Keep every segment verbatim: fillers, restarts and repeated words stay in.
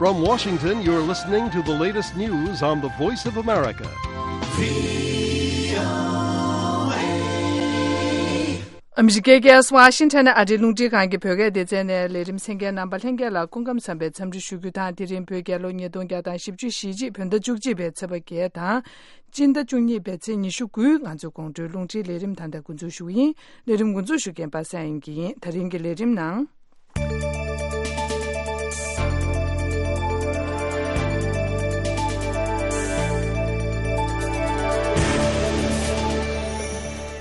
From Washington, you're listening to the latest news on the Voice of America. ཨ་མི་རི་ཀའི་རྒྱལ་ས་ཝ་ཤིང་ཊོན་ནས་ཨ་རིའི་རླུང་འཕྲིན་ཁང་གི་བོད་སྐད་སྡེ་ཚན་ནས་ལས་རིམ་གསན་མཁན་རྣམ་པ་ལྷན་རྒྱས་ལ་སྐུ་ཁམས་བཟང་པའི་འཚམས་འདྲི་ཞུ་རྒྱུ་དང་། དེ་རིང་བོད་རྒྱལ་ལོ་ཉིས་སྟོང་བརྒྱ་དང་བཞི་བཅུ་ཞེ་གཅིག་བོད་ཟླ་བཅུ་གཅིག་པའི་ཚེས་པ་བརྒྱད་དང་། སྤྱི་ཟླ་བཅུ་གཉིས་པའི་ཚེས་ཉི་ཤུ་དགུའི་ང་ཚོའི་དགོང་དྲོའི་རླུང་འཕྲིན་ལས་རིམ་ད་ལྟ་འགོ་འཛུགས་ཞུ་གི་ཡིན། ལས་རིམ་འགོ་འཛུགས་ཞུ་མཁན་པ་སངས་དབྱངས་སྐྱིད་ཡིན། ད་རིང་གི་ལས་རིམ་ནང་།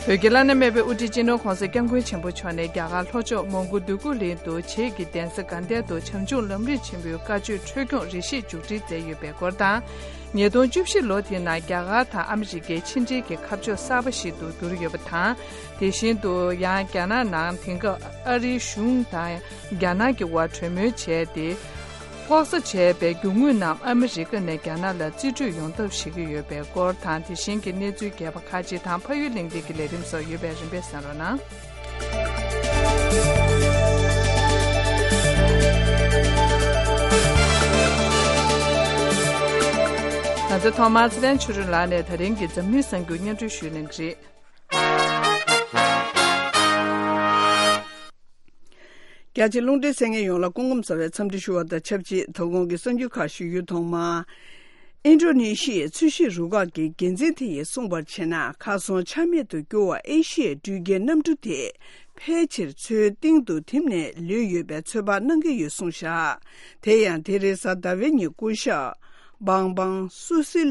བོད་ཀྱི་བླ་ན་མེད་པའི་དབུ་ཁྲིད་སྤྱི་ནོར་༸གོང་ས་༸སྐྱབས་མགོན་ཆེན་པོ་མཆོག་ནས་རྒྱ་གར་ལྷོ་ཕྱོགས་མོན་གྷོ་འདོད་རྒུ་གླིང་དུ་བྱེས་ཀྱི་གདན་ས་དགའ་ལྡན་དུ་བྱམས་སྐྱོང་ལམ་རིམ་ཆེན་མོའི་བཀའ་ཆོས་འཕྲོས་སྐྱོང་རེ་ཞིག་མཇུག་སྒྲིལ་མཛད་ཡོད་པའི་སྐོར་དང་། ཉིས་སྟོང་བཅུ་བཞི་ལོ་དེའི་ནང་རྒྱ་གར་དང་ཨ་མི་རི་ཀའི་ཕྱི་འབྲེལ་གྱི་ཁ་ཕྱོགས་གསར་པ་ཞིག་ཏུ་གྱུར་ཡོད་པ་དང་། དེ་བཞིན་དུ་ཡང་རྒྱ་ནག་ནང་དེང་སྐབས་ཨ་རིའི་གཞུང་དང་རྒྱ་ནག་གི་དབར་གྲོས་མོལ་བྱས་ཏེ། ལྐོག་ཟ་བྱས་པའི་རྒྱུ་དངོས་རྣམས་ཨ་མི་རི་ཀ་ནས་རྒྱ་ནག་ལ་རྩིས་སྤྲོད་ཡོང་ཐབས་བྱེད་ཀྱི་ཡོད་པའི་སྐོར་དང་། དེ་བཞིན་གྱི་གནས་ཚུལ་རྒྱས་པ་ཁག་ཅིག་དང་། ཕ་ཡུལ་གླེང་སྟེགས་ཀྱི་ལས་རིམ་སོགས་ཡོད་པས་རིམ་པས་གསན་རོགས་གནང་། ང་ཚོ་ཐོག་མར་ཚེ་བརྟན་ཆོས་སྒྲོན་ལགས་ནས་ད་རིང་གི་འཛམ་གླིང་གསར་འགྱུར་སྙན་སྒྲོན་ཞུ་གནང་གི་རེད། རྒྱ་ཆེ་རླུང་འཕྲིན་གསན་མཁན་ཡོངས་ལ་སྐུ་ཁམས་བཟང་བའི་འཚམས་འདྲི་ཞུ་བ་དང་ཆབས་ཅིག་དོ་དགོང་གི་གསར་འགྱུར་ཁག་ཞུ་རྒྱུ། ཐོག་མར། ཨིན་ཌོ་ནེ་ཤི་ཡའི་ཚོས་གཞིས་རུ་ཁག་གི་འགན་འཛིན་དེ་ཡིས་གསུངས་པར་བྱས་ན། གར་སོང་ཆ་མེད་དུ་གྱུར་བ་ཨེ་ཤི་ཡའི་འགྲུལ་སྐྱེལ་གནམ་གྲུ་དེ་ཕལ་ཆེར་མཚོའི་གཏིང་དུ་ཐིམ་ནས་ལུས་ཡོད་པའི་ཚོད་དཔག་གནང་གི་ཡོད་གསུངས་བཞག་དེ་ཡང་དེ་རིང་གཟའ་ཟླ་བའི་ཉིན་སྐུ་ཞབས་བང་བང་སུ་སི་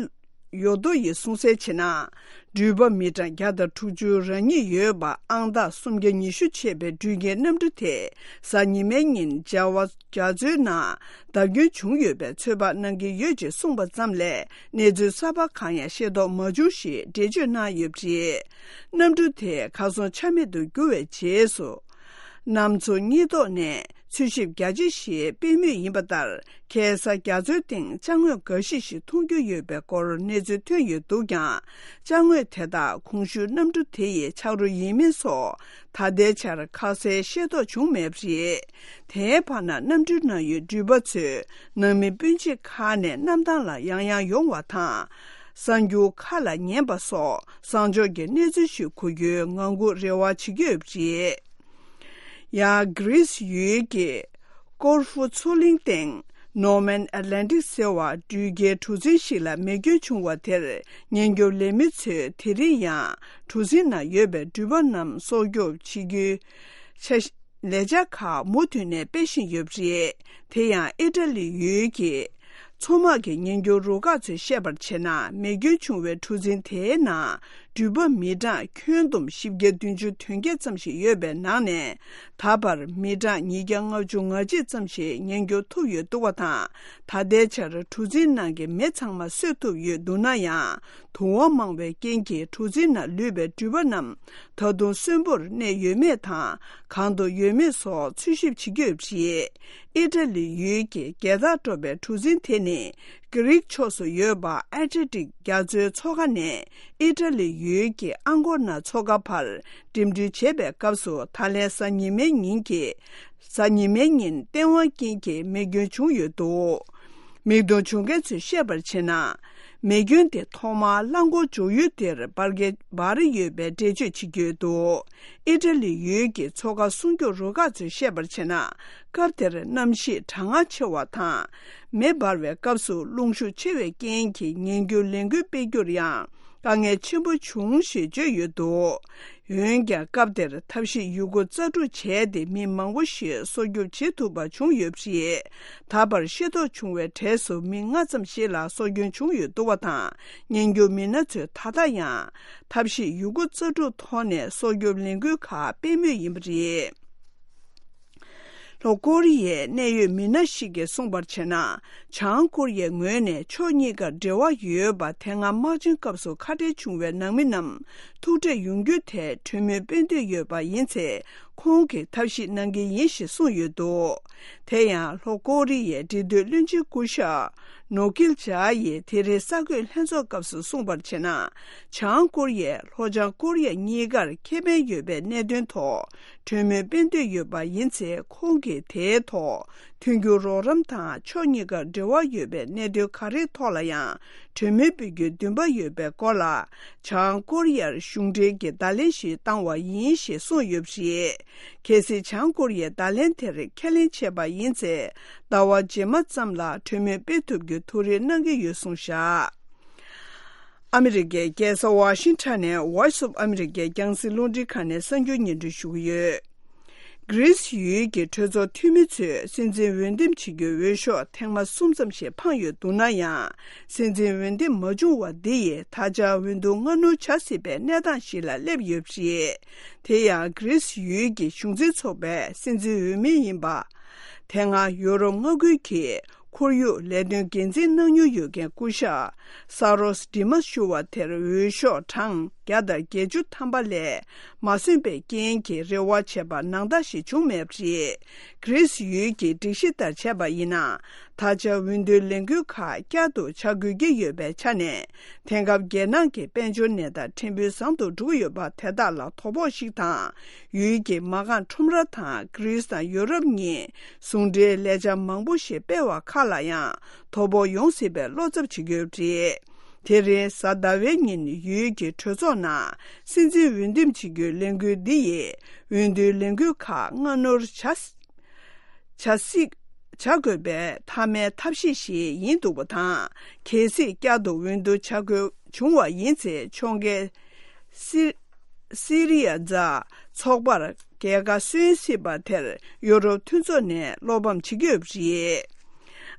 ཡོ་ཏོ་ཡིས་གསུངས་གསལ་བྱས་ན། འགྲུལ་པ་མི་གྲངས་བརྒྱ་དང་དྲུག་ཅུ་རེ་གཉིས་ཡོད་པ། ཨང་རྟགས་སུམ་བརྒྱ་ཉི་ཤུ་ཆད་པའི་འགྲུལ་སྐྱེལ་གནམ་གྲུ་དེ་གཟའ་ཉི་མའི་ཉིན་བྱ་བ་རྒྱ་མཚོའི་ནང་བརྡབ་སྐྱོན་བྱུང་ཡོད་པའི་ཚོད་དཔག་གནང་གི་ཡོད་ཅེས་གསུངས་པ་ཙམ་ལས། གནས་ཚུལ་གསར་པ་གང་ཡང་ཤེས་རྟོགས་མ་བྱུང་ཞེས་འགྲེལ་བརྗོད་གནང་ཡོད་པ་རེད། གནམ་གྲུ་དེ་གར་སོང་ཆ་མེད་དུ་གྱུར་བའི་རྗེས་སུ། གནམ་མཚོ་སྙི་ཐོག་ནས་འཚོལ་ཞིབ་རྒྱ་ཆེ་ཞིག་སྤེལ་མུས་ཡིན་པ་ལྟར། ཁ་སང་རྒྱ་མཚོའི་སྟེང་ཅ་དངོས་འགའ་ཞིག་ཞིག་མཐོང་རྒྱུ་ཡོད་པའི་སྐོར་གནས་ཚུལ་ཐོན་ཡོད་འདུག་ཀྱང་། ཅ་དངོས་དེ་དག་གོང་ཞུས་གནམ་གྲུ་དེ་ཡི་ཆག་རོ་ཡིན་མིན་སོགས་ད་ལྟའི་ཆར་ཁ་གསལ་ཤེས་རྟོགས་བྱུང་མེད་པ་རེད། དེའི་བར་ན་གནམ་གྲུའི་ནང་ཡོད་འགྲུལ་པ་ཚོས་ནང་མི་སྤུན་མཆེད་ཁག་ནས་གནམ་ཐང་ལ་ཡང་ཡང་ཡོང་བ་དང་། གསར་འགྱུར་ཁག་ལ་ཉན་པ་སོགས་གསང་ཕྱོགས་ཀྱི་གནས་ཚུལ་ཞིག་གོ་རྒྱུའི་ངང་སྒུག་རེ་བ་བྱེད་ཀྱི་ཡོད་པ་རེད། ཡང་གྷི་རིས་ཡུལ་གྱི་ཀོར་ཧྥུ་མཚོ་གླིང་སྟེང་ནོ་མན་ཨེ་ལན་ཊིག་ཟེར་བ་འགྲུལ་སྐྱེལ་གྲུ་གཟིངས་ཤིག་ལ་མེ་སྐྱོན་བྱུང་བ་དེར་ཉེན་སྐྱོབ་ལས་མི་ཚོས་དེ་རིང་ཡང་གྲུ་གཟིངས་ནང་ཡོད་པའི་འགྲུལ་པ་རྣམས་སྲོག་སྐྱོབ་བྱེད་རྒྱུའི་ཆ་ལས་འཆར་ཁག་མུ་མཐུད་ནས་སྤེལ་བཞིན་ཡོད་པ་རེད། དེ་ཡང་ཨི་ཊ་ལི་ཡུལ་གྱི་མཚོ་དམག་གི་ཉེན་སྐྱོབ་རུ་ཁག་ཚོས་བཤད་པར་བྱས་ན། མེ་སྐྱོན་བྱུང་བའི་གྲུ་གཟིངས་དེའི་ནང་འགྲུལ་པ་མི་གྲངས་ཁྱོན་བསྡོམས་བཞི་བརྒྱ་བདུན་ཅུ་དོན་བརྒྱད་ཙམ་ཞིག་ཡོད་པའི་ནང་ནས། ད་བར་མི་གྲངས་ཉིས་བརྒྱ་ལྔ་བཅུ་ང་གཅིག་ཙམ་ཞིག་ཉེན་སྐྱོབ་ཐུབ་ཡོད་འདུག་པ་དང་། ད་ལྟའི་ཆར་གྲུ་གཟིངས་ནང་གི་མེ་ཚང་མ་གསོད་ཐུབ་ཡོད་འདུག་ན་ཡང་། དུ་བ་མང་བའི་རྐྱེན་གྱིས་གྲུ་གཟིངས་ནང་ལུས་པའི་འགྲུལ་པ་རྣམས་ད་དུང་གསོན་པོར་གནས་ཡོད་མེད་དང་། གང་དུ་ཡོད་མེད་སོགས་འཚོལ་ཞིབ་བྱེད་ཀྱི་ཡོད་པ་རེད། ཨི་ཊ་ལི་ཡུལ་གྱི་རྒྱལ་ཐང་སྤྲོ་བའི་གྲུ་གཟིངས་དེ་ནི། གྷི་རིག་ཕྱོགས་སུ་ཡོད་པ་ཨེ་ཏྲི་ཏིག་རྒྱ་མཚོའི་མཚོ་ཁ་ནས་ཨི་ཊ་ལི་ཡུལ་གྱི་ཨང་གོ་ན་མཚོ་ཁ་བར་འགྲིམ་འགྲུལ་བྱེད་པའི་སྐབས་སུ། ད་ལན་གཟའ་ཉི་མའི་ཉིན་གྱི། གཟའ་ཉི་མའི་ཉིན་བདེན་དཔང་རྐྱེན་གྱིས་མེ་སྐྱོན་བྱུང་ཡོད་འདུག་མིག་མཐོང་བྱུང་མཁན་ཚོས་བཤད་པར་བྱས་ན། མེ་སྐྱོན་དེ་ཐོག་མར་རླངས་འཁོར་འཇོག་ཡུལ་དེར་འབར་གས་འབར་ཡོད་པའི་འགྲེལ་བརྗོད་བྱེད་ཀྱི་ཡོད་འདུག་ཨི་ཊ་ལི་ཡུལ་གྱི་མཚོ་ཁ་སྲུང་སྐྱོབ་རུ་ཁག་ཚོས་བཤད་པར་བྱས་ན། སྐབས་དེར་གནམ་གཤིས་གྲང་ངར་ཆེ་བ་དང་། མེ་འབར་བའི་སྐབས་སུ་རླུང་ཤུགས་ཆེ་བའི་རྐྱེན་གྱིས་ཉེན་སྐྱོབ་ལས་འགུལ་སྤེལ་རྒྱུར་ཡང་དཀའ་ངལ་ཆེན་པོ་བྱུང་ཞེས་བརྗོད་ཡོད་འདུག་འོན་ཀྱང་། སྐབས་དེར་ཐབས་ཤེས་ཡོད་རྒུ་རྩལ་སྤྲུགས་བྱས་ཏེ། མི་མང་པོ་ཞིག་སྲོག་སྐྱོབ་བྱེད་ཐུབ་པ་བྱུང་ཡོད་པ་རེད། ད་བར་ཤེས་རྟོགས་བྱུང་བའི་གྲས་སུ་མི་ལྔ་ཙམ་ཞིག་ལ་སྲོག་སྐྱོན་བྱུང་ཡོད་འདུག་པ་དང་། ཉེན་སྐྱོབ་མི་སྣ་ཚོས་ད་ལྟ་ཡང་ཐབས་ཤེས་ཡོད་རྒུ་རྩལ་སྤྲུགས་ཐོག་ནས་སྲོག་སྐྱོབ་ལས་འགུལ་ཁག་སྤེལ་མུས་ཡིན་པ་རེད། ལྷོ་ཀོ་རི་ཡའི་གནད་ཡོད་མི་སྣ་ཞིག་གིས་གསུངས་པར་བྱས་ན། བྱང་ཀོ་རི་ཡའི་ངོས་ནས་ཕྱོགས་གཉིས་ཀར་འབྲེལ་བ་ཡོད་པ། དེ་སྔ་དམག་ཆེན་སྐབས་སུ་ཁ་བྲལ་བྱུང་བའི་ནང་མི་རྣམས་ཐུག་འཕྲད་ཡོང་རྒྱུའི་ཐད་གྲོས་མོལ་སྤེལ་འདོད་ཡོད་པ་ཡིན་ཚེ། ཁོང་གིས་ཐབས་ཤེས་གནང་གི་ཡིན་ཞེས་གསུངས་ཡོད་འདུག་དེ་ཡང་ལྷོ་ཀོ་རི་ཡའི་འབྲེལ་མཐུད་བློན་ཆེན་སྐུ་ཞབས་ནོ་ཀིལ་ཇཱ་ཡིས་དེ་རིང་གསར་འགོད་ལྷན་ཚོགས་སྐབས་སུ་གསུངས་པར་བྱས་ན། བྱང་ཀོ་རི་ཡས་ལྷོ་བྱང་ཀོ་རི་ཡ་གཉིས་ཀར་ཁེ་ཕན་ཡོད་པའི་གནད་དོན་ཐོག་གྲོས་མོལ་སྤེལ་འདོད་ཡོད་པ་ཡིན་ཚེ། ཁོང་གིས་དེའི་ཐོག་མཐུན་འགྱུར་རོགས་རམ་དང་ཕྱོགས་གཉིས་ཀར་འབྲེལ་བ་ཡོད་པའི་གནད་དོན་ག་རེའི་ཐོག་ལ་ཡང་གྲོས་མོལ་སྤེལ་རྒྱུའི་འདུན་པ་ཡོད་པའི་སྐོར་ལ། བྱང་ཀོ་རི་ཡར་གཞུང་འབྲེལ་གྱི་བརྡ་ལན་ཞིག་བཏང་བ་ཡིན་ཞེས་གསུངས་ཡོད་པ་རེད། གལ་སྲིད་བྱང་ཀོ་རི་ཡས་བརྡ་ལན་དེར་ཁས་ལེན་བྱས་པ་ཡིན་ཚེ། ཟླ་བ་རྗེས་མ་ཙམ་ལ་གྲོས་མོལ་སྤེལ་ཐུབ་རྒྱུའི་ཐུགས་རེ་གནང་གི་ཡོད་གསུངས་བཞག་ཨ་མི་རི་ཀའི་རྒྱལ་ས་ཝ་ཤིང་ཊོན་ནས་Voice of America རྒྱང་སྲིང་རླུང་འཕྲིན་ཁང་ནས་གསར་འགྱུར་སྙན་སྒྲོན་ཞུ་གི་ཡོད། གྷི་རིས་ཡུལ་གྱི་གྲོས་ཚོགས་འཐུས་མི་ཚོས་སྲིད་འཛིན་འོས་འདེམས་བྱེད་རྒྱུའི་འོས་ཤོག་ཐེངས་མ་གསུམ་ཙམ་ཞིག་འཕངས་ཡོད་འདུག་ན་ཡང་། སྲིད་འཛིན་འོས་འདེམས་མ་བྱུང་བ་འདི་ཡིས་ད་ཆ་འོས་བསྡུ་སྔ་སྣུར་བྱ་སྲིད་པའི་གནས་སྟངས་ཤིག་ལ་སླེབས་ཡོད་པ་རེད། དེ་ཡང་གྷི་རིས་ཡུལ་གྱི་གཞུང་འཛིན་ཚོགས་པའི་སྲིད་འཛིན་འོས་མི་ཡིན་པ། དེ་སྔ་ཡོ་རོབ་མངའ་ཁུལ་གྱི་ཁོར་ཡུག་ལས་དོན་འགན་འཛིན་གནང་མྱོང་ཡོད་མཁན་སྐུ་ཞབས་ས་རོས་ཌི་མ་ཞུ་བ་དེར་འོས་ཤོག་གྲངས་བརྒྱ་དང་བརྒྱད་ཅུ་ཐམ་པ་ལས་མ་སོན་པའི་རྐྱེན་གྱིས་རེ་བ་བྱས་པ་ནང་ལྟར་ཞིག་བྱུང་མེད་པ་རེད། གྷི་རིས་ཡུལ་གྱི་སྒྲིག་གཞི་ལྟར་བྱས་པ་ཡིན་ན། ད་ཆ་འོས་བསྡུའི་ལས་འགུལ་ཁག་བསྐྱར་དུ་བྱ་དགོས་ཀྱི་ཡོད་པའི་ཆ་ནས། དེང་སྐབས་རྒྱལ་ནང་གི་དཔལ་འབྱོར་གནས་སྟངས་ཕྲན་བུ་བཟང་དུ་འགྲོ་གི་ཡོད་པ་དེ་དག་ལ་དོ་ཕོག་ཞིག་དང་། ཡུལ་གྱི་མ་རྐང་ཁྲོམ་ར་དང་གྷི་རིས་དང་ཡོ་རོབ་གཉིས་ཟུང་འབྲེལ་ལས་འཆར་མང་པོ་ཞིག་སྤེལ་བ་ཁག་ལ་ཡང་དོ་ཕོག་ཡོང་སྲིད་པའི་བློ་འཚབ་བྱེད་ཀྱི་ཡོད་པ་རེད། དེ་རིང་གཟའ་ཟླ་བའི་ཉིན་ཡུལ་གྱི་གྲོས་ཚོགས་ནང་སྲིད་འཛིན་འོས་འདེམས་བྱེད་རྒྱུའི་ལས་འགུལ་འདི་ཡིས་འོས་བསྡུའི་ལས་འགུལ་ཁག་སྔ་སྣུར་བྱ། བྱ་སྲིད། བྱ་དགོས་པའི་མཐའ་མའི་ཐབས་ཤེས་ཤིག་ཡིན་འདུག་པ་དང་། གལ་སྲིད་བསྐྱར་དུ་འོས་བསྡུ་བྱ་དགོས་བྱུང་བ་ཡིན་ཚེ། ཕྱོགས་འགལ་སི་སི་རི་ཡ་ཛ་ཚོགས་པར་རྒྱལ་ཁ་སོན་སྲིད་པ་དེར་ཡོ་རོབ་མཐུན་ཚོགས་ནས་བློ་ཕམ་བྱེད་ཀྱི་ཡོད་པ་རེད།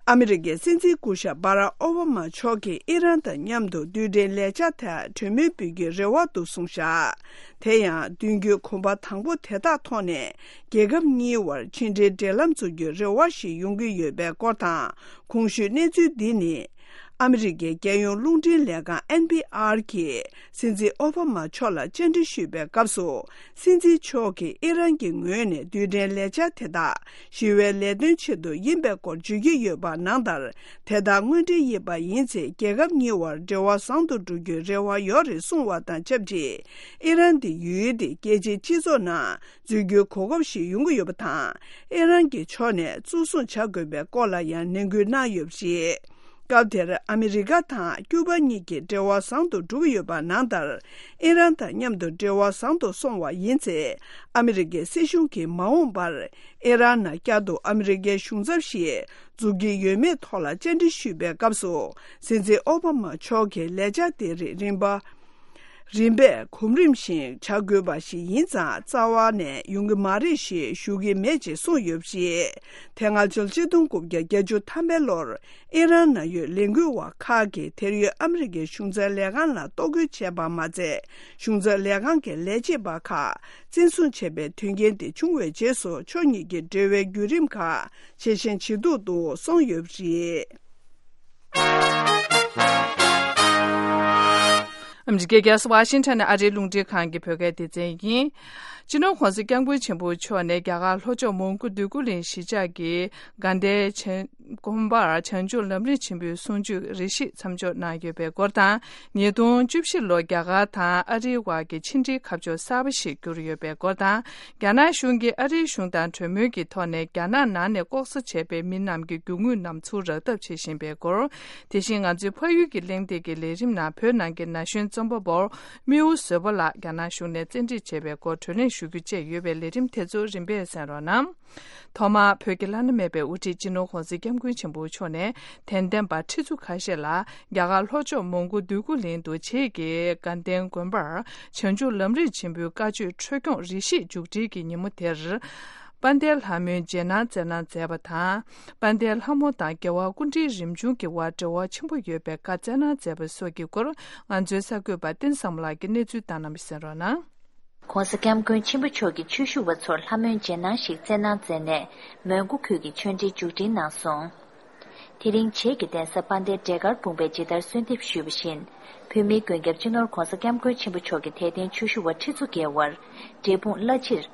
ཨ་མི་རི་ཀའི་སྲིད་འཛིན་སྐུ་ཞབས་སྦ་རག་ཨོ་བྷ་མ་མཆོག་གིས་ཨི་རན་དང་མཉམ་དུ་རྡུལ་ཕྲན་ལས་འཆར་ཐད་གྲོས་མོལ་སྤེལ་རྒྱུའི་རེ་བ་འདུག་གསུངས་བཞག་དེ་ཡང་མདུན་སྐྱོད་གོམ་པ་དང་པོ་དེ་དག་ཐོག་ནས། རྒྱལ་ཁབ་གཉིས་བར་ཕྱི་འབྲེལ་འབྲེལ་ལམ་འཛུགས་རྒྱུའི་རེ་བ་ཞིག་ཡོང་གི་ཡོད་པའི་སྐོར་དང་། གོང་ཞུས་གནས་ཚུལ་འདི་ནི། ཨ་མི་རི་ཀའི་རྒྱལ་ཡོངས་རླུང་འཕྲིན་ལས་ཁང་ཨེན་པི་ཨར་གྱིས་སྲིད་འཛིན་ཨོ་བྷ་མ་མཆོག་ལ་བཅར་འདྲི་ཞུས་པའི་སྐབས་སུ། སྲིད་འཛིན་མཆོག་གིས་ཨི་རན་གྱི་ངོས་ནས་རྡུལ་ཕྲན་ལས་འཆར་དེ་དག་ཞི་བའི་ལས་དོན་ཆེད་དུ་ཡིན་པའི་སྐོར་བརྗོད་ཀྱི་ཡོད་པ་ནང་ལྟར། དེ་དག་དངོས་འབྲེལ་ཡིན་པ་ཡིན་ཚེ། རྒྱལ་ཁབ་གཉིས་བར་འབྲེལ་བ་བཟང་དུ་འགྲོ་རྒྱུའི་རེ་བ་ཡོད་རེད་གསུངས་བ་དང་ཆབས་ཅིག་ཨི་རན་དེ་ཡུལ་དེའི་རྒྱལ་སྤྱིའི་སྤྱི་ཚོགས་ནང་འཛུལ་རྒྱུའི་གོ་སྐབས་ཤིག་ཡོང་གི་ཡོད་པ་དང་། ཨི་རན་གྱི་ཕྱོགས་ནས་གཙོ་བཟུང་བྱ་དགོས་པའི་སྐོར་ལ་ཡང་ནན་སྐུལ་གནང་ཡོད་པ་རེད། སྐབས་དེར་ཨ་མི་རི་ཀ་དང་ཀྱུ་པ་གཉིས་ཀྱི་འབྲེལ་བ་བཟང་དུ་འགྲོ་གི་ཡོད་པ་ནང་ལྟར། ཨི་རན་དང་མཉམ་དུ་འབྲེལ་བ་བཟང་དུ་སོང་བ་ཡིན་ཚེ། ཨ་མི་རི་ཀའི་སྲིད་གཞུང་གིས་མ་འོངས་པར་ཨི་རན་ནང་བསྐྱར་དུ་ཨ་མི་རི་ཀའི་གཞུང་ཚབ་ཞིག་འཛུགས་ཀྱི་ཡོད་མེད་ཐོག་ལ་བཅར་འདྲི་ཞུས་པའི་སྐབས་སུ། སྲིད་འཛིན་ཨོ་བྷ་མ་མཆོག་གིས་ལས་འཆར་དེ་རིགས་རིམ་པ། རིམ་པས་གོམ་རིམ་བཞིན་བྱ་དགོས་པ་ཞིག་ཡིན་ཙང་། རྩ་བ་ནས་ཡོང་གི་མ་རེད་ཞེས་ཞུ་གི་མེད་ཅེས་གསུངས་ཡོད་པ་རེད། དེ་སྔ་ཕྱི་ལོ་ཆིག་སྟོང་དགུ་བརྒྱ་བརྒྱད་ཅུ་ཐམ་པའི་ལོར། ཨི་རན་ནང་ཡོད་ལས་འགུལ་བ་ཁག་གིས་དེར་ཡོད་ཨ་མི་རི་ཀའི་གཞུང་ཚབ་ལས་ཁང་ལ་གཏོར་རྒོལ་བྱས་པ་མ་ཚད། གཞུང་ཚབ་ལས་ཁང་གི་ལས་བྱེད་པ་ཁག་བཙན་བཟུང་བྱས་པའི་དོན་རྐྱེན་དེ་བྱུང་བའི་རྗེས་སུ། ཕྱོགས་གཉིས་ཀྱི་འབྲེལ་བའི་བརྒྱུད་རིམ་ཁག་ཇེ་ཞན་ཇེ་སྡུག་ཏུ་སོང་ཡོད་པ་རེད། ཨ་མི་རི་ཀའི་རྒྱལ་ས་ཝ་ཤིང་ཊོན་ནས་ཨ་རིའི་རླུང་འཕྲིན་ཁང་གི་བོད་སྐད་སྡེ་ཚན་ཡིན། སྤྱི་ནོར་༧གོང་ས་༧སྐྱབས་མགོན་ཆེན་པོ་མཆོག་ནས་རྒྱ་གར་ལྷོ་ཕྱོགས་མོན་གྷོ་འདོད་རྒུ་གླིང་གཞིས་ཆགས་ཀྱི་དགའ་ལྡན་བྱང་དགོན་པར་བྱང་ཆུབ་ལམ་རིམ་ཆེན་པོའི་གསུང་ཆོས་རེ་ཞིག་མཚམས་འཇོག་གནང་ཡོད་པའི་སྐོར་དང་། ཉིས་སྟོང་བཅུ་བཞི་ལོར་རྒྱ་གར་དང་ཨ་རིའི་དབར་གྱི་ཕྱི་འབྲེལ་ཁ་ཕྱོགས་གསར་པ་ཞིག་བསྒྱུར་ཡོད་པའི་སྐོར་དང་། རྒྱ་ནག་གཞུང་གིས་ཨ་རིའི་གཞུང་དང་གྲོས་མོལ་གྱི་ཐོག་ནས་རྒྱ་ནག་ནང་ནས་ལྐོག་ཟ་བྱས་པའི་མི་རྣམས་ཀྱི་རྒྱུ་དངོས་རྣམས་ཚུར་རག་ཐབས་བྱེད་བཞིན་པའི་སྐོར། དེ་བཞིན་ང་ཚོའི་ཕ་ཡུལ་གྱི་གླེང་སྟེགས་ཀྱི་ལས་རིམ་ནང་བོད་ནང་གི་ན་གཞོན་རྩོམ་པ་པོ་རྨེའུ་བཟོད་པ་ལགས་རྒྱ་ནག་གཞུང་ནས་བཙན་ཁྲིད་བྱས་པའི་སྐོར་བགྲོ་གླེང་ཞུ་རྒྱུ་བཅས་ཡོད་པའི་ལས་རིམ་དེ་ཚོ་རིམ་པས་གསན་རོགས་གནང་། ཐོག་མར་བོད་ཀྱི་བླ་ན་མེད་པའི་དབུ་ཁྲིད་སྤྱི་ནོར་༧གོང་ས་༧སྐྱབས་མགོན་ཆེན་པོ་མཆོག་ནས་དད་ལྡན་པ་ཁྲི་ཚོ་ཁ་ཤས་ལ་རྒྱ་གར་ལྷོ་ཕྱོགས་མོན་གྷོ་འདོད་རྒུ་གླིང་དུ་བྱེས་ཀྱི་དགའ་ལྡན་དགོན་པར་བྱང་ཆུབ་ལམ་རིམ་ཆེན་པོའི་བཀའ་ཆོས་འཕྲོ་སྐྱོང་རེ་ཞིག་མཇུག་སྒྲིལ་གྱི་ཉིན་མོ་དེར། དཔལ་ལྡན་ལྷ་མོའི་རྗེས་གནང་སྩལ་གནང་མཛད་པ་དང་། དཔལ་ལྡན་ལྷ་མོ་དང་རྒྱལ་བ་སྐུ་ཕྲེང་རིམ་བྱོན་གྱི་དབར་འབྲེལ་བ་ཆེན་པོ་ཡོད་པའི་བཀའ་སྩལ་གནང་མཛད་པ་སོགས་ཀྱི་སྐོར་ང་ཚོའི་གསར་འགོད་པ་བསྟན་བཟང་མོ་ལགས་ཀྱིས་གནས་ཚུལ་བཏང་གནང་བ་གསན་རོགས་གནང་། ༸གོང་ས་༸སྐྱབས་མགོན་ཆེན་པོ་མཆོག་གིས་ཆོས་ཞུ་བ་ཚོར་ལྷ་མོའི་རྗེས་གནང་ཞིག་སྩལ་གནང་མཛད་ནས། མོན་གྷོ་ཁུལ་གྱི་ཆོས་འབྲེལ་མཇུག་སྒྲིལ་གནང་སོང་། དེ་རིང་བྱེས་ཀྱི་གདན་ས་དཔལ་ལྡན་འབྲས་དཀར་སྤུངས་པས་ཇི་ལྟར་གསོལ་འདེབས་ཞུས་པ་བཞིན། བོད་མིའི་མགོན་སྐྱབས་སྤྱི་ནོར་༸གོང་ས་༸སྐྱབས་མགོན་ཆེན་པོ་མཆོག་གི་དད་ལྡན་ཆོས་ཞུ་བ་ཁྲི་ཚོ་བརྒལ་བར། འབྲས་སྤུངས་བླ་སྤྱིར།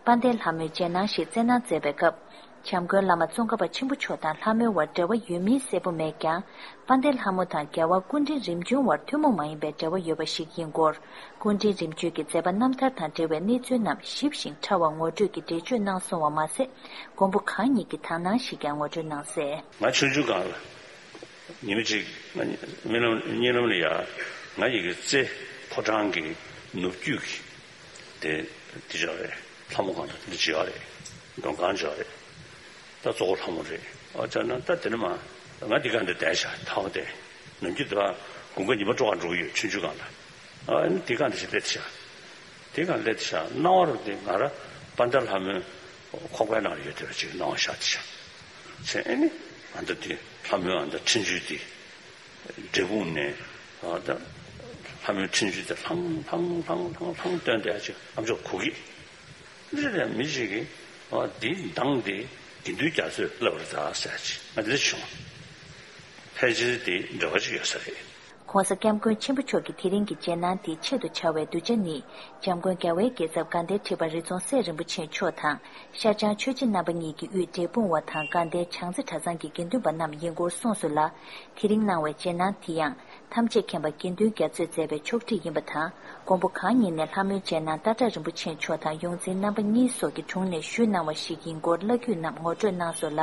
དཔལ་ལྡན་ལྷ་མོའི་རྗེས་གནང་ཞིག་བསྩལ་གནང་མཛད་པའི་སྐབས། བྱམས་མགོན་བླ་མ་ཙོང་ཁ་པ་ཆེན་པོ་མཆོག་དང་ལྷ་མོའི་བར་འབྲེལ་བ་ཡོད་མིན་གསལ་པོ་མེད་ཀྱང་། དཔལ་ལྡན་ལྷ་མོ་དང་རྒྱལ་བ་སྐུ་ཕྲེང་རིམ་བྱོན་བར་ཐུན་མོང་མ་ཡིན་པའི་འབྲེལ་བ་ཡོད་པ་ཞིག་ཡིན་སྐོར། སྐུ་ཕྲེང་རིམ་བྱོན་གྱི་མཛད་པ་རྣམ་ཐར་དང་འབྲེལ་བའི་གནས་ཚུལ་རྣམས་ཞིབ་ཞིང་ཕྲ་བ་ངོ་སྤྲོད་ཀྱིས་འགྲེལ་བརྗོད་གནང་སོང་བ་མ་ཟད། མགོན་པོ་གང་ཉིད་ཀྱི་དག་སྣང་ཞིག་ཀྱང་ངོ་སྤྲོད་གནང་གསལ། ང་ཆུང་ཆུང་སྒང་ལ། ཉི་མ་གཅིག་ང་རྨི་ལམ་གཉིད་ལམ་ལ་ཡ། ང་ཡི་གེ་རྩེ་ཕོ་བྲང་གི་ནུབ་རྒྱུད་ཀྱི་དེ་དེ་ཅག་རེད། ལྷ་མོ་གང་དང་དེ་འདྲ་ཅིག་ཡོད་རེད། མགྲོན་ཁང་ཅིག་ཡོད་རེད། ད་གཙོ་བོ་ལྷ་མོ་རེད། ཨ་ཅག་ན་ད་དེ་ནི་མ་ང་འདི་ག་འདི་བསྡད་ཤག་ཐའོ་དེ་ནམ་རྒྱུན་དུ་དགུན་ཁ་ཉི་མ་དྲོ་ག་འགྲོ་གི་ཡོད། ཆུང་ཆུང་སྒང་ལ། ཨ་ནི་འདི་ག་འདི་ཞིག་སླེབས་ཤག་དེ་ག་སླེབས་ཤག་སྣང་བ་རུ་དེ་ང་ར་དཔལ་ལྡན་ལྷ་མོའི་ཁོག་པའི་ནང་ལ་ཡོད་དེ་བ་ཅིག་སྣང་བ་ཤར་དེ་ཤག་ཚེ་ཨེ་ནི་ཨ་མདའ་དེ་ལྷ་མོའི་ཨ་མདའ་འཕྲིན་བཅོལ་དེ་འབྲས་སྤུངས་ནས་ཨ་ད་ལྷ་མོའི་འཕྲིན་བཅོལ་དེ་ལྷང་ལྷང་ལྷང་ལྷང་ལྷང་བཏོན་དེ་ཨ་ཅིག་ཨ་མཆོག་གོ་གི་འདི་རེད། མི་ཞིག་གིས་ཨ་དེ་མདངས་དེ་དགེ་འདུན་རྒྱ་མཚོས་བསླབ་པར་གདའ་ཟེར་ཅིག་ང་འདི་བྱུང་། ཕལ་ཆེར་དེ་འབྲེལ་བ་ཅིག་ཡོད་ས་རེད། ༸གོང་ས་༸སྐྱབས་མགོན་ཆེན་པོ་མཆོག་གི་དེ་རིང་གི་རྗེས་གནང་དེའི་ཆེད་དུ་བྱ་བའི་གདུལ་བྱ་ནི། འཇམ་མགོན་རྒྱལ་བའི་རྒྱལ་ཚབ་དགའ་ལྡན་ཁྲི་པ་རི་རྫོང་སྲས་རིན་པོ་ཆེ་མཆོག་དང་། ཤར་བྱང་ཆོས་རྗེ་རྣམ་པ་གཉིས་ཀྱི་དབུས་འབྲས་སྤུངས་བ་དང་དགའ་ལྡན་བྱང་རྩེ་གྲྭ་ཚང་གི་དགེ་འདུན་པ་རྣམས་ཡིན་སྐོར་གསུངས་སོང་ལ། དེ་རིང་གནང་བའི་རྗེས་གནང་དེ་ཡང་། ཐམས་ཅད་མཁྱེན་པ་དགེ་འདུན་རྒྱ་མཚོས་མཛད་པའི་ཕྱོགས་སྒྲིག་ཡིན་པ་དང་། མགོན་པོ་གང་ཉིད་ནས་ལྷ་མོའི་རྗེས་གནང་སྟག་བྲག་རིན་པོ་ཆེ་མཆོག་དང་ཡོངས་འཛིན་རྣམ་པ་གཉིས་སོགས་ཀྱི་དྲུང་ནས་ཞུས་གནང་བ་ཞིག་ཡིན་སྐོར་བླ་བརྒྱུད་རྣམས་ངོ་སྤྲོད་གནང་སོང་ལ།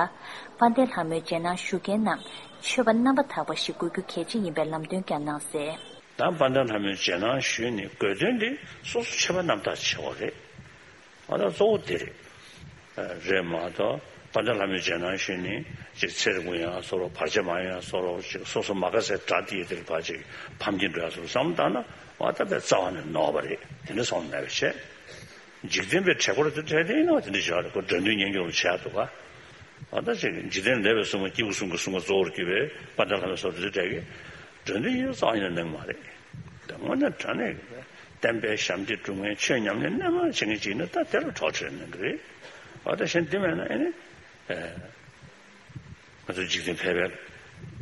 དཔལ་ལྡན་ལྷ་མོའི་རྗེས་གནང་ཞུ་མཁན་རྣམས། ཆོས་པ་རྣམ་པ་དག་པ་ཞིག་དགོས་རྒྱུ་གལ་ཆེ་ཡིན་པའི་ལམ་སྟོན་ཀྱང་གནང་གསལ། ད་དཔལ་ལྡན་ལྷ་མོའི་རྗེས་གནང་ཞུས་ནས་དགོས་དོན་དེ་སོ་སོ་ཆོས་པ་རྣམ་དག་བྱེད་དགོས་རེད། ང་ད་གཙོ་བོ་དེ་རེད། རེད་མ་གཏོགས་དཔལ་ལྡན་ལྷ་མོའི་རྗེས་གནང་ཞུས་ནས་ཅིག་ཚེ་རིང་པོ་ཡང་བཟོ་རོགས། བར་ཆད་མ་ཡོང་ཡང་བཟོ་རོགས། ཅིག་སོ་སོ་མ་དགའ་སའི་དགྲ་དེ་ཡི་དེར་ཕར་ཅིག་ཕམ་གྱིན་འགྲོ་ཡ་བཟོ་རོགས་བསམ་བཏང་ན་ང་ད་དཔེ་རྩ་བ་ནས་ནོར་བ་རེད། དེ་འདྲ་སོང་མེད་པ་བྱས། འཇིག་རྟེན་པའི་བྲེལ་འཁོར་དེ་འཕྲད་དེ་ཡིན་ན་དེ་འདྲ་བྱས་རེད། ཁོ་དགྲ་འདུལ་གཉེན་སྐྱོང་ལ་བྱས་འདུག་ག་ཨ་ད་ཅིག་འཇིག་རྟེན་ལས་པའི་སྲུང་མ་སྐྱེས་བུ་གསུམ་གྱི་སྲུང་མ་གཙོ་བོར་གྱུར་པའི་དཔལ་ལྡན་ལྷ་མོའི་སོགས་དེ་འདྲ་གི་དགྲ་འདུལ་ཡིན་རྩ་བ་ནས་གནང་མ་རེད། དངོས་གནས་དྲང་གནས་བསྟན་པའི་ཞབས་འདེགས་སྒྲུབ་མཁན་ཆོས་ཉམས་ལེན་རྣལ་མ་བྱེད་མཁན་ཅིག་ཡིན་ན་ད་དེ་ལ་གྲོགས་བྱེད་གནང་གི་རེད། ཨ་ད་གཞན་འདི་མེད་ན་ཨེ་ནི། ང་ཚོ་འཇིག་རྟེན་ཕལ་པའི་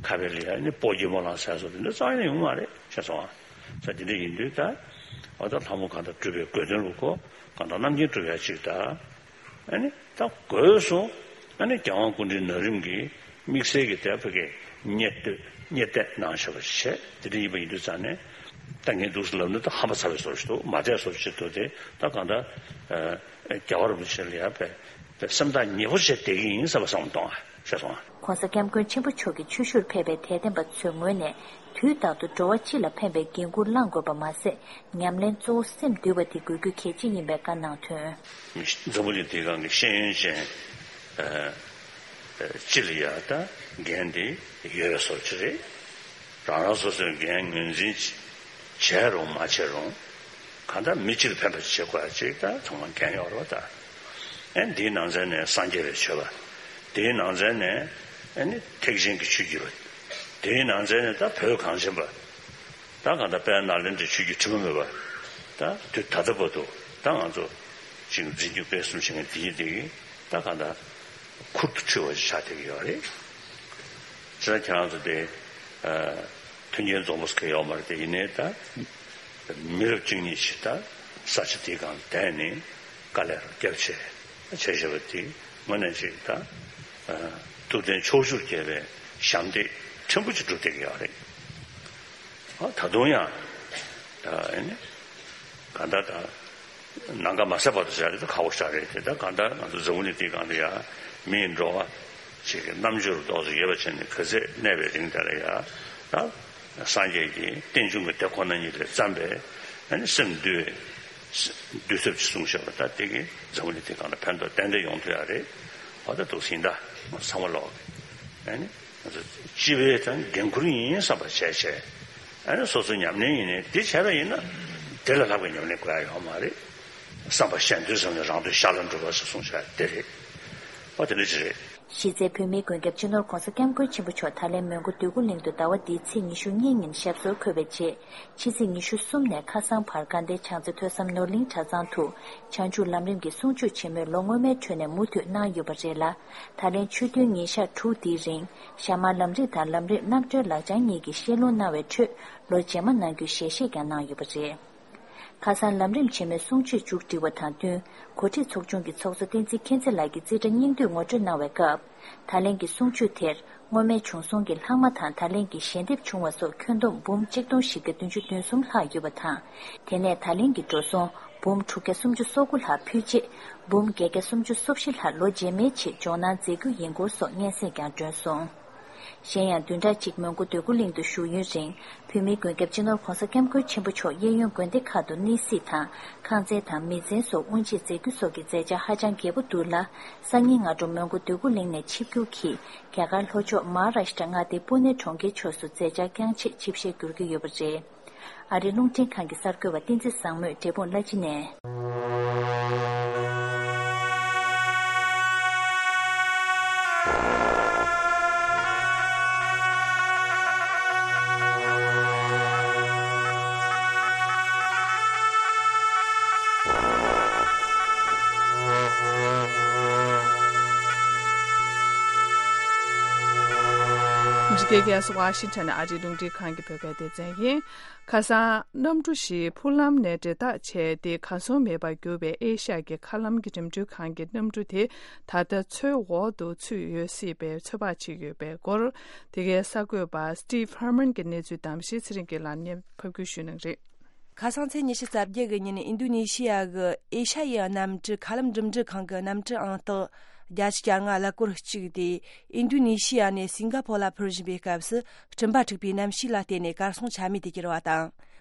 ཁ་བའི་ལ་ཡ་ནི་སྤོ་རྒྱལ་མོ་ལ་ཟེར་སོགས་དེ་འདྲ་རྩ་བ་ནས་ཡོང་མ་རེད་ཤེས་སོང་ཨ། ས་དེ་འདྲ་ཡིན་དུས་ད་ཨ་ད་ལྷ་མོ་གང་དག་སྒྲུབ་པའི་དགོས་དོན་ལུགས་གོ་གང་དག་རྣམ་མཁྱེན་སྒྲུབ་ཡ་ཅིག་ད་ཨ་ནི་ད་དགོས་སོ། ཨ་ནི་རྒྱལ་དབང་སྐུ་ཕྲེང་ན་རིམ་གྱིས་དམིགས་བསལ་གྱི་དེ་ཕ་གི་གཉེར་གཏོད་གཉེར་གཏད་གནང་བཞག་པ་བྱས་དེ་འདྲ་ཡིན་པ་ཡིན་དུས་ཙང་ནས་ད་ངས་འདུག་སེ་ལབ་ན་ད་ཧམ་པ་ཚ་བའི་བཟོ་ཞིག་འདུག་མ་བསྡད་བཟོ་ཞིག་འདུག་དེ་ད་གང་ལྟར་རྒྱལ་བ་རིན་པོ་ཆེ་ལ་ཡ་བས་སེམས་ཐག་ཉེ་པོ་བྱས་བསྡད་ཀྱི་ཡིན་བསམ་པ་བསམ་བློ་གཏོང་བ་ཤེས་སོང་ཨ། ༸གོང་ས་༸སྐྱབས་མགོན་ཆེན་པོ་མཆོག་གི་ཆོས་ཞུར་ཕེབས་པའི་དད་ལྡན་པ་ཚོའི་ངོས་ནས་དུས་རྟག་ཏུ་འགྲོ་བ་སྤྱི་ལ་ཕན་པའི་འགན་འཁུར་བླང་དགོས་པ་མ་ཟད། ཉམས་ལེན་གཙོ་བོ་སེམས་འདུལ་བ་དེ་དགོས་རྒྱུ་གལ་ཆེ་ཡིན་པའི་བཀའ་གནང་དོན། འཛམ་བུ་གླིང་འདིའི་སྒང་གི་ཤེས་ཡོན་ཅན་ཨ་ཨ་སྤྱི་ལ་ཡ་ད་འགན་དེ་ཡོད་པའི་བཟོ་ཅིག་རེད། རང་རང་སོ་སོའི་འགན་ངོས་འཛིན་བྱས་རུང་མ་བྱས་རུང་། གང་ལྟར་མི་སྤྱིར་ཕན་པ་བྱེད་དགོས་ཡ་ཅིག་ད་ཚང་མ་འགན་ཡོད་རེད་བ་ད། ཨེ་འདིའི་ནང་ཚན་ནས་སངས་རྒྱས་པའི་ཆོས་པ། དེའི་ནང་ཚན་ནས་ཨེ་ནི་ཐེག་ཆེན་གྱི་ཆོས་བརྒྱུད་པ། དེའི་ནང་ཚན་ནས་ད་བོད་གངས་ཅན་པ། ད་གང་ལྟར་དཔལ་ནཱ་ལེནྡྲའི་ཆོས་བརྒྱུད་ཁྲི་མ་འབོད་པ། ད་དུས་ད་ལྟ་བར་དུ་ད་ང་ཚོ་ཅིག་འཛིན་སྐྱོང་སྤེལ་གསུམ་བྱེད་མཁན་དེ་ཡིན་དེ་གིས་ད་གང་ལྟར་ཁུར་དུ་ཁྲིད་པ་ཞིག་ཆགས་བསྡད་ཀྱི་ཡོད་རེད། ཅེས་ཁྱེད་རང་ཚོ་དེ་མཐུན་རྐྱེན་འཛོམས་པོ་ཟེར་ཡོད་མ་རེད་དེ་ཡིན་ནའི་ད་མི་རབས་བཅུ་གཉིས་ཤིག་ད་ས་ཆ་དེའི་སྒང་བསྡད་ནས་དཀའ་ལས་རོགས་བརྒྱབ་བྱས་བྱས་བཞག་པ་དེ་དངོས་གནས་ཅིག་ད་ཐུབ་བསྟན་ཕྱོགས་བཅུར་རྒྱས་པའི་ཞབས་འདེགས་ཕྲན་བུ་ཅིག་སྒྲུབ་བསྡད་ཀྱི་ཡོད་རེད། ད་དུང་ཡང་ད་ཨ་ནི་ག་ད་ད། ནམ་མཁའ་མ་ཟད་བར་དུ་བྱ་རེད་ད་ཁག་པོ་ཞིག་རེད་དེ་ད་གང་ལྟར་ང་ཚོ་འཛམ་བུ་གླིང་འདིའི་སྒང་ལ་ཡ་མིའི་འགྲོ་བ་ཞིག་གི་རྣམ་དཔྱོད་རྡོག་རྩ་ཡོད་པ་བྱས་ནས་ག་ཚད་གནས་པའི་རིང་དེ་ལ་ཡ་ད་སངས་རྒྱས་ཀྱི་རྟེན་འབྱུང་གི་དེ་ཁོ་ན་ཉིད་ལས་བརྩམས་པའི་ཨ་ནི་སེམས་འདུལ་བའི་འདུལ་ཚབ་ཅིག་གསུངས་བཞག་པ་ད་དེ་གི་འཛམ་བུ་གླིང་འདིའི་སྒང་ལ་ཕན་ཐོགས་ཏན་ཏན་ཡོང་ཐུབ་ཡ་རེད། འོ་ད་འདུག་སེ་ཡིན་ད་ཚང་མ་ལོག་གི་ཨ་ནི། སྤྱི་པའི་དང་འགན་འཁུར་ཡིན་བསམ་པ་བྱས་བྱས། ཨ་ནི་སོ་སོའི་ཉམས་ལེན་ཡིན་ནའི་འདི་བྱས་པ་ཡིན་ན་དེ་ལས་ལྷག་པའི་ཉམས་ལེན་དགོས་ཡ་ཡོད་མ་རེད། བསམ་པ་གཞན་དོན་བསམ་ནས་རང་དོན་ཤར་ལ་འགྲོ་བ་ཞེས་གསུངས་བྱ་དེ་རེད། ཨོ་དེ་འདྲ་ཅིག་རེད། གཞི་རྩའི་བོད་མིའི་མགོན་སྐྱབས་སྤྱི་ནོར་༸གོང་ས་༸སྐྱབས་མགོན་ཆེན་པོ་མཆོག་ད་ལན་མོན་གྷོ་འདོད་རྒུ་གླིང་དུ་ཟླ་བ་འདིའི་ཚེས་ཉི་ཤུ་གཉིས་ཉིན་ཞབས་སོར་འཁོད་པའི་རྗེས། ཕྱི་ཚེས་ཉི་ཤུ་གསུམ་ནས་ཁ་སང་བར་དགའ་ལྡན་བྱང་རྩེ་ཐོས་བསམ་ནོར་གླིང་གྲྭ་ཚང་དུ་བྱང་ཆུབ་ལམ་རིམ་གྱི་གསུང་ཆོས་ཆེན་མོའི་ལོ་སྔོན་མའི་ཁྲོད་ནས་མུ་མཐུད་གནང་ཡོད་པ་རེད་ལ། ད་ལན་ཆོས་ཐུན་ཉིན་ཞག་དྲུག་འདིའི་རིང་ཞྭ་དམར་ལམ་རིམ་དང་ལམ་རིམ་རྣམ་གྲོལ་ལག་བཅངས་གཉིས་ཀྱི་བཤད་ལུང་གནང་བའི་ཁྲོད་ལོ་རྗེས་མ་གནང་རྒྱུའི་ཞལ་བཞེས་ཀྱང་གནང་ཡོད་པ་རེད། ཁ་སང་ལམ་རིམ་ཆེན་མོའི་གསུང་ཆོས་མཇུག་སྒྲིལ་བ་དང་བསྟུན། འགོ་ཁྲིད་ཚོགས་ཆུང་གི་ཚོགས་གཙོ་བསྟན་འཛིན་མཁྱེན་བརྩེ་ལགས་ཀྱིས་རྩིས་ཁྲ་སྙིང་བསྡུས་ངོ་སྤྲོད་གནང་བའི་སྐབས། ད་ལན་གྱི་གསུང་ཆོས་དེར། སྔོན་མའི་བྱུང་སོང་གི་ལྷག་མ་དང་ད་ལན་གྱི་ཞལ་འདེབས་བྱུང་བ་སོགས་ཁྱོན་བསྡོམས་འབུམ་གཅིག་སྟོང་བཞི་བརྒྱ་བདུན་ཅུ་དོན་གསུམ་ལྷག་ཡོད་པ་དང་། དེ་ནས་ད་ལན་གྱི་འགྲོ་སོང་འབུམ་དྲུག་བརྒྱ་སུམ་ཅུ་སོ་དགུ་ལྷག་ཕུལ་རྗེས། འབུམ་བརྒྱད་བརྒྱ་སུམ་ཅུ་སོ་བཞི་ལྷག་ལོ་རྗེས་མའི་ཆེད་འཇོག་གནང་མཛད་རྒྱུ་ཡིན་སྐོར་སོགས་སྙན་སེང་ཀྱང་བསྒྲོན་སོང་། གཞན་ཡང་བདུན་ཕྲག་གཅིག་མོན་གྷོ་འདོད་རྒུ་གླིང་དུ་བཞུགས་ཡུན་རིང་། བོད་མིའི་མགོན་སྐྱབས་སྤྱི་ནོར་༧གོང་ས་༧སྐྱབས་མགོན་ཆེན་པོ་མཆོག་གཡས་གཡོན་དགོན་སྡེ་ཁག་ཏུ་གནས་གཟིགས་དང་། ཁང་ཚན་དང་མི་ཚན་སོགས་དབུ་འབྱེད་མཛད་རྒྱུ་སོགས་ཀྱི་མཛད་འཆར་ཧ་ཅང་རྒྱས་པོ་འདུག་ལ། སང་ཉིན་སྔ་དྲོ་མོན་གྷོ་འདོད་རྒུ་གླིང་ནས་ཆིབས་བསྒྱུར་གྱིས་རྒྱ་གར་ལྷོ་ཕྱོགས་མ་ཧཱ་རཱཤ་ཏྲ་མངའ་སྡེའི་པུ་ནེ་གྲོང་ཁྱེར་ཕྱོགས་སུ་མཛད་འཆར་བསྐྱངས་ཆེད་ཆིབས་ཞལ་བསྒྱུར་གྱི་ཡོད་པ་རེད། ཨ་རིའི་རླུང་འཕྲིན་ཁང་གི་གསར་འགོད་པ་བསྟན་འཛིན་བཟང་མོས་འབྲས་སྤུངས་བླ་སྤྱི་ནས། འདི་གའི་གེ་སི་ཝ་ཤིང་ཊོན་ཨ་རིའི་རླུང་འཕྲིན་ཁང་གི་བོད་སྐད་སྡེ་ཚན་ཡིན། ཁ་སང་གནམ་གྲུ་ཞིག་འཕུར་ལམ་ནས་འབྲེལ་ཐག་ཆད་དེ་གར་སོང་མེད་པར་གྱུར་བའི་ཨེ་ཤ་ཡ་གི་མཁའ་ལམ་གྱི་འགྲིམ་འགྲུལ་ཁང་གི་གནམ་གྲུ་དེ་ད་ལྟ་མཚོའི་འོག་ཏུ་ཚུད་ཡོད་སྲིད་པའི་ཚོད་དཔག་བྱེད་ཀྱི་ཡོད་པའི་སྐོར། དེ་གའི་གསར་འགོད་པ་Steve Herman གྱི་གནས་ཚུལ་དང་གཞི་ཚེ་རིང་གིས་ལམ་ནས་ཕབ་སྒྱུར་ཞུ་གནང་གི་རེད། ཁ་སང་ཚེས་ཉི་ཤུ་རྩ་བརྒྱད་གི་ཉིན་ཨིན་རྡུ་ནེ་ཤི་ཡ་གི་ཨེ་ཤ་ཡའི་གནམ་གྲུ་མཁའ་ལམ་འགྲིམ་འགྲུལ་ཁང་གི་གནམ་གྲུ་ཨང་རྟགས་བརྒྱད་ཅུ་གྱ་ལྔ་ཀླད་ཀོར་གཅིག་དེ་ཨིན་རྡུ་ནེ་ཤི་ཡ་ནས་སིང་ག་ཕོར་ལ་འཕུར་བཞིན་པའི་སྐབས་སུ་སྤྲིན་པ་འཁྲུགས་པའི་གནམ་གཤིས་ལ་བརྟེན་ནས་གར་སོང་ཆ་མེད་དུ་གྱུར་བ་དང་།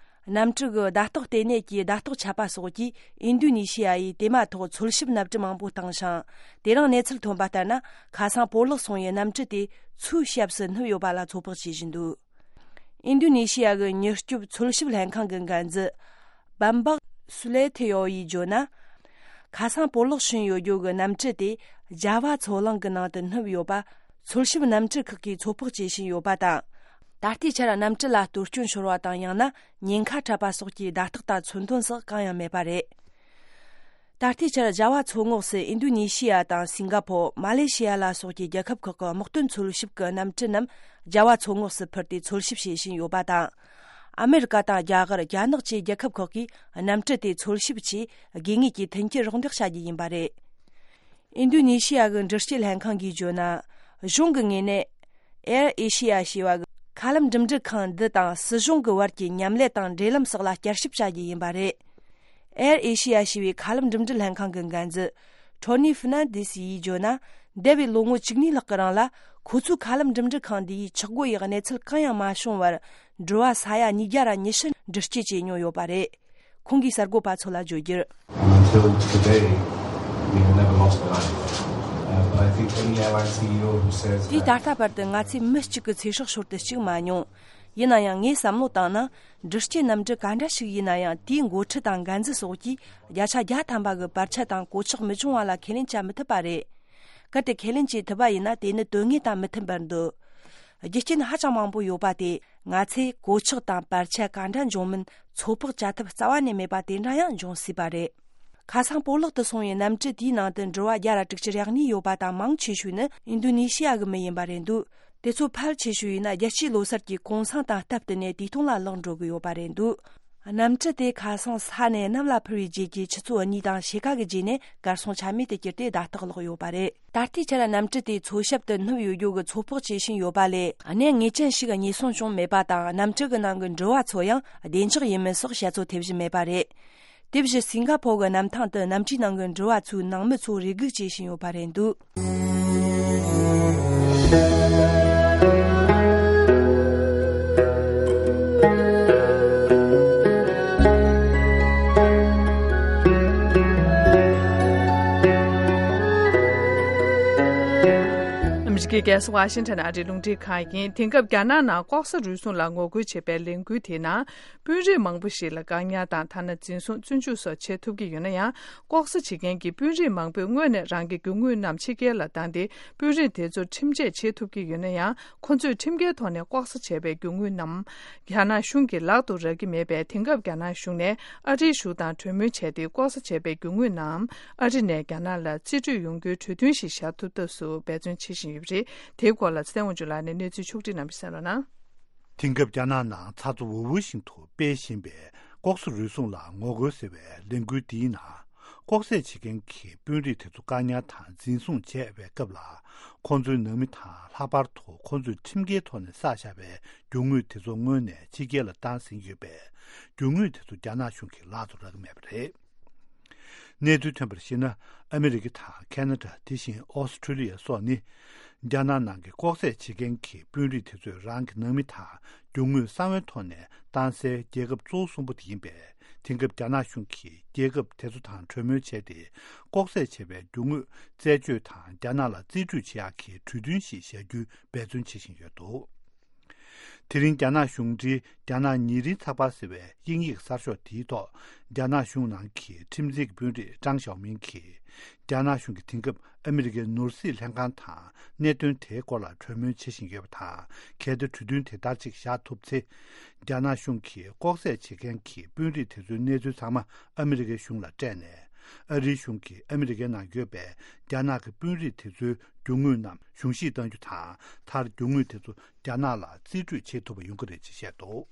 གནམ་གྲུ་གི་བརྡ་རྟགས་ལྟེ་གནས་ཀྱི་བརྡ་རྟགས་ཆད་པ་སོགས་ཀྱིས་ཨིན་རྡུ་ནེ་ཤི་ཡ་ཡིས་དེ་མ་ཐག་འཚོལ་ཞིབ་གནམ་གྲུ་མང་པོ་བཏང་ཞིང་། དེ་རིང་གནས་ཚུལ་ཐོན་པ་ལྟར་ན། ཁ་སང་སྤོ་ལགས་སོང་བའི་གནམ་གྲུ་དེ་མཚོའི་ཞབས་སུ་སྣུབས་ཡོད་པ་ལ་ཚོད་དཔག་བྱེད་བཞིན་འདུག་ཨིན་རྡུ་ནེ་ཤི་ཡ་གི་མྱུར་སྐྱོབ་འཚོལ་ཞིབ་ལྷན་ཁང་གི་འགན་འཛིན་བམ་བག་སུ་ལེ་ཐེ་ཡོ་ཡིས་བརྗོད་ན། ཁ་སང་སྤོ་ལགས་ཕྱིན་ཡོད་རྒྱུ་གི་གནམ་གྲུ་དེ་ཇ་ཝ་མཚོ་གླིང་གི་ནང་དུ་སྣུབས་ཡོད་པ་འཚོལ་ཞིབ་གནམ་གྲུ་ཁག་གིས་ཚོད་དཔག་བྱེད་བཞིན་ཡོད་པ་དང་། ད་ལྟའི་ཆར་གནམ་གྲུ་ལ་གཏོར་སྐྱོན་ཤོར་བ་དང་། ཡང་ན་ཉེན་ཁ་འཕྲད་པ་སོགས་ཀྱི་བརྡ་རྟགས་དང་མཚོན་དོན་སོགས་གང་ཡང་མེད་པ་རེད། ད་ལྟའི་ཆར་ཇ་ཝ་མཚོ་ངོགས་སུ་ཨིན་རྡུ་ནེ་ཤི་ཡ་དང་སིང་ག་ཕོར། མ་ལེ་ཤི་ཡ་ལ་སོགས་ཀྱི་རྒྱལ་ཁབ་ཁག་གི་དམག་དོན་འཚོལ་ཞིབ་ཀྱི་གནམ་གྲུ་རྣམས་ཇ་ཝ་མཚོ་ངོགས་སུ་འཕུར་ཏེ་འཚོལ་ཞིབ་བྱེད་བཞིན་ཡོད་པ་དང་། ཨ་མེ་རི་ཀ་དང་རྒྱ་གར། རྒྱ་ནག་བཅས་རྒྱལ་ཁབ་ཁག་གིས་གནམ་གྲུ་དེ་འཚོལ་ཞིབ་ཆེད་དགོས་ངེས་ཀྱི་མཐུན་རྐྱེན་རོགས་འདེགས་བྱ་རྒྱུ་ཡིན་པ་རེད། ཨིན་རྡུ་ནེ་ཤི་ཡ་གི་འགྲུལ་སྐྱེལ་ལྷན་ཁང་གིས་བརྗོད་ན། གཞུང་གི་ངོས་ནས། ཨེར་ཨེ་ཤི་ཡ་ཞེས་པ་གི་མཁའ་ལམ་འགྲིམ་འགྲུལ་ཁང་འདི་དང་སྲིད་གཞུང་གི་བར་གྱི་མཉམ་ལས་དང་འབྲེལ་ལམ་སོགས་ལ་བསྐྱར་ཞིབ་བྱ་རྒྱུ་ཡིན་པ་རེད། ཨེར་ཨེ་ཤི་ཡ་ཞེས་པའི་མཁའ་ལམ་འགྲིམ་འགྲུལ་ལྷན་ཁང་གི་འགན་འཛིན་ཊོ་ནི་ཧྥི་ནན་དེ་སི་ཡིས་བརྗོད་ན། འདས་པའི་ལོ་ངོ་བཅུ་གཉིས་ལྷག་གི་རིང་ལ་ཁོ་ཚོའི་མཁའ་ལམ་འགྲིམ་འགྲུལ་ཁང་འདི་ཡིས་ཆག་སྒོ་ཡི་གནས་ཚུལ་གང་ཡང་མ་བྱུང་བར། འགྲུལ་བ་ས་ཡ་ཉིས་བརྒྱ་ར་ཉི་ཤུ་འགྲུལ་སྐྱེལ་བྱས་མྱོང་ཡོད་པ་རེད། ཁོང་གིས་གསར་འགོད་པ་ཚོ་ལ་བརྗོད་རྒྱུར། Until today, we have never lost a line. Uh, but I think any airline C E O who says དེས་ད་that ལྟ་བར་དུ་ང་ཚོས་མི་གཅིག་གི་ཚེ་སྲོག་ཤོར་དུ་བཅུག་མ་མྱོང་། ཡིན་ན་ཡང་ངས་བསམ་བློ་བཏང་ན། འགྲུལ་སྐྱེལ་གནམ་གྲུ་ག་འདྲ་ཞིག་ཡིན་ན་ཡང་། དེའི་འགོ་ཁྲིད་དང་འགན་འཛིན་སོགས་ཀྱིས་བརྒྱ་ཆ་བརྒྱ་ཐམ་པ་གི་བར་ཆད་དང་གོད་ཆག་མི་འབྱུང་བ་ལ་ཁས་ལེན་བྱ་མི་ཐུབ་པ་རེད། གལ་ཏེ་ཁས་ལེན་བྱེད་ཐུབ་པ་ཡིན་ན། དེ་ནི་དོན་དངོས་དང་མི་མཐུན་པར་འདུག་རྒྱུ་རྐྱེན་ཧ་ཅང་མང་པོ་ཡོད་པ་དེ། ང་ཚོས་གོད་ཆག་དང་བར་ཆད་ག་འདྲ་འབྱུང་མིན་ཚོད་དཔག་བྱ་ཐབས་རྩ་བ་ནས་མེད་པ་དེ་འདྲ་ཡང་འབྱུང་སྲིད་པ་རེད། ཁ་སང་སྤོ་ལགས་དུ་སོང་བའི་གནམ་གྲུ་དེའི་ནང་དུ་འགྲུལ་བ་བརྒྱ་ར་དྲུག་ཅུ་རེ་གཉིས་ཡོད་པ་དང་། མང་ཆེ་ཤོས་ནི་ཨིན་རྡུ་ནེ་ཤི་ཡ་གི་མི་ཡིན་པ་རེད་འདུག་དེ་ཚོ་ཕལ་ཆེ་ཤོས་ཡིན་ན་རྒྱལ་སྤྱིའི་ལོ་གསར་གྱི་གུང་སེང་དང་སྟབས་བསྟུན་ནས་དུས་ཐུང་ལ་ལོག་འགྲོ་གི་ཡོད་པ་རེད་འདུག་གནམ་གྲུ་དེ་ཁ་སང་ས་ནས་གནམ་ལ་འཕུར་བའི་རྗེས་ཀྱི་ཆུ་ཚོད་གཉིས་དང་ཕྱེད་ཀ་གི་རྗེས་ནས་གར་སོང་ཆ་མེད་དུ་གྱུར་ཏེ་བརྡ་རྟགས་ལོག་ཡོད་པ་རེད། ད་ལྟའི་ཆར་གནམ་གྲུ་དེ་མཚོ་ཞབས་དུ་སྣུབས་ཡོད་རྒྱུ་གི་ཚོད་དཔག་བྱེད་བཞིན་ཡོད་པ་ལས། གནད་ངེས་ཅན་ཞིག་རྙེད་སོང་བྱུང་མེད་པ་དང་། གནམ་གྲུ་གི་ནང་གི་འགྲུལ་བ་ཚོ་ཡང་བདེ་འཇགས་ཡིན་མིན་སོགས་བཤད་ཚོད་ཐེབས་བཞིན་མེད་པ་རེད། དེ་བཞིན་སིང་ག་ཕོར་གྱི་གནམ་ཐང་དུ་གནམ་གྲུའི་ནང་གི་འགྲུལ་བ་ཚོའི་ནང་མི་ཚོ་རེ་སྒུག་བྱེད་བཞིན་ཡོད་པ་རེད་འདུག་ཨ་མི་རི་ཀའི་རྒྱལ་ས་ཝ་ཤིང་ཊོན་ཨ་རིའི་རླུང་འཕྲིན་ཁང་ཡིན། དེང་སྐབས་རྒྱ་ནག་ནང་ལྐོག་ཟ་རུལ་སུངས་ལ་ངོ་རྒོལ་བྱེད་པའི་ལས་འགུལ་དེའི་ནང་། དཔོན་རིགས་མང་པོ་ཞིག་ལ་བཀག་ཉར་དང་། ཐ་ན་འཛིན་བཟུང་བཙོན་འཇུག་སོགས་བྱེད་ཐུབ་ཀྱི་ཡོད་ན་ཡང་། ལྐོག་ཟ་བྱེད་མཁན་གྱི་དཔོན་རིགས་མང་པོས་སྔོན་ནས་རང་གི་རྒྱུ་དངོས་རྣམས་ཕྱི་རྒྱལ་ལ་བཏང་སྟེ། དཔོན་རིགས་དེ་ཚོར་ཁྲིམས་ཆད་བཅད་ཐུབ་ཀྱི་ཡོད་ན་ཡང་། ཁོ་ཚོས་ཁྲིམས་འགལ་ཐོག་ནས་ལྐོག་ཟ་བྱས་པའི་རྒྱུ་དངོས་རྣམས་རྒྱ་ནག་གཞུང་གི་ལག་ཏུ་རག་གི་མེད་པས། དེང་སྐབས་རྒྱ་ནག་གཞུང་ནས་ཨ་རིའི་གཞུང་དང་གྲོས་མོལ་བྱས་ཏེ། ལྐོག་ཟ་བྱས་པའི་རྒྱུ་དངོས་རྣམས་ཨ་རི་ནས་རྒྱ་ནག་ལ་རྩིས་སྤྲོད་ཡོང་རྒྱུའི་གྲོས་མཐུན་ཞིག་བཞག་ཐུབ་ཐབས་སུ་འབད་བརྩོན་བྱེད་བཞིན་ཡོད་པ་རེད། དེའི་སྐོར་ལ་ཚེ་བརྟན་དབང་ཕྱུག་ལགས་ནས་གནས་ཚུལ་ཕྱོགས་སྒྲིག་གནང་བ་གསན་རོགས་གནང་། དེང་སྐབས་རྒྱ་ནག་ནང་ཚ་ཚ་འུར་འུར་བཞིན་དུ་སྤེལ་བཞིན་པའི་ ལྐོག་ཟ་རུལ་སུངས་ལ་ངོ་རྒོལ་ཟེར་བའི་ལས་འགུལ་འདིའི་ནང་ལྐོག་ཟ་བྱེད་མཁན་གྱི་དཔོན་རིགས་དེ་ཚོ་བཀག་ཉར་དང་འཛིན་བཟུང་བྱས་པའི་སྐབས་ལ། ཁོང་ཚོའི་ནང་མི་དང་ལྷག་པར་དུ་ཁོང་ཚོས་ཁྲིམས་འགལ་ཐོག་ནས་བསགས་བཞག་པའི་རྒྱུ་དངོས་དེ་ཚོ་སྔོན་ནས་ཕྱི་རྒྱལ་ལ་བཏང་ཟིན་ཡོད་པས། རྒྱུ་དངོས་དེ་ཚོ་རྒྱ་ནག་གཞུང་གིས་ལག་ཏུ་རག་གི་མེད་པ་རེད། གནས་ཚུལ་ཐོན་པར་གཞིགས་ན། ཨ་མི་རི་ཀ་དང་ཁ་ན་ཌ། དེ་བཞིན་ཨོ་སི་ཁྲུ་ལི་ཡ་སོགས་ནི། རྒྱ་ནག་ནང་གི་ལྐོག་ཟ་བྱེད་མཁན་གྱི་དཔོན་རིགས་དེ་ཚོས་རང་གི་ནང་མི་དང་རྒྱུ་དངོས་གསང་བའི་ཐོག་ནས་བཏང་སའི་རྒྱལ་ཁབ་གཙོ་བོ་གསུམ་པོ་དེ་ཡིན་པས། དེང་སྐབས་རྒྱ་ནག་གཞུང་གིས་རྒྱལ་ཁབ་དེ་ཚོ་དང་གྲོས་མོལ་བྱས་ཏེ། ལྐོག་ཟ་བྱས་པའི་རྒྱུ་དངོས་རྩད་གཅོད་དང་རྒྱ་ནག་ལ་རྩིས་སྤྲོད་བྱེད་ཡག་གི་གྲོས་མཐུན་ཞིག་བཞག་རྒྱུའི་འབད་བརྩོན་བྱེད་བཞིན་ཡོད་འདུག་དེ་རིང་རྒྱ་ནག་གཞུང་འབྲེལ་རྒྱ་ནག་ཉིན་རེའི་ཚགས་པར་ཟེར་བའི་དབྱིན་ཡིག་གསར་ཤོག་དེའི་ཐོག་རྒྱ་ནག་གཞུང་ནང་གི་ཁྲིམས་འཛིན་གྱི་དཔོན་རིགས་ཀྲང་ཞའོ་མིང་གིས། རྒྱ་ནག་གཞུང་གིས་དེང་སྐབས་ཨ་མི་རི་ཀའི་ནོར་སྲིད་ལྷན་ཁང་དང་གནད་དོན་དེའི་སྐོར་ལ་གྲོས་མོལ་བྱེད་བཞིན་ཡོད་པ་དང་། གལ་ཏེ་གྲོས་མཐུན་དེ་ལྟར་ཅིག་བཞག་ཐུབ་ཚེ། རྒྱ་ནག་གཞུང་གིས་ལྐོག་ཟ་བྱེད་མཁན་གྱི་དཔོན་རིགས་དེ་ཚོའི་གནས་ཚུལ་ཚང་མ་ཨ་མི་རི་ཀའི་གཞུང་ལ་སྤྲད་ནས། ཨ་རིའི་གཞུང་གིས་ཨ་མི་རི་ཀའི་ནང་ཡོད་པའི་རྒྱ་ནག་གི་དཔོན་རིགས་དེ་ཚོའི་རྒྱུ་དངོས་རྣམས་གཞུང་བཞེས་གཏང་རྒྱུ་དང་། མཐར་རྒྱུ་དངོས་དེ་ཚོ་རྒྱ་ནག་ལ་རྩིས་སྤྲོད་བྱེད་ཐུབ་པ་ཡོང་གི་རེད་ཅེས་བཤད་འདུག་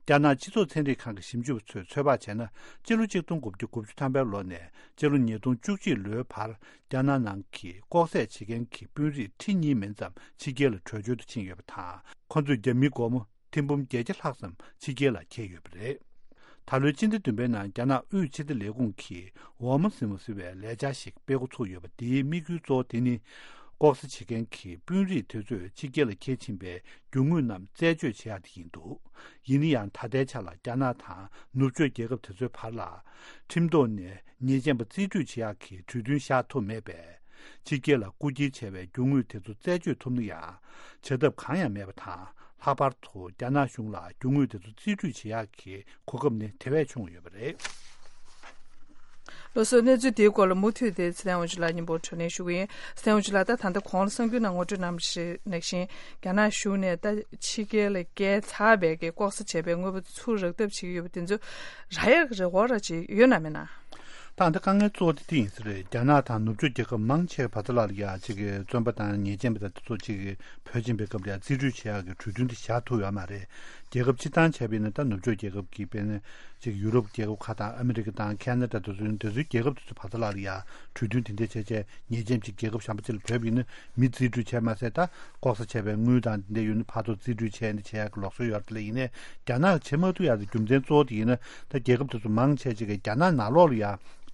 རྒྱ་ནག་སྤྱི་ཚོགས་ཚན་རིག་ཁང་གི་ཞིབ་འཇུག་པ་ཚོས་ཚོད་དཔག་བྱས་ན། སྤྱི་ལོ་ཆིག་སྟོང་དགུ་བརྒྱ་དགུ་བཅུ་ཐམ་པའི་ལོ་ནས་སྤྱི་ལོ་ཉིས་སྟོང་བཅུ་གཅིག་ལོའི་བར་རྒྱ་ནག་ནང་གི་ལྐོག་ཟ་བྱེད་མཁན་གྱི་དཔོན་རིགས་ཁྲི་གཉིས་མིན་ཙམ་ཕྱི་རྒྱལ་ལ་བྲོས་བྱོལ་དུ་ཕྱིན་ཡོད་པ་དང་། ཁོ་ཚོས་རྒྱ་མིའི་སྒོར་མོ་ཐེར་འབུམ་བརྒྱད་བརྒྱ་ལྷག་ཙམ་ཕྱི་རྒྱལ་ལ་འཁྱེར་ཡོད་པ་རེད། ད་ལོའི་སྤྱི་ཟླ་བདུན་པའི་ནང་རྒྱ་ནག་དབུས་ཕྱི་བདེ་ལས་ཁུངས་ཀྱིས་ཝ་མ་སི་མོ་ཟེར་བའི་ལས་འཆར་ཞིག་སྤེལ་འགོ་ཚུགས་ཡོད་པ། དེའི་དམིགས་ཡུལ་གཙོ་བོ་དེ་ནི། ལྐོག་ཟ་བྱེད་མཁན་གྱི་དཔོན་རིགས་དེ་ཚོས་ཕྱི་རྒྱལ་ལ་འཁྱེར་ཕྱིན་པའི་རྒྱུ་དངོས་རྣམས་རྩད་གཅོད་བྱེད་ཡག་དེ་ཡིན་འདུག་ཡིན་ན་ཡང་། ད་ལྟའི་ཆ་ལ་རྒྱ་ནག་དང་ནུབ་ཕྱོགས་རྒྱལ་ཁབ་དེ་ཚོའི་བར་ལ། ཁྲིམས་ཐོག་ནས་ཉེས་ཅན་པ་རྩིས་སྤྲོད་བྱེད་ཡག་གི་གྲོས་མཐུན་བཞག་ཐུབ་མེད་པས། ཕྱི་རྒྱལ་ལ་རྐུ་འཁྱེར་བྱས་པའི་རྒྱུ་དངོས་དེ་ཚོ་རྩད་གཅོད་ཐུབ་ན་ཡང་། བྱ་ཐབས་གང་ཡང་མེད་པ་དང་། ལྷག་པར་དུ་རྒྱ་ནག་གཞུང་ལ་རྒྱུ་དངོས་དེ་ཚོ་རྩིས་སྤྲོད་བྱེད་ཡག་གི་གོ་སྐབས་ནི་དེ་བས་ཆུང་ཡོད་པ་རེད། ལགས་སོ། གནས་ཚུལ་དེའི་སྐོར་ལ་མུ་མཐུད་དེ་ཚེ་བརྟན་དབང་ཕྱུག་ལགས་སྙན་པོ་དྲིས་ལན་ཞུ་གི་ཡིན། ཚེ་བརྟན་དབང་ཕྱུག་ལགས། ད་ད་ལྟ་གོང་ལ་གསར་འགྱུར་ནང་ངོ་སྤྲོད་གནང་བ་ནང་བཞིན། རྒྱ་ནག་གཞུང་ནས་ད་ཕྱི་རྒྱལ་ལ་བསྐྱལ་ཚར་བའི་གི་ལྐོག་ཟ་བྱས་པའི་དངོས་པོ་ཚུར་རག་ཐབས་བྱེད་ཀྱི་ཡོད་པ་དེ་ཚོ་རག་ཡག་གི་རེ་བ་ར་ཅིག་ཡོད་ན་མེད་ན། ད་ལྟ་དཀའ་ངལ་གཙོ་བོ་དེ་དེ་ཡིན་ས་རེད། རྒྱ་ནག་དང་ནུབ་ཕྱོགས་རྒྱལ་ཁབ་མང་ཆེ་བ་ཚོ་ལ་ཡ་གཅིག་གི་བཙོན་པ་དང་ཉེས་ཅན་པ་དང་དེ་ཚོ་གཅིག་གི་བོད་ཕྱིན་པའི་སྐབས་ལ་ཡ་རྩིས་སྤྲོད་བྱེད་ཡག་གི་གྲོས་མཐུན་དེ་བཞག་ཐུབ་ཡོད་མ་རེད། རྒྱལ་ཁབ་སྤྱི་བཏང་བྱས་པ་ཡིན་ན། ད་ནུབ་ཕྱོགས་རྒྱལ་ཁབ་ཀྱི་དཔེར་ན་གཅིག་ཡུ་རོབ་རྒྱལ་ཁབ་ཁག་དང་ཨ་མི་རི་ཀ་དང་ཁ་ན་ཌ་དེ་ཚོ་ཡིན། དེ་ཚོའི་རྒྱལ་ཁབ་དེ་ཚོ་བར་ཚོ་ལ་ཡ་གྲོས་མཐུན་དེ་འདྲ་བྱས་བྱས། ཉེས་ཅན་གཅིག་རྒྱལ་ཁབ་གཞན་པ་ཅིག་ལ་བོད་ཡིན་ན་མི་རྩིས་སྤྲོད་བྱས་མ་ཟད། ད་ལྐོག་ཟ་བྱས་པའི་དངུལ་དང་དེ་འདྲ་ཡོད་ན་ཕར་ཚུར་རྩིས་སྤྲོད་བྱས་ནས་བྱེད་ཡག་གི་ལུགས་སྲོལ་ཡོད་རེད། དེ་ལ་ཡིན་ནའི་རྒྱ་ནག་བྱེད་མ་ཐུབ་ཡག་གི་རྒྱུ་མཚན་གཙོ་བོ་དེ་ཡིན་ན། ད་རྒྱལ་ཁབ་དེ་ཚོ་མང་ཆེ་ཅིག་གིས་རྒྱ་ནག་ནང་ལོགས་ལ་ཡ་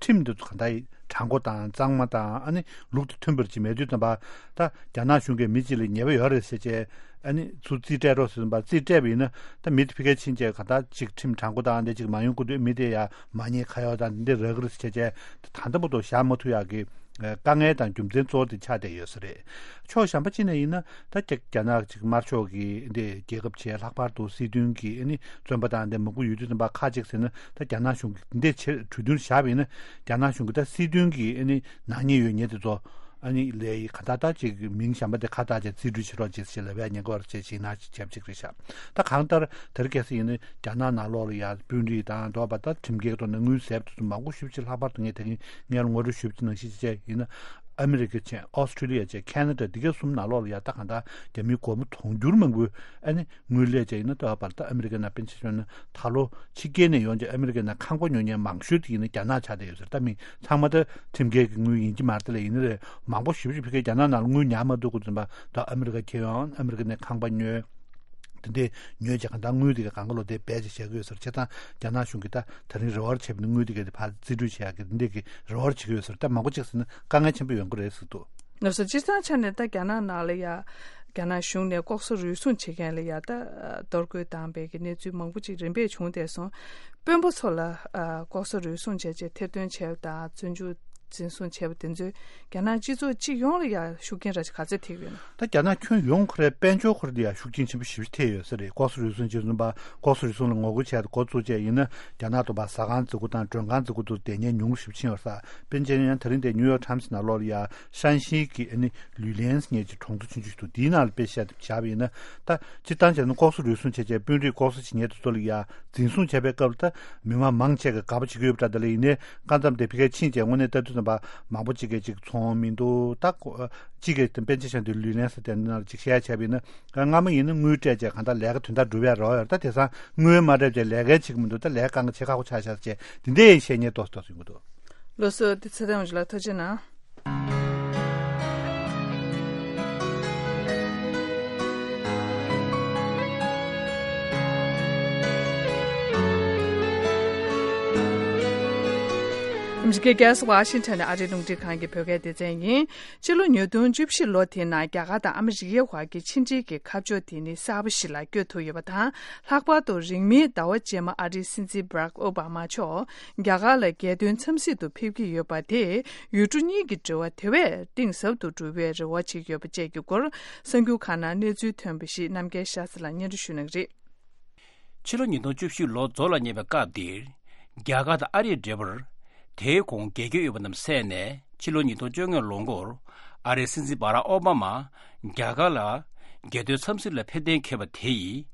ཁྲིམས་དེ་ཚོ་ག་འདྲ་དྲང་པོ་དང་གཙང་མ་དང་། ཨ་ནི་ལུགས་དང་མཐུན་པར་ཅིག་མེད་དུས་ཙམ་པ། ད་རྒྱ་ནག་གཞུང་གིས་མི་གཅིག་ལ་ཉེས་པ་ཡོད་རེད་ཟེར་བྱས། ཨ་ནི་ཚུར་རྩིས་སྤྲད་རོགས་ཟེར་ཙམ་པ། རྩིས་སྤྲད་པ་ཡིན་ན་ད་མི་དེ་ཕ་གིར་ཕྱིན་བྱས་ག་ད་ཅིག་ཁྲིམས་དྲང་པོ་དང་འདི་ཅིག་མ་ཡོང་གི་འདུག་མི་དེ་ཡ་མ་ཉེས་ཁ་གཡོག་དང་འདི་འདྲ་རག་གི་རེད་ཟེར་བྱས། ད་ལྟ་བར་དུ་བཞག་མ་ཐུབ་ཡག་གི་དཀའ་ངལ་དང་རྒྱུ་མཚན་གཙོ་བོ་དེ་ཆགས་བསྡད་ཡོད་ས་རེད། ཕྱོགས་གཞན་པ་གཅིག་ནས་ཡིན་ན། ད་རྒྱ་རྒྱ་ནག་ཅིག་དམར་ཤོག་གི་འདི་རྒྱལ་ཁབ་བྱས། ལྷག་པར་དུ་སྲིད་དོན་གྱི་ཨ་ནི་བཙོན་པ་དང་འདི་མང་པོ་ཡོད་དུས་ཙམ་པ། ཁ་ཅིག་ཟེར་ན་ད་རྒྱ་ནག་གཞུང་གིས་འདི་ཕྱིར་གྲོས་མཐུན་བཞག་པ་ཡིན་ན། རྒྱ་ནག་གཞུང་གིས་ད་སྲིད་དོན་གྱི་ཨ་ནི་ནག་ཉེས་ཡོད་ཉེས་དེ་ཚོ། ཨ་ནི་ལས་ཡི་ག་ད་ད་ཅིག་མིང་གཞན་པ་དེ་ཁ་བཏགས་བྱས་རྩིས་སྤྲོད་བྱེད་རོགས་བྱེད་ཟེར་ལབ་ཡ་ཉེན་ཁ་ཡོད་རེད་ཅེས་ཞིག་ན་ཅིག་བྱབ་ཅིག་རེད་ཤག་ད་གང་ལྟར་དེ་རིང་ཁ་སང་ཡིན་ན་རྒྱ་ནག་ནང་ལོགས་ལ་ཡ་དཔོན་རིགས་དང་དོ་བ། ད་ཁྲིམས་འགལ་ཐོག་ནས་དངུལ་ཟས་པ་དེ་ཚོ་མང་པོ་ཞེ་པོ་ཅིག། ལྷག་པར་དུ་ངས་དེ་རིང་སྔོན་ལ་ངོ་སྤྲོད་ཞུས་པ་ནང་བཞིན་བྱས་ཡིན་ན། ཨ་མི་རི་ཀ་བྱས། ཨོ་སི་ཁྲུ་ལི་ཡ་བྱས། ཁ་ན་ཌ། འདི་ག་གསུམ་ནང་ལོགས་ལ་ཡ་ད་གང་ལྟར་རྒྱ་མིའི་སྒོར་མོ་དུང་ཕྱུར་མང་པོའི་ཨ་ནི་དངུལ་ལས་བྱས་ཡིན་ན། ལྟ་བ་བར་ད་ཨ་མི་རི་ཀའི་ནང་། དཔེར་ན་ཆ་བཞག་ན་ད་ལོ་ཕྱི་རྒྱལ་ནས་ཡོང་བྱས་ཨ་མི་རི་ཀའི་ནང་ཁང་པ་ཉོ་མཁན་མང་ཤོས་དེ་ཡིན་ན་རྒྱ་ནག་ཆགས་བསྡད་ཡོད་ཟེར། ད་མི་ཚང་མ་ད་ཁྲིམས་འགལ་གྱི་དངུལ་ཡིན་གྱི་མ་རེད། དེ་ལ་ཡིན་ན་རེད། མང་པོ་ཞེ་པོ་ཅིག་ཕ་གིའི་རྒྱ་ནག་ནང་ལ་དངུལ་ཉར་མ་ཐུབ་དུས་ཙམ་པ། ད་ཨ་མི་རི་ཀ་འཁྱེར་ཡོང་། ཨ་མི་རི་ཀ་ནས་ཁང་པ་ཉོས། དེ་འདྲས་ཉོས་བྱས་གང་ལྟར་དངུལ་དེ་ག་གང་ག་ལོག་དེ་སྦས་བྱས་བཞག་གི་ཡོད་ཟེར། བྱས་ཙང་རྒྱ་ནག་གཞུང་གིས་ད་དེ་རིང་རེ་བ་བྱས་པ་ནི་དངུལ་དེ་ག་དེ་ཕར་རྩིས་སྤྲོད་བྱེད་ཡག་གི་དེ་འདྲས་ཀྱི་རེ་བ་བྱེད་ཀྱི་ཡོད་ཟེར། ད་མང་པོ་ཅིག་ཟེར་ན་དཀའ་ངལ་ཆེན་པོ་ཡོང་གི་རེད་ཟེར་འདུག་ལགས་སོ། སྤྱིར་བཏང་ཆ་ནས་ད་རྒྱ་ནག་ནང་ལ་ཡ། རྒྱ་ནག་གཞུང་ནས་ལྐོག་ཟ་རུལ་སུངས་བྱེད་མཁན་ལ་ཡ་ད་གཏོར་རྒོལ་བཏང་པའི་གི་གནས་ཚུལ་མང་པོ་ཅིག་རིམ་པས་བྱུང་བསྡད་སོང་། དཔོན་པོ་ཚོ་ལ་ལྐོག་ཟ་རུལ་སུངས་བྱས་བྱས་ཐེར་འདོན་བྱས་པ་དང་བཙོན་འཇུག་འཛིན་བཟུང་བྱས་པ་དེ་ཚོས་རྒྱ་ནག་སྤྱི་ཚོགས་སྤྱི་ཡོངས་ལ་ཡ་ཤུགས་རྐྱེན་ར་ཅིག་ག་ཚད་ཐེབས་ཡོད་ན། ད་རྒྱ་ནག་ཁྱོན་ཡོངས་ཁོ་རའི་དཔལ་འབྱོར་ཁོ་ར་དེ་ཡ་ཤུགས་རྐྱེན་ཆེན་པོ་ཞེ་པོ་ཐེབས་ཡོད་ས་རེད། ལྐོག་ཟ་རུལ་སུངས་བྱས་ཙམ་པ། ལྐོག་ཟ་རུལ་སུངས་ལ་ངོ་རྒོལ་བྱས་ཏེ་འགོ་བཙུགས་བྱས་ཡིན་ན། རྒྱ་ནག་ཏུ་བ་ཟ་ཁང་བརྩི་བཀུར་དང་མགྲོན་ཁང་བརྩི་བཀུར་དུ་བསྡད་མཁན་ཉུང་རུ་ཞེ་པོ་ཕྱིན་ཡོད་ས། དཔེར་ན་ཡང་དེ་རིང་དེ་ནིའུ་ཡོག་ཊའིམ་སི་ནང་ལོགས་ལ་ཡ་ཧྲན་ཤིན་གྱི་ཨ་ནི་ལུའུ་ལན་སི་ཉེ་ཅིག་གྲོང་ཚོ་ཆུང་ཆུང་ཞིག་འདུག་དེའི་ནང་ལ་དཔེ་བཞག་བཞག་པ་ཡིན་ན། ད་སྤྱིར་བཏང་བྱས་ན་ལྐོག་ཟ་རུལ་སུངས་བྱས་བྱས་དཔོན་རིགས་ལྐོག་ཟ་བྱེད་མཁན་དེ་ཚོ་ལ་ཡ་འཛིན་བཟུང་བྱས་པའི་སྐབས་ལ། ད་མི་མང་མང་ཆེ་གིས་དགའ་པོ་བྱེད་ཀྱི་ཡོད་པ་འདྲ། དེ་ལ་ཡིན་ནའི་སྐབས་མཚམས་དེ་ཕ་གིར་ཕྱིན་བྱས་དངོས་གནས་ལྟ་དུས་ཙམ་ པ་མང་པོ་ཅིག་གིས་ཅིག་ཚོང་མི་འདུག་ད་ཁོ་ཅིག་གིས་པཎ་ཆེན་བཤད་དུས་ལུས་ལེན་ཟེར་དེ་ནང་ཅིག་བཤད་བྱས་པ་ཡིན་ན། སྔ་མོ་ཡིན་ན་དངུལ་སྤྲད་བྱས་གང་ལྟར་ལས་ཀ་དོན་དག་འགྲུབ་ཡ་རོགས་ཡོད། ད་དེང་སང་དངུལ་མ་སྤྲད་བྱས་ལས་ཀ་བྱེད་ཀྱི་མི་འདུག་ད་ལས་ཀ་གང་ག་བྱེད་ཁག་པོ་ཆགས་ཤག་ཅེས་དེ་འདྲའི་བཤད་མཁན་ཏོག་ཙམ་ཡོང་གི་འདུག་ལགས་སོ། དེ་ཚེ་བརྟན་ཝང་ཇི་ལགས་ཐུགས་རྗེ་གནང་། ཨ་མི་རི་ཀའི་རྒྱལ་ས་ཝ་ཤིང་ཊོན་ནས་ཨ་རིའི་རླུང་འཕྲིན་ཁང་གི་བོད་སྐད་སྡེ་ཚན་ཡིན། ཕྱི་ལོ་ཉིས་སྟོང་བཅུ་བཞི་ལོ་དེའི་ནང་རྒྱ་གར་དང་ཨ་མི་རི་ཀའི་བར་གྱི་ཕྱི་འབྲེལ་གྱི་ཁ་ཕྱོགས་དེ་ནི་གསར་པ་ཞིག་ལ་བསྐྱོད་ཐུབ་ཡོད་པ་དང་། ལྷག་པར་དུ་རིང་མིན་ཟླ་བ་རྗེས་མ་ཨ་རིའི་སྲིད་འཛིན་Barack Obama་མཆོག་རྒྱ་གར་ལ་རྒྱལ་དོན་འཚམས་གཟིགས་དུ་ཕེབས་ཀྱི་ཡོད་པ་དེས་ཡུལ་གྲུ་གཉིས་ཀྱི་འབྲེལ་བ་དེ་བས་གཏིང་ཟབ་ཏུ་འགྲོ་བའི་རེ་བ་བྱེད་ཀྱི་ཡོད་པ་བཅས་ཀྱི་སྐོར་གསར་འགྱུར་ཁག་ནང་གནས་ཚུལ་ཐོན་པ་ཞིག་རྣམ་རྒྱལ་ཤཱ་ཚ་ལགས་སྙན་སྒྲོན་ཞུ་གནང་གི་རེད། ཕྱི་ལོ་ཉིས་སྟོང་བཅུ་བཞི་ལོ་རྫོགས་ལ་ཉེ་བའི་སྐབས་འདིར། རྒྱ་གར་དང་ཨ་རིའི་འབྲེལ་བར་དེའི་གོང་རྒྱས་འགྱུར་ཡོད་པ་རྣམས་གསན་ནས། ཕྱི་ལོ་ཉིས་སྟོང་བཅོ་ལྔ་ལོ་འགོར་ཨ་རིའི་སྲིད་འཛིན་སྦ་རག་ཨོ་བྷ་མ་རྒྱ་གར་ལ་རྒྱལ་དོན་འཚམས་གཟིགས་ལ་ཕེབས་གཏན་འཁེལ་བ་དེ་ཡིས།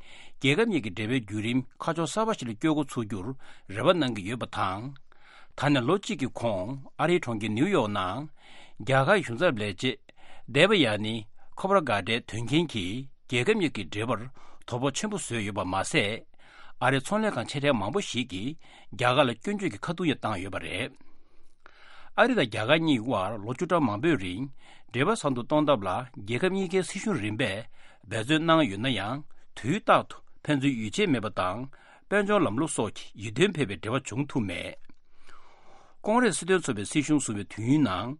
རྒྱལ་ཁབ་གཉིས་ཀྱི་འབྲེལ་བའི་བརྒྱུད་རིམ་ཁ་ཕྱོགས་གསར་པ་ཞིག་ལ་བསྐྱོད་འགོ་ཚུགས་རྒྱུར་རེ་བ་གནང་གི་ཡོད་པ་དང་། ད་ནས་ལོ་གཅིག་གི་གོང་ཨ་རིའི་གྲོང་ཁྱེར་ནིའུ་ཡོག་ནང་རྒྱ་གར་གཞུང་ཚབ་ལས་བྱེད་སྡེ་པ་ཡ་ནི་ཁོ་པ་ར་གྷ་ཏའི་དོན་རྐྱེན་གྱིས། རྒྱལ་ཁབ་གཉིས་ཀྱི་འབྲེལ་བར་དོ་ཕོག་ཆེན་པོ་བཟོས་ཡོད་པ་མ་ཟད། ཨ་རིའི་ཚོང་ལས་ཁང་ཆེ་གྲས་མང་པོ་ཞིག་གིས་རྒྱ་གར་ལ་སྐྱོན་བརྗོད་ཀྱི་ཁ་རྡུང་ཡང་བཏང་ཡོད་པ་རེད། ཨ་རི་དང་རྒྱ་གར་གཉིས་དབར་ལོ་བཅུ་ཕྲག་མང་པོའི་རིང་འབྲེལ་བ་བཟང་དུ་གཏོང་ཐབས་ལ་རྒྱལ་ཁབ་གཉིས་ཀའི་སྲིད་གཞུང་རིམ་པས་འབད་བརྩོན་གནང་ཡོད་ན་ཡང་། དུས་རྟག་ཏུ་ཕན་ཚུན་ཡིད་ཆེས་མེད་པ་དང་། དཔལ་འབྱོར་ལམ་ལུགས་སོགས་ཀྱི་ཡིད་རྟོན་ཕེབས་པའི་འབྲེལ་བ་བྱུང་ཐུབ་མེད། ཀོང་རེས་སྲིད་དོན་ཚོགས་པའི་སྲིད་གཞུང་བཟུང་བའི་དུས་ཡུན་ནང་།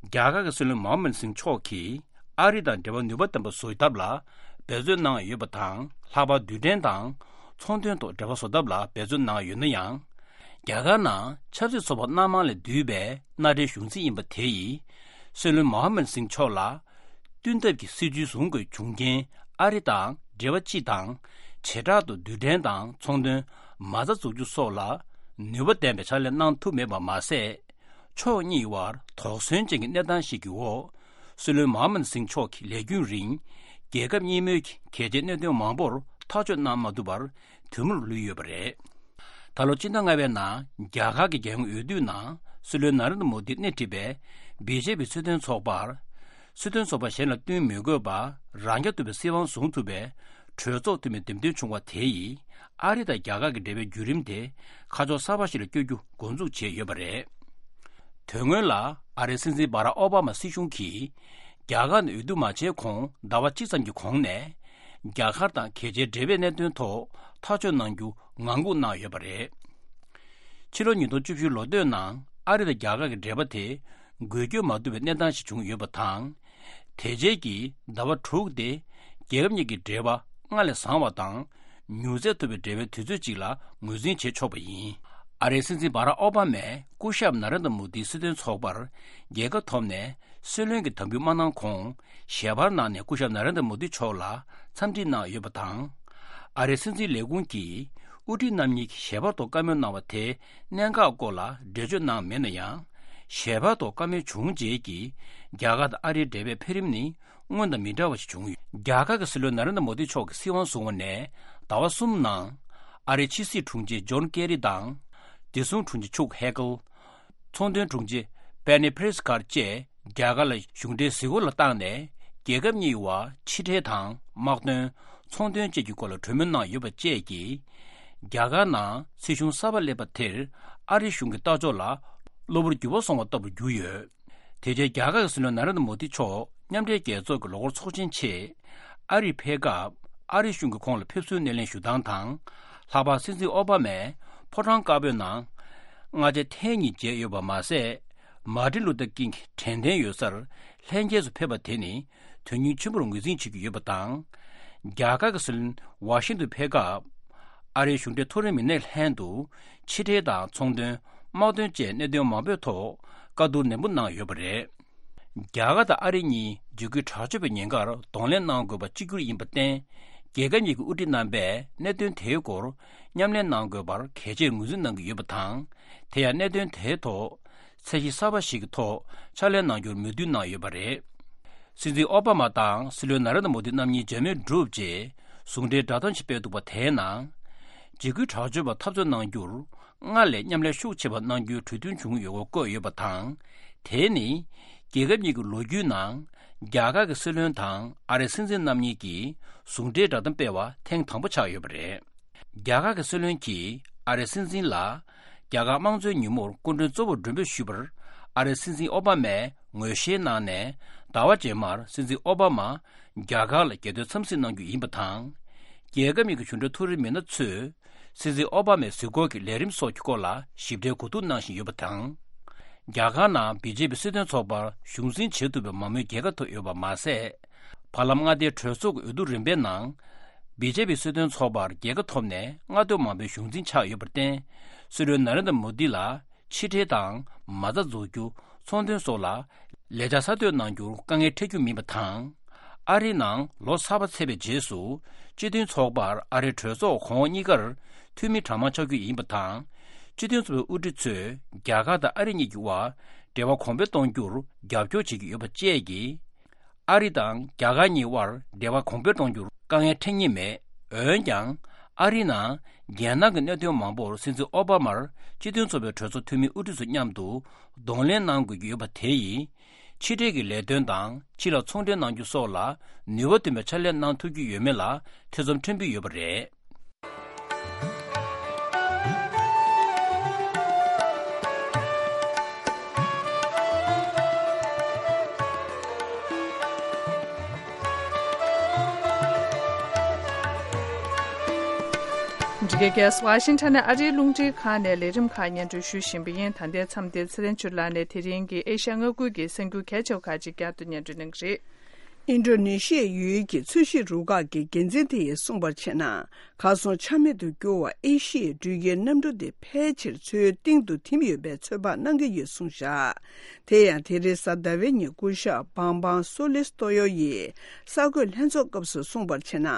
རྒྱ་གར་གྱི་སྲིད་བློན་མོ་ཧམ་མད་སིང་མཆོག་གིས་ཨ་རི་དང་འབྲེལ་བ་ནུས་པ་ལྡན་པ་བཟོ་ཐབས་ལ་འབད་བརྩོན་གནང་ཡོད་པ་དང་། ལྷག་པར་རྡུལ་ཕྲན་དང་ཚོང་དོན་ཐོག་འབྲེལ་བ་བཟོ་ཐབས་ལ་འབད་བརྩོན་གནང་ཡོད་ན་ཡང་། རྒྱ་གར་ནང་ཆབ་སྲིད་ཚོགས་པ་སྣ་མང་ལས་བསྡུས་པའི་མནའ་འབྲེལ་གཞུང་འཛིན་ཡིན་པ་དེ་ཡིས། སྲིད་བློན་མོ་ཧམ་མད་སིང་མཆོག་ལ། བསྟུན་ཐབས་ཀྱི་སྲིད་ཇུས་བཟུང་དགོས་བྱུང་རྐྱེན། ཨ་རི་དང་འབྲེལ་བ་སྤྱི་དང་། བྱེ་བྲག་ཏུ་རྡུལ་ཕྲན་དང་ཚོང་དོན་མ་རྩ་འཛུགས་རྒྱུ་སོགས་ལ་ནུས་པ་ལྡན་པའི་ཕྱག་ལས་གནང་ཐུབ་མེད་པ་མ་ཟད། ཕྱོགས་གཉིས་བར་དོགས་ཟོན་ཅན་གྱི་གནས་སྟངས་ཤིག་གི་འོག་སྲིད་བློན་མོ་ཧམ་མད་སིང་མཆོག་གིས་ལས་རྒྱུན་རིང་རྒྱལ་ཁབ་གཉིས་མོལ་གྱི་གལ་ཆེའི་གནད་དོན་མང་པོར་ཐག་གཅོད་གནང་མ་ཐུབ་པར་དུས་སྨོན་ལུས་ཡོད་པ་རེད། ད་ལོ་སྤྱི་ཟླ་ལྔ་པའི་ནང་རྒྱ་གར་གྱི་རྒྱལ་ཡོངས་འོས་བསྡུ་ནང་སྲིད་བློན་ན་རེན་དྲ་མོ་དིས་སྣེ་ཁྲིད་པའི་བི་ཇེ་པི་སྲིད་དོན་ཚོགས་པར། སྲིད་དོན་ཚོགས་པ་གཞན་ལ་བསྟུན་མི་དགོས་པར་རང་རྐྱ་ཐུབ་པའི་སྲིད་དབང་བཟུང་ཐུབ་པའི་གྲོས་ཚོགས་འཐུས་མི་འདེམས་ཐོན་བྱུང་བ་དེ་ཡིས་ཨ་རི་དང་རྒྱ་གར་གྱི་འབྲེལ་བའི་བརྒྱུད་རིམ་དེ་ཁ་ཕྱོགས་གསར་པ་ཞིག་ལ་བསྐྱོད་རྒྱུ་འགོ་འཛུགས་བྱས་ཡོད་པ་རེད། དོན་སྔོན་ལ་ཨ་རིའི་སྲིད་འཛིན་སྦ་རག་ཨོ་བྷ་མ་སྲིད་གཞུང་གིས་རྒྱ་གར་ནང་འོས་བསྡུ་མ་བྱས་གོང་ཟླ་བ་གཅིག་ཙམ་གྱི་གོང་ནས་རྒྱ་གར་དང་གལ་ཆེའི་འབྲེལ་བའི་གནད་དོན་ཐོག་ཐག་གཅོད་གནང་རྒྱུ་ངང་སྒུག་གནང་ཡོད་པ་རེད། ཕྱི་ལོ་ཉིས་སྟོང་བཅུ་བཞི་ལོ་སྟོད་ནང་ཨ་རི་དང་རྒྱ་གར་གྱི་འབྲེལ་བ་དེ་འགུལ་སྐྱོད་མ་ཐུབ་པའི་གནས་སྟངས་ཤིག་བྱུང་ཡོད་པ་དང་། དེ་རྗེས་ཀྱི་ཟླ་བ་དྲུག་དེ་རྒྱལ་ཁབ་གཉིས་ཀྱི་འབྲེལ་བ་སྔར་ལས་བཟང་བ་དང་། མྱུར་ཚད་ཐུབ་པའི་འབྲེལ་བའི་དུས་ཚོད་ཅིག་ལ་ངོས་འཛིན་བྱེད་ཆོག་པ་ཡིན། ཨ་རིའི་སྲིད་འཛིན་སྦ་རག་ཨོ་བྷ་མས་སྐུ་ཞབས་ན་རེན་དྲ་མོ་དིའི་སྲིད་དོན་ཚོགས་པར་རྒྱལ་ཁ་ཐོབ་ནས་སྲིད་བློན་གྱི་དམ་འབུལ་མ་གནང་གོང་། ཞལ་པར་ནང་ནས་སྐུ་ཞབས་ན་རེན་དྲ་མོ་དི་མཆོག་ལ་འཚམས་འདྲི་གནང་ཡོད་པ་དང་། ཨ་རིའི་སྲིད་འཛིན་ལས་ཁུངས་ཀྱིས་དབུ་ཁྲིད་རྣམ་གཉིས་ཀྱིས་ཞལ་པར་ཐོག་བཀའ་མོལ་གནང་བ་དེའི་གནད་འགག་སྐོར་ལ་འགྲེལ་བརྗོད་གནང་མེད་ན་ཡང་། ཞལ་པར་ཐོག་བཀའ་མོལ་བྱུང་རྗེས་ཀྱི་རྒྱ་གར་དང་ཨ་རིའི་འབྲེལ་བའི་འཕེལ་རིམ་ནི་སྔོན་དང་མི་འདྲ་བ་ཞིག་བྱུང་ཡོད། རྒྱ་གར་གྱི་སྲིད་བློན་ན་རེན་དྲ་མོ་དི་མཆོག་གིས་སྲིད་དབང་བཟུང་བ་ནས་ཟླ་བ་གསུམ་ནང་། ཨ་རིའི་ཕྱི་སྲིད་དྲུང་ཆེ་ཇོན་ཀེ་རི་དང་། བདེ་སྲུང་དྲུང་ཆེ་ཆུག་ཧེ་ཀལ། ཚོང་དོན་དྲུང་ཆེ་པེ་ནི་ཕེ་རི་སི་ཁར་བཅས་རྒྱ་གར་ལ་གཞུང་འབྲེལ་གཟིགས་སྐོར་ལ་བཏང་ནས། རྒྱལ་ཁབ་གཉིས་བར་ཕྱི་འབྲེལ་དང་། དམག་དོན། ཚོང་དོན་བཅས་ཀྱི་སྐོར་ལ་གྲོས་མོལ་གནང་ཡོད་པ་བཅས་ཀྱིས། རྒྱ་གར་ནང་སྲིད་གཞུང་གསར་པ་སླེབས་པ་དེར་ཨ་རི་གཞུང་གི་ལྟ་ཕྱོགས་ལ་གློ་བུར་འགྱུར་བ་སོང་བ་ལྟ་བུར་གྱུར་ཡོད། དེ་རྗེས་རྒྱ་གར་གྱི་སྲིད་བློན་ན་རེན་དྲ་མོ་དི་མཆོག་མཉམ་འབྲེལ་རྒྱལ་ཚོགས་ཀྱི་ལོ་འཁོར་ཚོགས་ཆེན་ཆེད་ཨ་རིར་ཕེབས་སྐབས། ཨ་རི་གཞུང་གིས་ཁོང་ལ་ཕེབས་བསུའི་སྣེ་ལེན་ཞུ་སྟངས་དང་། ལྷག་པར་སྲིད་འཛིན་ཨོ་བྷ་མས་ཕོ་བྲང་དཀར་པོའི་ནང་སྔ་ཕྱི་ཐེངས་གཉིས་མཇལ་ཡོད་པ་མ་ཟད། མར་ཏིན་ལུ་ཐར་ཀིང་གི་དྲན་རྟེན་ཡོད་སར་ལྷན་རྒྱས་སུ་ཕེབས་པ་དེ་ནི་དོན་སྙིང་ཆེན་པོར་ངོས་འཛིན་བྱེད་ཀྱི་ཡོད་པ་དང་། རྒྱ་གར་གྱི་སྲིད་བློན་ཝ་ཤིང་ཏོན་ཕེབས་སྐབས། ཨ་རིའི་གཞུང་འབྲེལ་མཐོ་རིམ་མི་སྣའི་ལྷན་དུ་ཕྱི་འབྲེལ་དང་ཚོང་དོན། དམག་དོན་བཅས་གནད་དོན་མང་པོའི་ཐོག་བཀའ་བསྡུར་ནན་པོ་གནང་ཡོད་པ་རེད། རྒྱ་གར་དང་ཨ་རི་གཉིས་འཇིགས་སྐུལ་དྲག་སྤྱོད་པའི་ཉེན་ཁར་གདོང་ལེན་གནང་དགོས་པ་གཅིག་གྱུར་ཡིན་པར་བརྟེན། རྒྱལ་ཁབ་གཉིས་ཀྱི་དབུ་ཁྲིད་རྣམ་པས་གནད་དོན་དེའི་སྐོར་མཉམ་ལས་གནང་དགོས་པར་གལ་ཆེར་ངོས་འཛིན་གནང་གི་ཡོད་པ་དང་། དེ་ཡང་གནད་དོན་དེའི་ཐོག་ཚད་གཞི་གསར་པ་ཞིག་གི་ཐོག་ཕྱག་ལས་གནང་རྒྱུར་མོས་མཐུན་གནང་ཡོད་པ་རེད། སྲིད་འཛིན་ཨོ་བྷ་མ་དང་སྲིད་བློན་ན་རེན་དྲ་མོ་དི་རྣམ་གཉིས་མཇལ་མོལ་གྲུབ་རྗེས་ཟུང་འབྲེལ་བསྒྲགས་གཏམ་ཞིག་སྤེལ་འདུག་པ། དེའི་ནང་། འཇིགས་སྐུལ་དྲག་སྤྱོད་པར་འཐབ་རྩོད་གནང་རྒྱུར་སྔར་ལས་མཉམ་ལས་ཤུགས་ཆེ་བ་གནང་རྒྱུའི་གྲོས་མཐུན་བྱུང་ཡོད་སྐོར་བཀོད་ཡོད་པ་དང་། དེ་ནི་རྒྱལ་ཁབ་གཉིས་ཀྱི་ལོ་རྒྱུས་ནང་རྒྱ་གར་གྱི་སྲིད་བློན་དང་ཨ་རིའི་སྲིད་འཛིན་རྣམ་གཉིས་ཀྱིས་ཟུང་འབྲེལ་བསྒྲགས་གཏམ་སྤེལ་བ་ཐེངས་དང་པོ་ཆགས་ཡོད་པ་རེད། རྒྱ་གར་གྱི་སྲིད་བློན་གྱིས་ཨ་རིའི་སྲིད་འཛིན་ལ་རྒྱ་གར་དམངས་གཙོའི་ཉིན་མོར་སྐུ་མགྲོན་གཙོ་བོར་མགྲོན་འབོད་ཞུས་པར་ཨ་རིའི་སྲིད་འཛིན་ཨོ་བྷ་མས་ངོས་བཞེས་གནང་ནས། ཟླ་བ་རྗེས་མར་སྲིད་འཛིན་ཨོ་བྷ་མ་རྒྱ་གར་ལ་རྒྱལ་དོན་འཚམས་གཟིགས་གནང་རྒྱུ་ཡིན་པ་དང་། རྒྱལ་ཁབ་གཉིས་ཀྱི་གཞུང་འབྲེལ་མཐོ་རིམ་མི་སྣ་ཚོས་སྲིད་འཛིན་ཨོ་བྷ་མའི་གཟིགས་སྐོར་གྱི་ལས་རིམ་སོགས་ཀྱི་སྐོར་ལ་ཞིབ་ཕྲའི་གོ་བསྡུར་གནང་བཞིན་ཡོད་པ་དང་། རྒྱ་གར་ནང་བི་ཇེ་པི་སྲིད་དོན་ཚོགས་པར་གཞུང་འཛིན་བྱེད་ཐུབ་པའི་མང་མོས་རྒྱལ་ཁ་ཐོབ་ཡོད་པ་མ་ཟད། བར་ལམ་མངའ་སྡེའི་གྲོས་ཚོགས་ཀྱི་འོས་བསྡུ་རིམ་པའི་ནང་། བི་ཇེ་པི་སྲིད་དོན་ཚོགས་པར་རྒྱལ་ཁ་ཐོབ་ནས་མངའ་སྡོད་མང་པོའི་གཞུང་འཛིན་ཆགས་ཡོད་པར་བརྟེན། སྲིད་བློན་ན་རེན་དྲ་མོ་དི་ལ་ཕྱི་འབྲེལ་དང་མ་རྩ་འཛུགས་རྒྱུ། ཚོང་དོན་སོགས་ལ་ལས་འཆར་གསར་གཏོད་གནང་རྒྱུར་དཀའ་ངལ་འཕྲད་རྒྱུ་མིན་པ་དང་། ཨ་རིའི་ནང་ལོ་གསར་པ་ཚེས་པའི་རྗེས་སུ་སྤྱི་མཐུན་ཚོགས་པར་ཨ་རིའི་གྲོས་ཚོགས་གོང་འོག་གཉིས་ཀར་འཐུས་མི་གྲངས་མང་ཆགས་རྒྱུ་ཡིན་པ་དང་། སྤྱི་མཐུན་ཚོགས་པའི་དབུ་ཁྲིད་ཚོས་རྒྱ་གར་དང་ཨ་རི་གཉིས་ཀྱི་དབར་འབྲེལ་བ་གོང་འཕེལ་གཏོང་རྒྱུར་རྒྱབ་སྐྱོར་བྱེད་ཀྱི་ཡོད་པ་བཅས་ཀྱིས། ཨ་རི་དང་རྒྱ་གར་གཉིས་དབར་འབྲེལ་བ་གོང་འཕེལ་གཏོང་རྒྱུར་དཀའ་ངལ་འཕྲད་ངེས་མེད། འོན་ཀྱང་། ཨ་རིའི་ནང་རྒྱལ་ནང་གི་གནད་དོན་མང་པོར་སྲིད་འཛིན་ཨོ་བྷ་མར་སྤྱི་མཐུན་ཚོགས་པའི་གྲོས་ཚོགས་འཐུས་མི་དབུ་ཁྲིད་ཚོ་མཉམ་དུ་གདོང་ལེན་གནང་དགོས་ཀྱི་ཡོད་པ་དེ་ཡིས། ཕྱི་འབྲེལ་གྱི་ལས་དོན་དང་ཕྱི་ལ་ཚོང་འབྲེལ་གནང་རྒྱུ་སོགས་ལ་ནུས་པ་ལྡན་པའི་ཕྱག་ལས་གནང་ཐུབ་ཀྱི་ཡོད་མེད་ལ་ཐེ་ཚོམ་ཕྲན་བུ་ཡོད་པ་རེད། འདི་གའི་རྒྱལ་ས་ཝ་ཤིང་ཊོན་ནས་ཨ་རིའི་རླུང་འཕྲིན་ཁང་ནས་ལས་རིམ་ཁག་སྙན་སྒྲོན་ཞུ་བཞིན་པ་ཡིན། ད་ལྟའི་མཚམས་འདིར་ཚེ་རིང་ཆོས་ལགས་ནས་དེ་རིང་གི་ཨེ་ཤ་ཡ་མངའ་ཁུལ་གྱི་གསར་འགྱུར་གལ་ཆེ་བ་ཁག་ཅིག་བསྐྱར་དུ་སྙན་སྒྲོན་གནང་གི་རེད། ཨིན་ཌོ་ནེ་ཤི་ཡའི་ཡུལ་གྱི་ཚོས་གཞིས་རུ་ཁག་གི་འགན་འཛིན་དེ་ཡིས་གསུངས་པར་བྱས་ན། གར་སོང་ཆ་མེད་དུ་གྱུར་བ་ཨེ་ཤི་ཡའི་འགྲུལ་སྐྱེལ་གནམ་གྲུ་དེ་ཕལ་ཆེར་མཚོའི་གཏིང་དུ་ཐིམ་ཡོད་པའི་ཚོད་དཔག་གནང་གི་ཡོད་གསུངས་བཞག་དེ་ཡང་དེ་རིང་གཟའ་ཟླ་བའི་ཉིན་སྐུ་ཞབས་བང་བང་སོ་ལི་སྟོ་ཡོ་ཡིས་གསར་འགོད་ལྷན་ཚོགས་སྐབས་སུ་གསུངས་པར་བྱས་ན།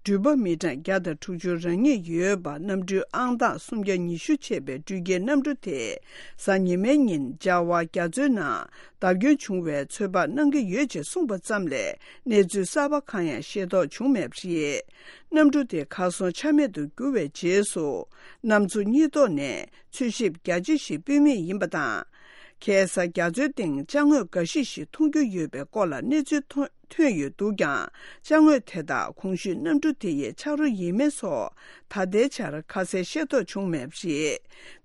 འགྲུལ་པ་མི་གྲངས་བརྒྱ་དང་དྲུག་ཅུ་རང་ཉིད་ཡོད་པ་གནམ་གྲུའི་ཨང་རྟགས་སུམ་བརྒྱ་ཉི་ཤུ་བྱས་པའི་འགྲུལ་སྐྱེལ་གནམ་གྲུ་དེ་གཟའ་ཉི་མའི་ཉིན་ལྕགས་ཝ་རྒྱ་མཚོའི་ནང་བརྡབ་སྐྱོན་བྱུང་བའི་ཚོད་དཔག་གནང་གི་ཡོད་ཅེས་གསུངས་པ་ཙམ་ལས་གནས་ཚུལ་གསར་པ་གང་ཡང་ཤེས་རྟོགས་བྱུང་མེད་པ་རེད། གནམ་གྲུ་དེ་གར་སོང་ཆ་མེད་དུ་གྱུར་བའི་རྗེས་སུ་གནམ་མཚོ་གཉིས་ཐོག་ནས་འཚོལ་ཞིབ་རྒྱ་ཆེ་ཞིག་སྤེལ་མུས་ཡིན་པ་དང་། ཁ་སང་རྒྱ་མཚོའི་སྟེང་ཅ་དངོས་འགའ་ཤས་ཤིག་མཐོང་རྒྱུ་ཡོད་པའི་སྐོར་ལ་གནས་ཚུལ་ཐོན་ཐོན་ཡོད་འདུག་ཀྱང་། ཅ་དངོས་དེ་དག་གོང་ཞུས་གནམ་གྲུ་དེ་ཡི་ཆག་རོ་ཡིན་མིན་སོགས་ད་ལྟའི་ཆར་ཁ་གསལ་ཤེས་རྟོགས་བྱུང་མེད་པ་རེད།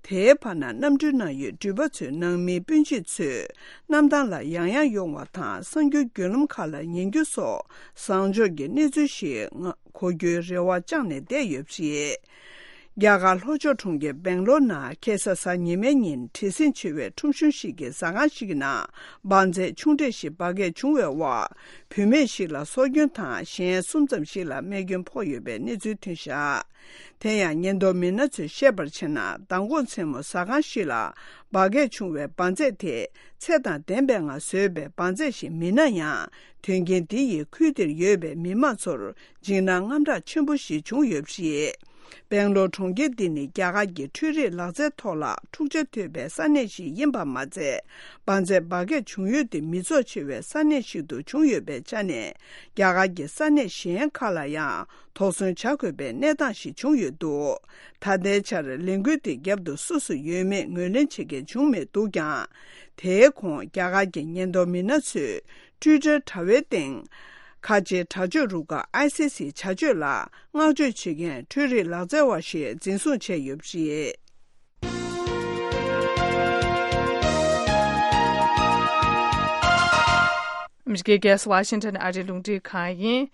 དེའི་བར་ན་གནམ་གྲུའི་ནང་ཡོད་འགྲུལ་པ་ཚོའི་ནང་མི་སྤུན་མཆེད་ཚོས་གནམ་ཐང་ལ་ཡང་ཡང་ཡོང་བ་དང་གསར་འགྱུར་བརྒྱུད་ལམ་ཁག་ལ་ཉན་རྒྱུ་སོགས་བཟང་ཕྱོགས་ཀྱི་གནས་ཚུལ་ཞིག་གོ་རྒྱུའི་རེ་བ་བཅངས་ནས་བསྡད་ཡོད་པ་རེད། རྒྱ་གར་ལྷོ་ཕྱོགས་གྲོང་ཁྱེར་སྦེང་ལོར་ནང་ཁ་སང་གཟའ་ཉི་མའི་ཉིན་བྲེལ་ཟིང་ཆེ་བའི་ཁྲོམ་གཞུང་ཞིག་གི་ཟ་ཁང་ཞིག་གི་ནང་འབར་རྫས་ཆུང་གྲས་ཤིག་འབར་གས་བྱུང་བའི་འོག་བུད་མེད་ཞིག་ལ་སྲོག་སྐྱོན་དང་གཞན་གསུམ་ཙམ་ཞིག་ལ་རྨས་སྐྱོན་ཕོག་ཡོད་པའི་གནས་ཚུལ་ཐོན་བཞག་དེ་ཡང་ཉེན་རྟོག་མི་སྣ་ཚོས་བཤད་པར་བྱས་ན། མདང་དགོང་མཚན་མོ་ཟ་ཁང་ཞིག་ལ་འབར་གས་བྱུང་བའི་འབར་རྫས་དེ་ཚད་དང་ལྡན་པའི་ངང་བཟོས་པའི་འབར་རྫས་ཤིག་མིན་ན་ཡང་། དོན་རྐྱེན་འདི་ཡིས་ཁུལ་དེར་ཡོད་པའི་མི་མང་ཚོར་འཇིགས་སྣང་དངངས་སྐྲག་ཆེན་པོ་ཞིག་བྱུང་ཡོད་པ་རེད། སྦེང་ལོར་གྲོང་ཁྱེར་འདི་ནི་རྒྱ་གར་གྱི་འཕྲུལ་རིག་ལག་རྩལ་ཐོག་ལ་འཁྲུག་ཆ་དོད་པའི་ས་གནས་ཤིག་ཡིན་པ་མ་ཚད། འབར་རྫས་འབར་གས་བྱུང་ཡུལ་དེ་མི་ཚོགས་ཆེ་བའི་ས་གནས་ཤིག་ཏུ་བྱུང་ཡོད་པའི་ཆ་ནས། རྒྱ་གར་གྱི་ས་གནས་གཞན་ཁག་ལ་ཡང་དོགས་ཟོན་བྱ་དགོས་པའི་གནས་སྟངས་ཤིག་བྱུང་ཡོད་འདུག་ད་ལྟའི་ཆར་ལས་འགུལ་དེའི་རྒྱབ་ཏུ་སུ་སུ་ཡོད་མེད་ངོས་ལེན་བྱེད་མཁན་བྱུང་མེད་འདུག་ཀྱང་། དེའི་གོང་རྒྱ་གར་གྱི་ཉེན་རྟོག་མི་སྣ་ཚོས། ཊུའི་ཊར་དྲ་བའི་སྟེང་། ཁ་ཆེའི་དྲག་སྤྱོད་རུ་ཁག་ཨའི་སི་སི་བྱ་སྤྱོད་ལ་བསྔགས་བརྗོད་བྱེད་མཁན་འཕྲུལ་རིག་ལག་རྩལ་བ་ཞིག་འཛིན་བཟུང་བྱས་ཡོད་པ་རེད། ཨ་མི་རི་ཀའི་རྒྱལ་ས་ཝ་ཤིང་ཊོན་ཨ་རིའི་རླུང་འཕྲིན་ཁང་ཡིན།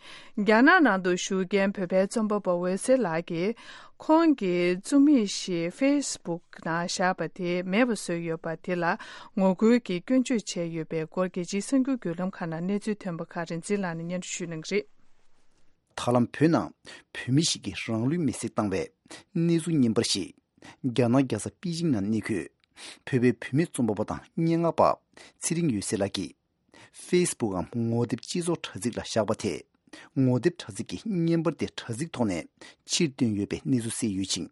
རྒྱ་ནག་ནང་དུ་བཞུགས་མཁན་བོད་པའི་རྩོམ་པ་པོ་འོད་ཟེར་ལགས་ཀྱིས། ཁོང་གི་རྩོམ་ཡིག་ཞིག་ཕེ་སི་བུག་ནང་བཞག་པ་དེ་མེད་པ་བཟོས་ཡོད་པ་དེ་ལ་ངོ་རྒོལ་གྱིས་སྐྱོན་བརྗོད་བྱས་ཡོད་པའི་སྐོར་རྒྱལ་སྤྱིའི་གསར་འགྱུར་བརྒྱུད་ལམ་ཁག་ནང་གནས་ཚུལ་ཐོན་པ་ཁག་རིན་འཛིན་ལགས་ནས་སྙན་སྒྲོན་ཞུ་གནང་གི་རེད། ད་ལམ་བོད་ནང་བོད་མི་ཞིག་གིས་རང་ལུས་མེར་སྲེག་བཏང་བའི་གནས་ཚུལ་རྙིང་པ་ཞིག་རྒྱ་ནག་རྒྱལ་ས་པེ་ཅིང་ནང་གནས་འཁོད་བོད་པའི་བུད་མེད་རྩོམ་པ་པོ་དང་སྙན་ངག་པ་ཚེ་རིང་འོད་ཟེར་ལགས་ཀྱིས། ཕེ་སི་བུག་གམ་ངོ་དེབ་སྤྱི་ཚོགས་དྲ་ཚིགས་ལ་བཞག་པ་དེས། ངོ་དེབ་དྲ་ཚིགས་ཀྱིས་བརྙན་པར་དེ་དྲ་ཚིགས་ཐོག་ནས་ཕྱིར་བཏོན་ཡོད་པའི་གནས་ཚུལ་གསལ་ཡོད་ཅིང་།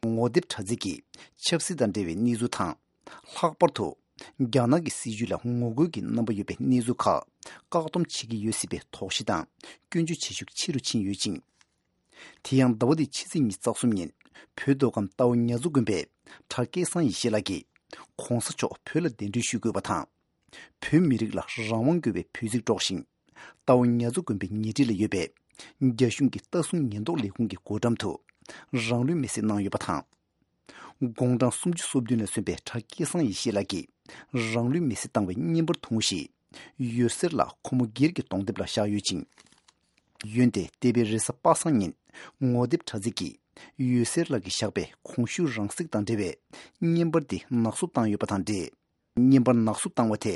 ངོ་དེབ་དྲ་ཚིགས་ཀྱིས་ཆབ་སྲིད་དང་འབྲེལ་བའི་གནས་ཚུལ་དང་། ལྷག་པར་དུ། རྒྱ་ནག་གི་སྲིད་བྱུས་ལ་ངོ་རྒོལ་གྱི་རྣམ་པ་ཡོད་པའི་གནས་ཚུལ་ཁག་བཀག་སྡོམ་བྱེད་ཀྱི་ཡོད་སྲིད་པའི་དོགས་གཞི་དང་སྐྱོན་བརྗོད་བྱེད་ཤུགས་ཆེ་རུ་ཕྱིན་ཡོད་ཅིང་། དེ་ཡང་ཟླ་བ་འདིའི་ཕྱི་ཚེས་ཉི་ཤུ་རྩ་གསུམ་ཉིན་བོད་མདོ་ཁམས་རྟའུ་ཉ་ཚོ་དགོན་པའི་གྲྭ་སྐལ་བཟང་ཡེ་ཤེས་ལགས་ཀྱིས། །གོང་ས་མཆོག་བོད་ལ་གདན་འདྲེན་ཞུ་དགོས་པ་དང་། བོད་མི་རིགས་ལ་རང་དབང་དགོས་པའི་འབོད་ཚིག་སྒྲོག་བཞིན། རྟའུ་ཉ་མཚོ་དགོན་པའི་ཉེ་འཁྲིས་ལ་ཡོད་པའི་རྒྱ་གཞུང་གི་ལྟ་སྲུང་ཉེན་རྟོག་ལས་ཁུངས་ཀྱི་སྒོ་འགྲམ་དུ་རང་ལུས་མེར་སྲེག་གནང་ཡོད་པ་དང་། དགུང་གྲངས་སུམ་ཅུ་སོ་བདུན་ལ་སོན་པའི་གྲྭ་སྐལ་བཟང་ཡེ་ཤེས་ལགས་ཀྱིས་རང་ལུས་མེར་སྲེག་བཏང་བའི་བརྙན་པར་ཐུང་ཞིག་འོད་ཟེར་ལགས་ཁོ་མོ་སྒེར་གྱི་གདོང་དེབ་ལ་བཞག་ཡོད་ཅིང་། འོན་ཏེ་འདས་པའི་རེས་གཟའ་པ་སངས་ཉིན་ངོ་དེབ་དྲ་ཚིགས་ཀྱིས་འོད་ཟེར་ལགས་ཀྱིས་བཞག་པའི་གོང་ཞུས་རང་བསྲེགས་དང་འབྲེལ་བའི་བརྙན་པར་དེ་ནག་བསུབ་བཏང་ཡོད་པ་དང་འབྲེལ། བརྙན་པར་ནག་བསུབ་བཏང་བ་དེ་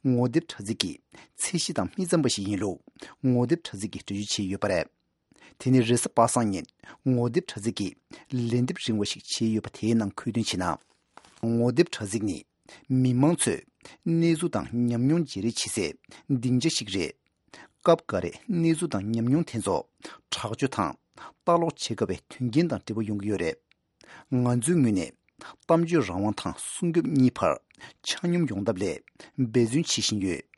ངོ་དེབ་དྲ་ཚིགས་ཀྱི་ཚད་གཞི་དང་མི་འཚམ་པ་ཞིག་ཡིན་ལུགས་ངོ་དེབ་དྲ་ཚིགས་ཀྱིས་འགྲེལ་བརྗོད་བྱས་ཡོད་པ་རེད། དེ་ནི་རེས་གཟའ་པ་སངས་ཉིན་ངོ་དེབ་དྲ་ཚིགས་ཀྱིས་ལན་འདེབས་རིང་བ་ཞིག་བྱས་ཡོད་པ་དེའི་ནང་འཁོད་དོན་བྱས་ན། ངོ་དེབ་དྲ་ཚིགས་ནི་མི་མང་ཚོས་གནས་ཚུལ་དང་ཉམས་མྱོང་བརྗེ་རེས་བྱེད་སའི་སྡིངས་ཆ་ཞིག་རེད། སྐབས་འགའ་རེ་གནས་ཚུལ་དང་ཉམས་མྱོང་དེ་ཚོ་དྲག་སྤྱོད་དང་ལྟ་ཀློག་བྱེད་དཀའ་བའི་དོན་རྐྱེན་དང་འབྲེལ་བ་ཡོང་གི་ཡོད་རེད། ང་ཚོའི་ངོས་ནས་གཏམ་བརྗོད་རང་དབང་དང་སྲུང་སྐྱོབ་གཉིས་བར་ཆ་སྙོམས་ཡོང་ཐབས་སླད་འབད་བརྩོན་བྱེད་བཞིན་ཡོད།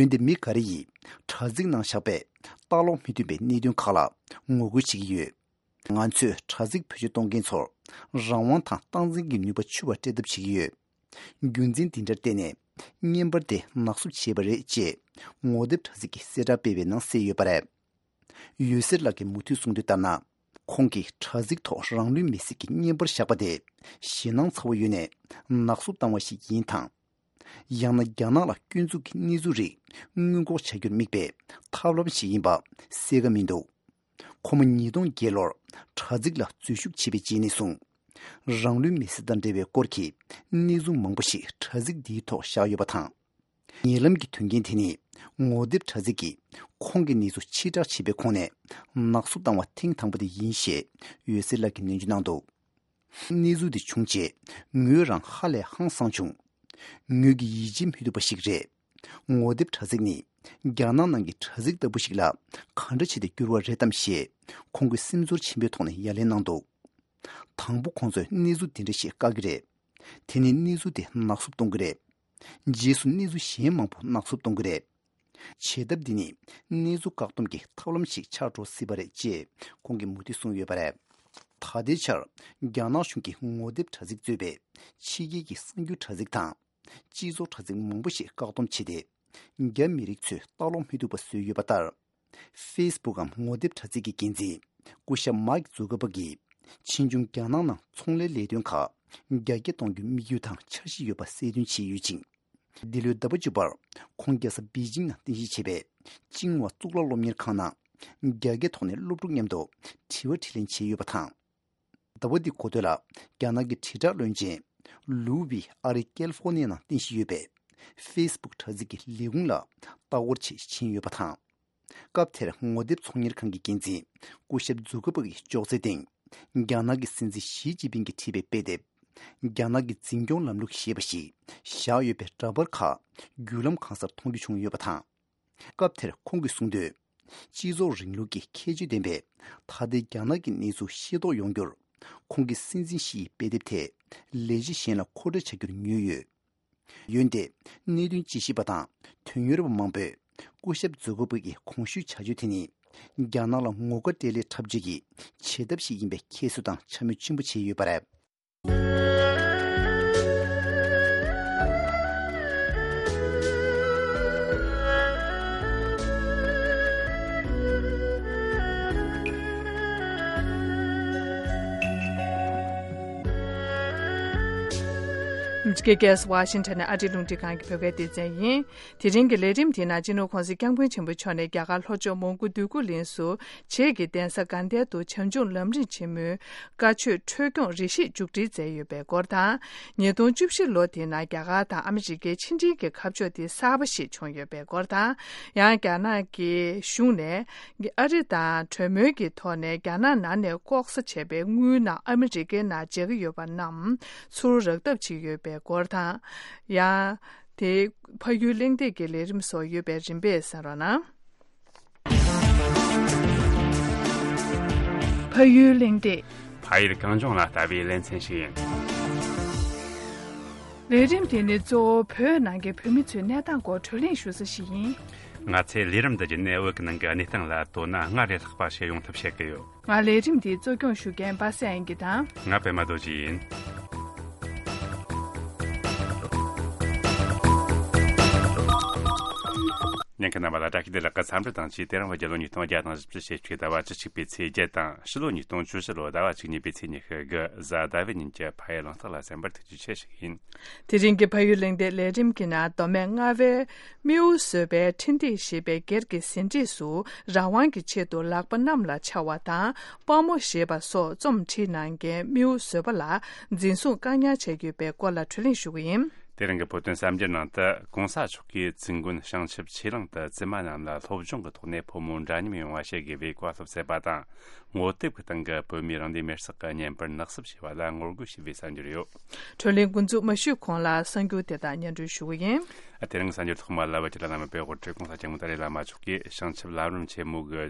འོན་ཏེ་མི་འགའ་རེ་ཡིས་དྲ་ཚིགས་ནང་བཞག་པའི་ལྟ་ཀློག་མི་ཐུབ་པའི་གནད་དོན་ཁག་ལ་ངོ་རྒོལ་བྱེད་ཀྱི་ཡོད། ང་ཚོས་དྲ་ཚིགས་བེད་སྤྱོད་གཏོང་མཁན་ཚོར་རང་དབང་དང་སྟངས་འཛིན་གྱི་ནུས་པ་འཕྱུར་བ་སྤྲད་ཐབས་བྱེད་ཀྱི་ཡོད། རྒྱུ་མཚན་འདི་འདྲར་བརྟེན་ནས་བརྙན་པར་དེ་ནག་བསུབ་བྱས་པ་རེད་ཅེས་ངོ་དེབ་དྲ་ཚིགས་ཀྱིས་གསལ་བསྒྲགས་སྤེལ་བའི་ནང་གསལ་ཡོད་པ་རེད། འོད་ཟེར་ལགས་ཀྱིས་མུ་མཐུད་གསུངས་དོན་ལྟར་ན། ཁོང་གིས་དྲ་ཚིགས་ཐོག་རང་ལུས་མེར་སྲེག་གི་བརྙན་པར་བཞག་པ་དེ་ཞེད་སྣང་ཚ་བོ་ཡོད་ནས་ནག་བསུབ་བཏང་བ་ཞིག་ཡིན་དང་། ཡང་ན་རྒྱ་ནག་ལ་སྐྱོན་འཛུགས་ཀྱི་གནས་ཚུལ་རིགས་སྔོན་འགོག་བྱ་རྒྱུར་དམིགས་པའི་ཐབས་ལམ་ཞིག་ཡིན་པ་གསལ་ཁ་མི་འདུག་ཁོ་མོ་ཉིས་སྟོང་བརྒྱད་ལོར་དྲ་ཚིགས་ལ་འཛུལ་ཞུགས་བྱས་པའི་རྗེས་ནས་བཟུང་། རང་ལུས་མེར་སྲེག་དང་འབྲེལ་བའི་སྐོར་གྱི་གནས་ཚུལ་མང་པོ་ཞིག་དྲ་ཚིགས་འདིའི་ཐོག་བཞག་ཡོད་པ་དང་། ཉེ་ལམ་གྱི་དོན་རྐྱེན་དེ་ནི་ངོ་དེབ་དྲ་ཚིགས་ཀྱིས་ཁོང་གི་གནས་ཚུལ་ཕྱིར་བསྒྲགས་བྱས་པའི་ཁོངས་ནས་ནག་བསུབ་བཏང་བ་ཐེངས་དང་པོ་དེ་ཡིན་ཞེས་འོད་ཟེར་ལགས་ཀྱིས་ནན་བརྗོད་གནང་འདུག་གནས་ཚུལ་འདི་བྱུང་རྗེས་ངོས་རང་ཧ་ལས་ཧང་སངས་བྱུང་། ངོས་ཀྱིས་ཡིད་ཆེས་མི་ཐུབ་པ་ཞིག་རེད། ངོ་དེབ་དྲ་ཚིགས་ནི་རྒྱ་ནག་ནང་གི་དྲ་ཚིགས་ལྟ་བུ་ཞིག་ལ་ག་འདྲ་བྱས་ཏེ་བསྒྱུར་བ་རེད་དམ་ཞེས་ཁོང་གིས་སེམས་ཚོར་ཆེན་པོའི་ཐོག་ནས་ཡ་ལན་གནང་འདུག་དང་པོ་ཁོང་ཚོས་གནས་ཚུལ་འདི་འདྲ་ཞིག་བཀག་གི་རེད། དེ་ནས་གནས་ཚུལ་དེ་ནག་བསུབ་གཏོང་གི་རེད། རྗེས་སུ་གནས་ཚུལ་གཞན་མང་པོ་ནག་བསུབ་གཏོང་གི་རེད། བྱེད་ཐབས་འདི་ནི་གནས་ཚུལ་བཀག་སྡོམ་གྱི་ཐབས་ལམ་ཞིག་ཆགས་འགྲོ་སྲིད་པ་རེད་ཅེས་ཁོང་གིས་མུ་མཐུད་གསུངས་ཡོད་པ་རེད། ད་ལྟའི་ཆར་རྒྱ་ནག་གཞུང་གིས་ངོ་དེབ་དྲ་ཚིགས་གཙོས་པའི་ཕྱི་རྒྱལ་གྱི་གསར་འགྱུར་དྲ་ཚིགས་དང་། སྤྱི་ཚོགས་དྲ་ཚིགས་མང་པོ་ཞིག་བཀག་སྡོམ་བྱས་ཏེ། རྒྱ་མི་རིགས་ཚོས་ལྟ་ཀློག་མི་ཐུབ་པ་བཟོས་ཡོད་པ་ལྟར། ཧྥེ་སི་བུག་གམ་ངོ་དེབ་དྲ་ཚིགས་ཀྱི་འགན་འཛིན་སྐུ་ཞབས་མཱིག་ཛུ་ཀར་པག་གིས་ཕྱིས་འབྱུང་རྒྱ་ནག་ནང་ཚོང་ལས་ལས་དོན་ཁག་རྒྱ་སྐྱེད་གཏོང་རྒྱུའི་དམིགས་ཡུལ་དང་འཆར་གཞི་ཡོད་པ་གསལ་སྟོན་བྱས་ཡོད་ཅིང་། འདི་ལོའི་ཟླ་བ་བཅུ་པར་ཁོང་རྒྱལ་ས་པེ་ཅིང་ནང་རྟེན་གཞི་བྱས་པའི་ཅིང་ཝ་གཙུག་ལག་སློབ་གཉེར་ཁང་ནང་རྒྱ་སྐད་ཐོག་ནས་སློབ་ཕྲུག་མཉམ་དུ་དྲི་བ་དྲིས་ལན་བྱས་ཡོད་པ་དང་། ཟླ་བ་འདིའི་འགོ་སྟོད་ལ་རྒྱ་ནག་གི་དྲིལ་བསྒྲགས་བློན་ཆེན་ལུའུ་ཝི་ཨ་རིའི་ཀེ་ལི་ཧྥོ་ནི་ཡ་ནང་རྟེན་གཞི་ཡོད་པའི་ཧྥེ་སི་བུག་དྲ་ཚིགས་ཀྱི་ལས་ཁུངས་ལ་ལྟ་སྐོར་ཆེད་ཕྱིན་ཡོད་པ་དང་། སྐབས་དེར་ངོ་དེབ་ཚོང་གཉེར་ཁང་གི་འགན་འཛིན་སྐུ་ཞབས་ཛུ་ཀར་པག་གི་ཅོག་ཙེའི་སྟེང་རྒྱ་ནག་གི་སྲིད་འཛིན་ཞི་ཅིན་ཕིང་གིས་བྲིས་པའི་དཔེ་དེབ། རྒྱ་ནག་གི་འཛིན་སྐྱོང་ལམ་ལུགས་ཞེས་པ་ཞིག་བཞག་ཡོད་པའི་འདྲ་པར་ཁག་བརྒྱུད་ལམ་གང་སར་མཐོང་རྒྱུ་བྱུང་ཡོད་པ་དང་། སྐབས་དེར་ཁོང་གིས་གསུངས་དོན། སྤྱི་ཚོགས་རིང་ལུགས་ཀྱི་ཁྱད་ཆོས་ལྡན་པའི་ད་ལྟའི་རྒྱ་ནག་གི་གནས་ཚུལ་ཤེས་རྟོགས་ཡོང་རྒྱུར། ཁོང་གིས་སྲིད་འཛིན་ཞི་ཡི་དཔེ་དེབ་དེ་ལས་བྱེད་གཞན་ལ་མཁོ་སྤྲོད་བྱ་རྒྱུར་ཉོས་ཡོད། འོན་ཏེ། གནད་དོན་དཔྱད་ཞིབ་པ་དང་དོན་གཉེར་བ་མང་པོས་སྐུ་ཞབས་ཛུ་ཀར་པག་གི་གོང་ཞུས་བྱ་སྤྱོད་དེ་ནི་རྒྱ་ནག་ལ་ངོ་དགའ་སྤྲད་སླད་འཁྲབ་བྱེད་ཀྱི་བྱེད་ཐབས་ཤིག་ཡིན་པའི་ཁྱད་གསོད་དང་འཕྱ་སྨོད་ཆེན་པོ་བྱས་ཡོད་པ་རེད། འདི་ག་ག་ས་ཝ་ཤིང་ཊོན་ནས་ཨ་རིའི་རླུང་འཕྲིན་ཁང་གི་བོད་སྐད་སྡེ་ཚན་ཡིན། དེ་རིང་གི་ལས་རིམ་དེའི་ནང་སྤྱི་ནོར་༸གོང་ས་༸སྐྱབས་མགོན་ཆེན་པོ་མཆོག་ནས་རྒྱ་གར་ལྷོ་ཕྱོགས་མོན་གྷོ་འདོད་རྒུ་གླིང་སུ། བྱེས་ཀྱི་གདན་ས་དགའ་ལྡན་དུ་བྱམས་སྐྱོང་ལམ་རིམ་ཆེན་མོའི་བཀའ་ཆོས་འཕྲོས་སྐྱོང་རེ་ཞིག་མཇུག་སྒྲིལ་མཛད་ཡོད་པའི་སྐོར་དང་། ཉིས་སྟོང་བཅུ་བཞི་ལོ་དེའི་ནང་རྒྱ་གར་དང་ཨ་མི་རི་ཀའི་ཕྱི་འབྲེལ་གྱི་ཁ་ཕྱོགས་དེ་གསར་པ་ཞིག་བྱུང་ཡོད་པའི་སྐོར་དང་། ཡང་རྒྱ་ནག་གི་གཞུང་ནས་ཨ་རི་དང་གྲོས་མོལ་གྱི་ཐོག་ནས་རྒྱ་ནག་ནང་ནས་ལྐོག་ཟ་བྱས་པའི་དངུལ་རྣམས་ཨ་མི་རི་ཀའི་ནང་འཇགས་ཀྱི་ཡོད་པ་རྣམས་ཚུར་རག་ཐབས་བྱེད་ཀྱི་ཡོད་པའི་སྐོར་དང་། ཡང་དེ་ཕ་ཡུལ་གླེང་སྟེགས་ཀྱི་ལས་རིམ་སོགས་ཡོད་པའི་རིམ་པས་གསན་རོགས་གནང་། ཕ་ཡུལ་གླེང་སྟེགས། ཕ་ཡུལ་གངས་ལྗོངས་ལ་ལྟ་བའི་ལེ་ཚན་ཞིག་ཡིན། ལས་རིམ་དེ་ནི་གཙོ་བོ་བོད་ནང་གི་བོད་མི་ཚོའི་གནས་སྟངས་སྐོར་བགྲོ་གླེང་ཞུ་ས་ཞིག་ཡིན། ང་ཚོས་ལས་རིམ་འདི་བརྒྱུད་ནས་བོད་ཀྱི་ནང་གི་གནས་སྟངས་ལ་དོ་སྣང་སྔར་ལས་ལྷག་པ་ཞིག་ཡོང་ཐབས་བྱེད་ཀྱི་ཡོད། ང་ལས་རིམ་འདི་གཙོ་སྐྱོང་ཞུ་མཁན་པ་སངས་དབྱངས་སྐྱིད་དང་། ང་པད་མ་རྡོ་རྗེ་ཡིན། ཨང་ཀི་རྣམ་པ་ལ་བཀྲ་ཤིས་བདེ་ལེགས་ཀྱི་འཚམས་འདྲི་དང་བཅས། དེ་རིང་རྒྱལ་ལོ་ཉིས་སྟོང་བརྒྱ་དང་བཞི་བཅུ་ཞེ་གཅིག་ཟླ་བ་བཅུ་གཅིག་པའི་ཚེས་བརྒྱད་དང་། ཕྱི་ལོ་ཉིས་སྟོང་བཅུ་བཞི་ལོ་ཟླ་བ་གཅིག་གཉིས་པའི་ཚེས་ཉི་ཤུ་དགུ་གཟའ་ཟླ་བའི་ཉིན་གྱི་ཕ་ཡུལ་གླེང་སྟེགས་ལ་གསན་པར་ཐུགས་རྗེ་ཆེ་ཞུ་གི་ཡིན། དེ་རིང་གི་ཕ་ཡུལ་གླེང་སྟེགས་ལས་རིམ་གྱི་ནང་། མདོ་སྨད་རྔ་བའི་རྨེའུ་བཟོ་པའི་འཕྲིན་སྟེགས་ཞེས་པའི་སྒེར་གྱི་ཟིན་བྲིས་སུ། རང་དབང་གི་ཆེད་དུ་ལག་པ་གནམ་ལ་འཕྱར་བ་དང་། དཔའ་མོ་ཞེས་པ་སོགས་རྩོམ་བྲིས་གནང་མཁན་རྨེའུ་བཟོ་པ་ལ་འཛིན་བཟུང་བཀག་ཉར་བྱས་ཡོད་པའི་སྐོར་ལ་བགྲོ་གླེང་ཞུ་གི་ཡིན། དེ་རིང་གི་བོད་དོན་གསར་འགྱུར་ནང་དུ། གོང་ས་མཆོག་གིས་ཙིན་དགོན་བྱང་ཆུབ་ཆོས་གླིང་དུ་བཙུན་མ་རྣམས་ལ་སློབ་སྦྱོང་གི་ཐོག་ནས་ཕོ་མོ་འདྲ་མཉམ་ཡོང་བ་བྱེད་དགོས་པའི་བཀའ་སློབ་སྩལ་བ་དང་། ངོ་དེབ་ཀྱི་སྟེང་གི་བོད་མིའི་རང་བདེན་མེར་སྲེག་གི་བརྙན་པར་ནག་བསུབ་བྱས་པ་ལ་ངོ་རྒོལ་བྱས་པའི་གསར་འགྱུར་ཡོད། བགྲོ་གླེང་འགོ་འཛུགས་མ་ཞུས་གོང་ལ་གསར་འགྱུར་དེ་དག་སྙན་སྒྲོན་ཞུ་གི་ཡིན། དེ་རིང་གི་གསར་འགྱུར་ཐོག་མ་ལ། བོད་ཀྱི་བླ་ན་མེད་པའི་དབུ་ཁྲིད་༸གོང་ས་༸སྐྱབས་མགོན་ཏཱ་ལའི་བླ་མ་མཆོག་གིས་བྱང་ཆུབ་ལམ་རིམ་ཆེན་མོ་གི་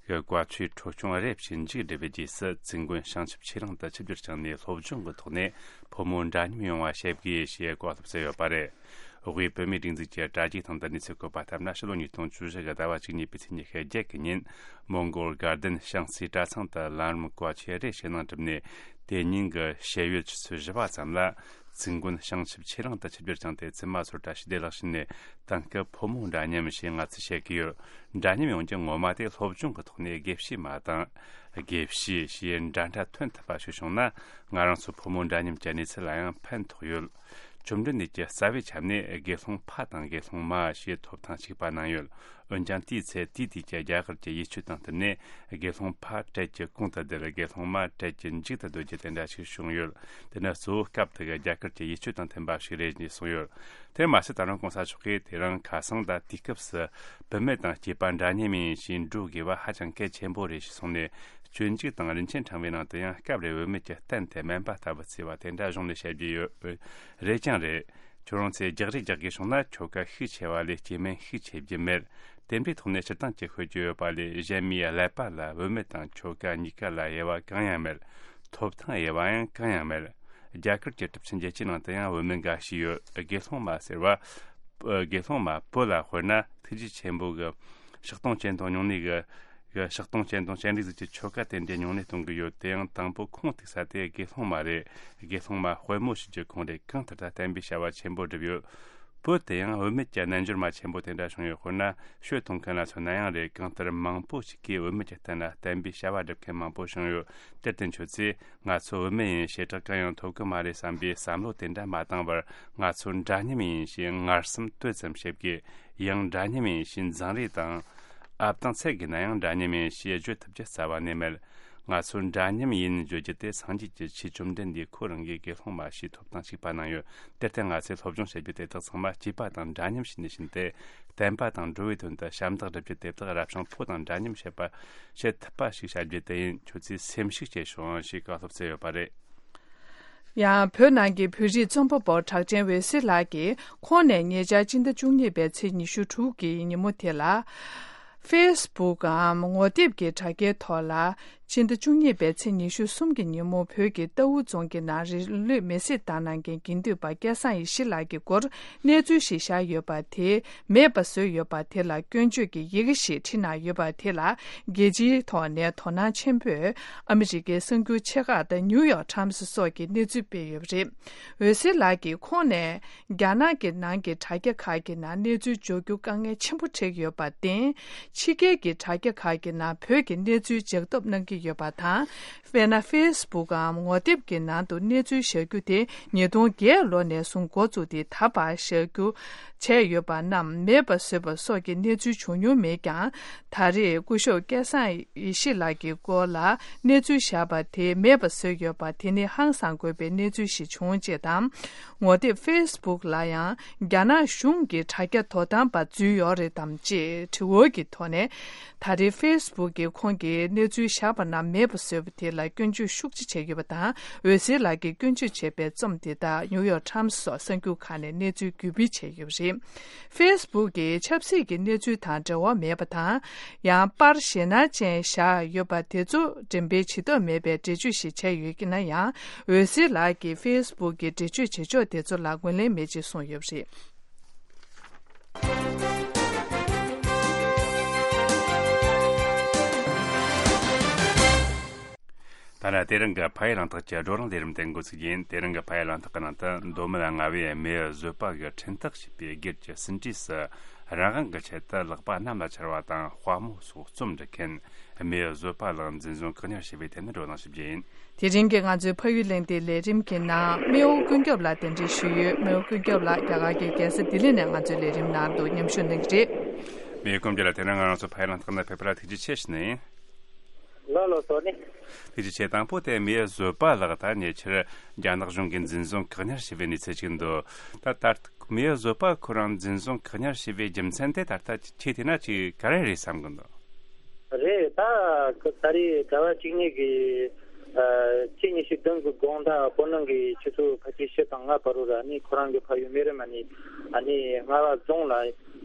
གི་བཀའ་ཆོས་འཕྲོ་སྐྱོང་རེ་བྱེད་མཇུག་བསྒྲིལ་བའི་རྗེས་སུ། ཙིན་དགོན་བྱང་ཆུབ་ཆོས་གླིང་དུ་ཆིབས་བསྒྱུར་བསྐྱངས་ནས། སློབ་སྦྱོང་གི་ཐོག་ནས་ཕོ་མོ་འདྲ་མཉམ་ཡོང་བ་བྱེད་དགོས་ཞེས་བཀའ་སློབ་སྩལ་ཡོད་པ་རེད། དབུས་བོད་མིའི་སྒྲིག་འཛུགས་ཀྱི་དྲ་རྒྱའི་སྟེང་དུ་གནས་ཚུལ་བཀོད་པ་ལྟར་ན། ཕྱི་ལོ་ཉིས་སྟོང་བཅུ་བཞི་གི་ཟླ་བ་བཅུ་གཉིས་པའི་ཚེས་ཉི་ཤུ་བརྒྱད་གི་ཉིན། མོན་གྷོ་དགའ་ལྡན་བྱང་རྩེའི་གྲྭ་ཚང་དུ་ལམ་རིམ་བཀའ་ཆོས་རེ་ཞུ་གནང་གྲུབ་ནས། དེ་ཉིན་གྱི་ཞལ་ཡོད་ཆུ་ཚོད་བཞི་པ་ཙམ་ལ། ཙིན་དགོན་བྱང་ཆུབ་ཆོས་གླིང་དུ་ཆིབས་བསྒྱུར་བསྐྱངས་ཏེ། བཙུན་མ་ཚོར་བཀྲ་ཤིས་བདེ་ལེགས་ཞུས་ནས། དེང་སྐབས་ཕོ་མོ་འདྲ་མཉམ་ཞེས་ང་ཚོས་བཤད་ཀྱི་ཡོད། འདྲ་མཉམ་ཡོང་རྒྱུ་ངོ་མ་དེ་སློབ་སྦྱོང་གི་ཐོག་ནས་དགེ་བཤེས་མ་དང་། དགེ་བཤེས་ཞེས་འདྲ་འདྲ་ཐོན་ཐུབ་པ་ཞིག་བྱུང་ན། ང་རང་ཚོ་ཕོ་མོ་འདྲ་མཉམ་གྱི་གནས་ཚུལ་ལ་ཡང་ཕན་ཐོགས་ཡོད། བཅོམ་ལྡན་འདས་ཀྱིས་རྩ་བའི་ཆ་ནས་དགེ་སློང་ཕ་དང་དགེ་སློང་མ་ཞེས་ཐོབ་ཐང་གཅིག་པ་གནང་ཡོད། འོན་ཀྱང་། དེའི་ཚེ་དེའི་དུས་ཀྱི་རྒྱ་གར་གྱི་ཡིད་སྤྱོད་དང་བསྟུན་ནས། དགེ་སློང་ཕ་གྲལ་གྱི་གོང་དུ་བསྡད། དགེ་སློང་མ་གྲལ་གྱི་མཇུག་ཏུ་སྡོད་རྒྱུ་དེ་འདྲ་ཞིག་བྱུང་ཡོད། དེ་ནི་གཙོ་བོ་སྐབས་དེ་གི་རྒྱ་གར་གྱི་ཡིད་སྤྱོད་དང་མཐུན་པ་ཞིག་རེད་ཅེས་གསུངས་ཡོད། དེར་མ་ཟད། ད་རུང་༸གོང་ས་མཆོག་གིས་དེ་རིང་ཁ་སང་དང་དུས་སྐབས་སུ་བུད་མེད་དང་སྐྱེས་པ་འདྲ་མཉམ་ཡིན་ཞེས་འགྲོ་དགོས་པ་ཧ་ཅང་གལ་ཆེན་པོ་རེད་ཞེས་གསུངས་ནས། སྤྱོད་འཇུག་དང་རིན་ཆེན་ཕྲེང་བའི་ནང་དུ་ཡང་། སྐབས་རེ་བུད་མེད་ཀྱི་སྟན་དེ་སྨན་པ་ལྟ་བུ་བརྩིས་པ་དེ་འདྲ་གཞུང་ནས་བཤད་རྒྱུ་ཡོད། རེད་ཀྱང་རེད། ཁྱོད་རང་ཚོས་རྒྱག་རེས་རྒྱག་དགོས་བྱུང་ན། ཁྱོ་ག་ཤུགས་ཆེ་བ་ལས་སྐྱེ་དམན་ཤུགས་ཆེ་རྒྱུ་མེད། དེ་འདྲའི་ཐོག་ནས་སྤྱིར་བཏང་གི་ཤོད་རྒྱུ་ཡོད་པ་ལས། གཞན་མིའི་ཀླད་པ་ལ་བུད་མེད་དང་ཁྱོ་ག་གཉིས་ཀ་ལ་དབྱེ་བ་གང་ཡང་མེད། ཐོབ་ཐང་དབྱེ་བ་ཡང་གང་ཡང་མེད། རྒྱ་གར་གྱི་གྲུབ་ཆེན་བརྒྱད་ཅུའི་ནང་དུ་ཡང་བུད་མེད་འགའ་ཞིག་ཡོད། དགེ་སློང་མ་ཟེར་བ། དགེ་སློང་མ་བུ་ལ་དཔེར་ན། ཐུགས་རྗེ་ཆེན་པོ་གི་ཕྱག་སྟོང་སྤྱན་སྟོང་སྨྱུང་གནས་གི་གི་ཕྱག་སྟོང་སྤྱན་སྟོང་སྤྱན་རས་གཟིགས་ཀྱི་ཆོ་ག་དེ་འདྲའི་སྨྱུང་གནས་གཏོང་གི་ཡོད། དེ་ཡང་དང་པོ་ཁུངས་གཏུགས་ས་དེ་དགེ་སློང་མ་རེད། དགེ་སློང་མ་དཔལ་མོ་ཞེས་རྒྱུ་ཁོང་རེད། གང་ལྟར་ད་བསྟན་པའི་བྱ་བ་ཆེན་པོ་བསྒྲུབས་ཡོད། བུ་དེ་ཡང་བུད་མེད་ཀྱི་རྣལ་འབྱོར་མ་ཆེན་པོ་དེ་འདྲ་བྱུང་ཡོད། དཔེར་ན། ཤོད་གཏོང་མཁན་ལ་མཚོན་ན་ཡང་རེད། གང་ལྟར་མང་པོ་ཞིག་གིས་བུད་མེད་ཀྱི་སྟེང་ལ་བསྟན་པའི་བྱ་བ་སྒྲུབ་མཁན་མང་པོ་བྱུང་ཡོད། དེར་བརྟེན་ཁྱོད་ཚོས། ང་ཚོ་བུད་མེད་ཡིན། བྱེ་བྲག་གང་ཡང་ཐོབ་གི་མ་རེད་བསམ་པའི་བསམ་བློ་དེ་འདྲ་མ་བཏང་བར། ང་ཚོ་འདྲ་མཉམ་ཡིན་ཞེས་ངར་སེམས་དོད་ཙམ་བྱེད་དགོས། ཡང་འདྲ་མཉམ་ཡིན་ཞེས་འཛིང་རེས་དང་། ཨབ་དང་ཚད་བགོས་ན་ཡང་འདྲ་མཉམ་ཡིན་ཞེས་བརྗོད་ཐུབ་རྒྱུ་རྩ་བ་ནས་མེད། ང་ཚོ་འདྲ་མཉམ་ཡིན་བརྗོད་རྒྱུ་དེ། སངས་རྒྱས་ཀྱི་ཆོས་བཅོམ་ལྡན་འདས་ཁོ་རང་གིས་དགེ་སློང་མ་ཞེས་ཐོབ་ཐང་གཅིག་པ་གནང་ཡོད། དེར་བརྟེན་ང་ཚོས་སློབ་སྦྱོང་བྱེད་རྒྱུ་དེ་དག་ཚང་མ་སྐྱེས་པ་དང་འདྲ་མཉམ་ཞིག་ནས་བྱིན་ཏེ། བསྟན་པ་དང་འགྲོ་བའི་དོན་དུ་ཞབས་འདེགས་སྒྲུབ་རྒྱུ་དེ་དག་རབ་བྱུང་ཕོ་དང་འདྲ་མཉམ་བྱེད་པ། བྱེད་ཐུབ་པ་ཞིག་བྱ་རྒྱུ་དེ་ཡིན། ཁྱོད་ཚོས་སེམས་ཤུགས་སྐྱེད་ཤོག་ཞེས་བཀའ་སློབ་སྩལ་ཡོད་པ་རེད། ཡང་བོད་ནང་གི་བོད་རིགས་རྩོམ་པ་པོ་གྲགས་ཅན་འོད་ཟེར་ལགས་ཀྱིས། ཁོང་ནས་ཉེ་ཆར་སྤྱི་ཟླ་བཅུ་གཉིས་པའི་ཚེས་ཉི་ཤུ་དྲུག་གི་ཉིན་མོ་དེ་ལ། ཕེ་སི་བུག་གམ་ངོ་དེབ་ཀྱི་དྲ་རྒྱའི་ཐོག་ལ། སྤྱི་ཟླ་བཅུ་གཉིས་པའི་ཚེས་ཉི་ཤུ་གསུམ་གྱི་ཉིན་མོ། བོད་ཀྱི་རྟའུ་རྫོང་གི་ནང་རི་ལུད་མེ་བསྲེགས་བཏང་གནང་མཁན་དགེ་འདུན་པ་སྐལ་བཟང་ཡེ་ཤེས་ལགས་ཀྱི་སྐོར་གནས་ཚུལ་ཞིག་བཞག་ཡོད་པ་དེ་མེད་པ་བཟོས་ཡོད་པ་དེ་ལ་སྐྱོན་བརྗོད་ཀྱི་ཡི་གེ་ཞིག་བྲིས་གནང་ཡོད་པ་དེ་ལ། རྒྱལ་སྤྱིའི་ཐོག་ནས་དོ་སྣང་ཆེན་པོས་ཨ་མི་རི་ཀའི་གསར་འགྱུར་ཆེ་ཁག་དང་ནིའུ་ཡོག་ཊའིམ་སི་སོགས་ཀྱིས་གནས་ཚུལ་སྤེལ་ཡོད་པ་རེད། འོད་ཟེར་ལགས་ཀྱིས་ཁོང་ནས་རྒྱ་ནག་གི་ནང་གི་དྲ་རྒྱ་ཁག་གི་ནང་གནས་ཚུལ་འབྱོར་རྒྱུ་དཀའ་ངལ་ཆེན་པོ་འཕྲད་ཀྱི་ཡོད་པར་བརྟེན། ཕྱི་རྒྱལ་གྱི་དྲ་རྒྱ་ཁག་གི་ནང་བོད་ཀྱི་གནས་ཚུལ་ལྗགས་ཐོབ་གནང་གི་ཡོད་པ་དང་། དཔེར་ན། ཕེ་སི་བུག་གམ་ངོ་དེབ་ཀྱི་ནང་དུ་གནས་ཚུལ་བཞག་རྒྱུ་དེ་ཉིས་སྟོང་བརྒྱད་ལོ་ནས་བཟུང་འགོ་བཙུགས་ཏེ། ད་བར་བཞག་རྒྱུ་བྱས་ཡོད་པ་རྣམས་མེད་པ་བཟོས་པ་སོགས་ཀྱི་གནས་ཚུལ་བྱུང་མྱོང་མེད་ཀྱང་། ད་རེས་སྐུ་ཞབས་སྐལ་བཟང་ཡེ་ཤེས་ལགས་ཀྱི་སྐོར་ལ་གནས་ཚུལ་བཞག་པ་དེ་མེད་པ་བཟོས་ཡོད་པ་དེ་ནི་ཧང་སང་དགོས་པའི་གནས་ཚུལ་ཞིག་བྱུང་ཅེས་དང་། ངོ་དེབ་ཕེ་སི་བུག་ལ་ཡང་རྒྱ་ནག་གཞུང་གི་དྲ་རྒྱ་དོ་དམ་པ་འཛུལ་ཡོད་རེད་དམ་ཅེས་དྲི་བ་གི་ཐོག་ནས། ད་རེས་ཕེ་སི་བུག་གིས་ཁོང་གིས་གནས་ཚུལ་བཞག་པ་རྣམས་མེད་པ་བཟོས་པ་དེ་ལ་སྐྱོན་བརྗོད་ཤུགས་ཆེ་བྱས་ཡོད་པ་དང་། འོད་ཟེར་ལགས་ཀྱིས་སྐྱོན་བརྗོད་བྱས་པའི་རྩོམ་དེ་དག་ནིའུ་ཡོག་ཊའིམ་སི་སོགས་གསར་འགྱུར་ཁག་ནས་གནས་ཚུལ་བརྒྱུད་སྤེལ་བྱས་ཡོད་པ་རེད། ཕེ་སི་བུག་གིས་ཆབ་སྲིད་ཀྱི་གནས་ཚུལ་དང་འབྲེལ་བ་མེད་པ་དང་། ཡང་པར་ཞེད་སྣང་ཅན་བཞག་ཡོད་པ་དེ་ཚོ་འགྲེམས་སྤེལ་བྱེད་ཐབས་མེད་པའི་འགྲེལ་བརྗོད་ཞིག་བྱས་ཡོད་ཀྱི་ན་ཡང་། འོད་ཟེར་ལགས་ཀྱིས་ཕེ་སི་བུག་གི་འགྲེལ་བརྗོད་བྱེད་ཕྱོགས་དེ་ཚོ་ལ་ངོས་ལེན་མེད་ཅེས་གསུངས་ཡོད་པ་རེད། ད་ལྟ་དེ་རིང་གི་ཕ་ཡུལ་གླེང་སྟེགས་ཀྱི་བགྲོ་གླེང་ལས་རིམ་དེ་འགོ་ཚུགས་ཡིན། དེ་རིང་གི་ཕ་ཡུལ་གླེང་སྟེགས་ཀྱི་ནང་དུ་མདོ་སྨད་རྔ་བའི་མེས་པོའི་བཟོད་པ་གིས་འཕྲིན་སྟེགས་ཞེས་པའི་སྒེར་གྱི་ཟིན་བྲིས་སུ་རང་དབང་གི་ཆེད་དུ་ལག་པ་གནམ་ལ་འཕྱར་བ་དང་དཔའ་མོ་སོགས་རྩོམ་འབྲི་མཁན་མེས་པོའི་བཟོད་པ་ལགས་འཛིན་བཟུང་བཀག་ཉར་བྱས་པའི་ཐད་ནས་བགྲོ་གླེང་ཞུ་རྒྱུ་ཡིན། དེ་རིང་གི་ང་ཚོའི་ཕ་ཡུལ་གླེང་སྟེགས་ལས་རིམ་གྱི་ནང་མེས་པོ་ཀུན་ཁྱབ་ལགས་གདན་འདྲེན་ཞུས་ཡོད། མེས་པོ་ཀུན་ཁྱབ་ལགས་རྒྱ་གར་གྱི་རྒྱལ་ས་ལྡི་ལི་ནས་ང་ཚོའི་ལས་རིམ་ནང་དུ་མཉམ་ཞུགས་གནང་གི་རེད། མེས་པོ་ཀུན་ཁྱབ་ལགས་དེ་རིང་ང་རང་ཚོ་ཕ་ཡུལ་གླེང་སྟེགས་ནང་ཕེབས་པ་ལ་ཐུགས་རྗེ་ཆེ་ཞུ་ནི་ཡིན། ལགས་ལགས་སོ་ནི། ཐུགས་རྗེ་ཆེ། དང་པོ་དེ་མེས་པོའི་བཟོད་པ་ལགས་ད་ཉེ་ཆར་རྒྱ་ནག་གཞུང་གིས་འཛིན་བཟུང་བཀག་ཉར་བྱས་པའི་གནས་ཚུལ་ཅིག་འདུག་ད་ལྟ་མེས་པོའི་བཟོད་པ་ཁོ་རང་འཛིན་བཟུང་བཀག་ཉར་བྱས་པའི་རྒྱུ་མཚན་དེ་ད་ལྟ་ཁྱེད་བལྟས་ན་ཅིག་ག་རེ་རེད་བསམ་གི་འདུག་རེད། ད་ད་རེས་ཟླ་བ་གཅིག་གཉིས་ཀྱི་ཨ་ཕྱི་ཉི་ཤུ་བདུན་གྱི་དགོང་དག་བོད་ནང་གི་ཆུ་ཚོད་ཕལ་ཆེར་བཞི་དང་ལྔ་བར་དུ་ར་ནི་ཁོ་རང་གི་ཕ་ཡུལ་སྨན་རི་མ་ནས་ཨ་ནི་རྔ་བ་རྫོང་ལ་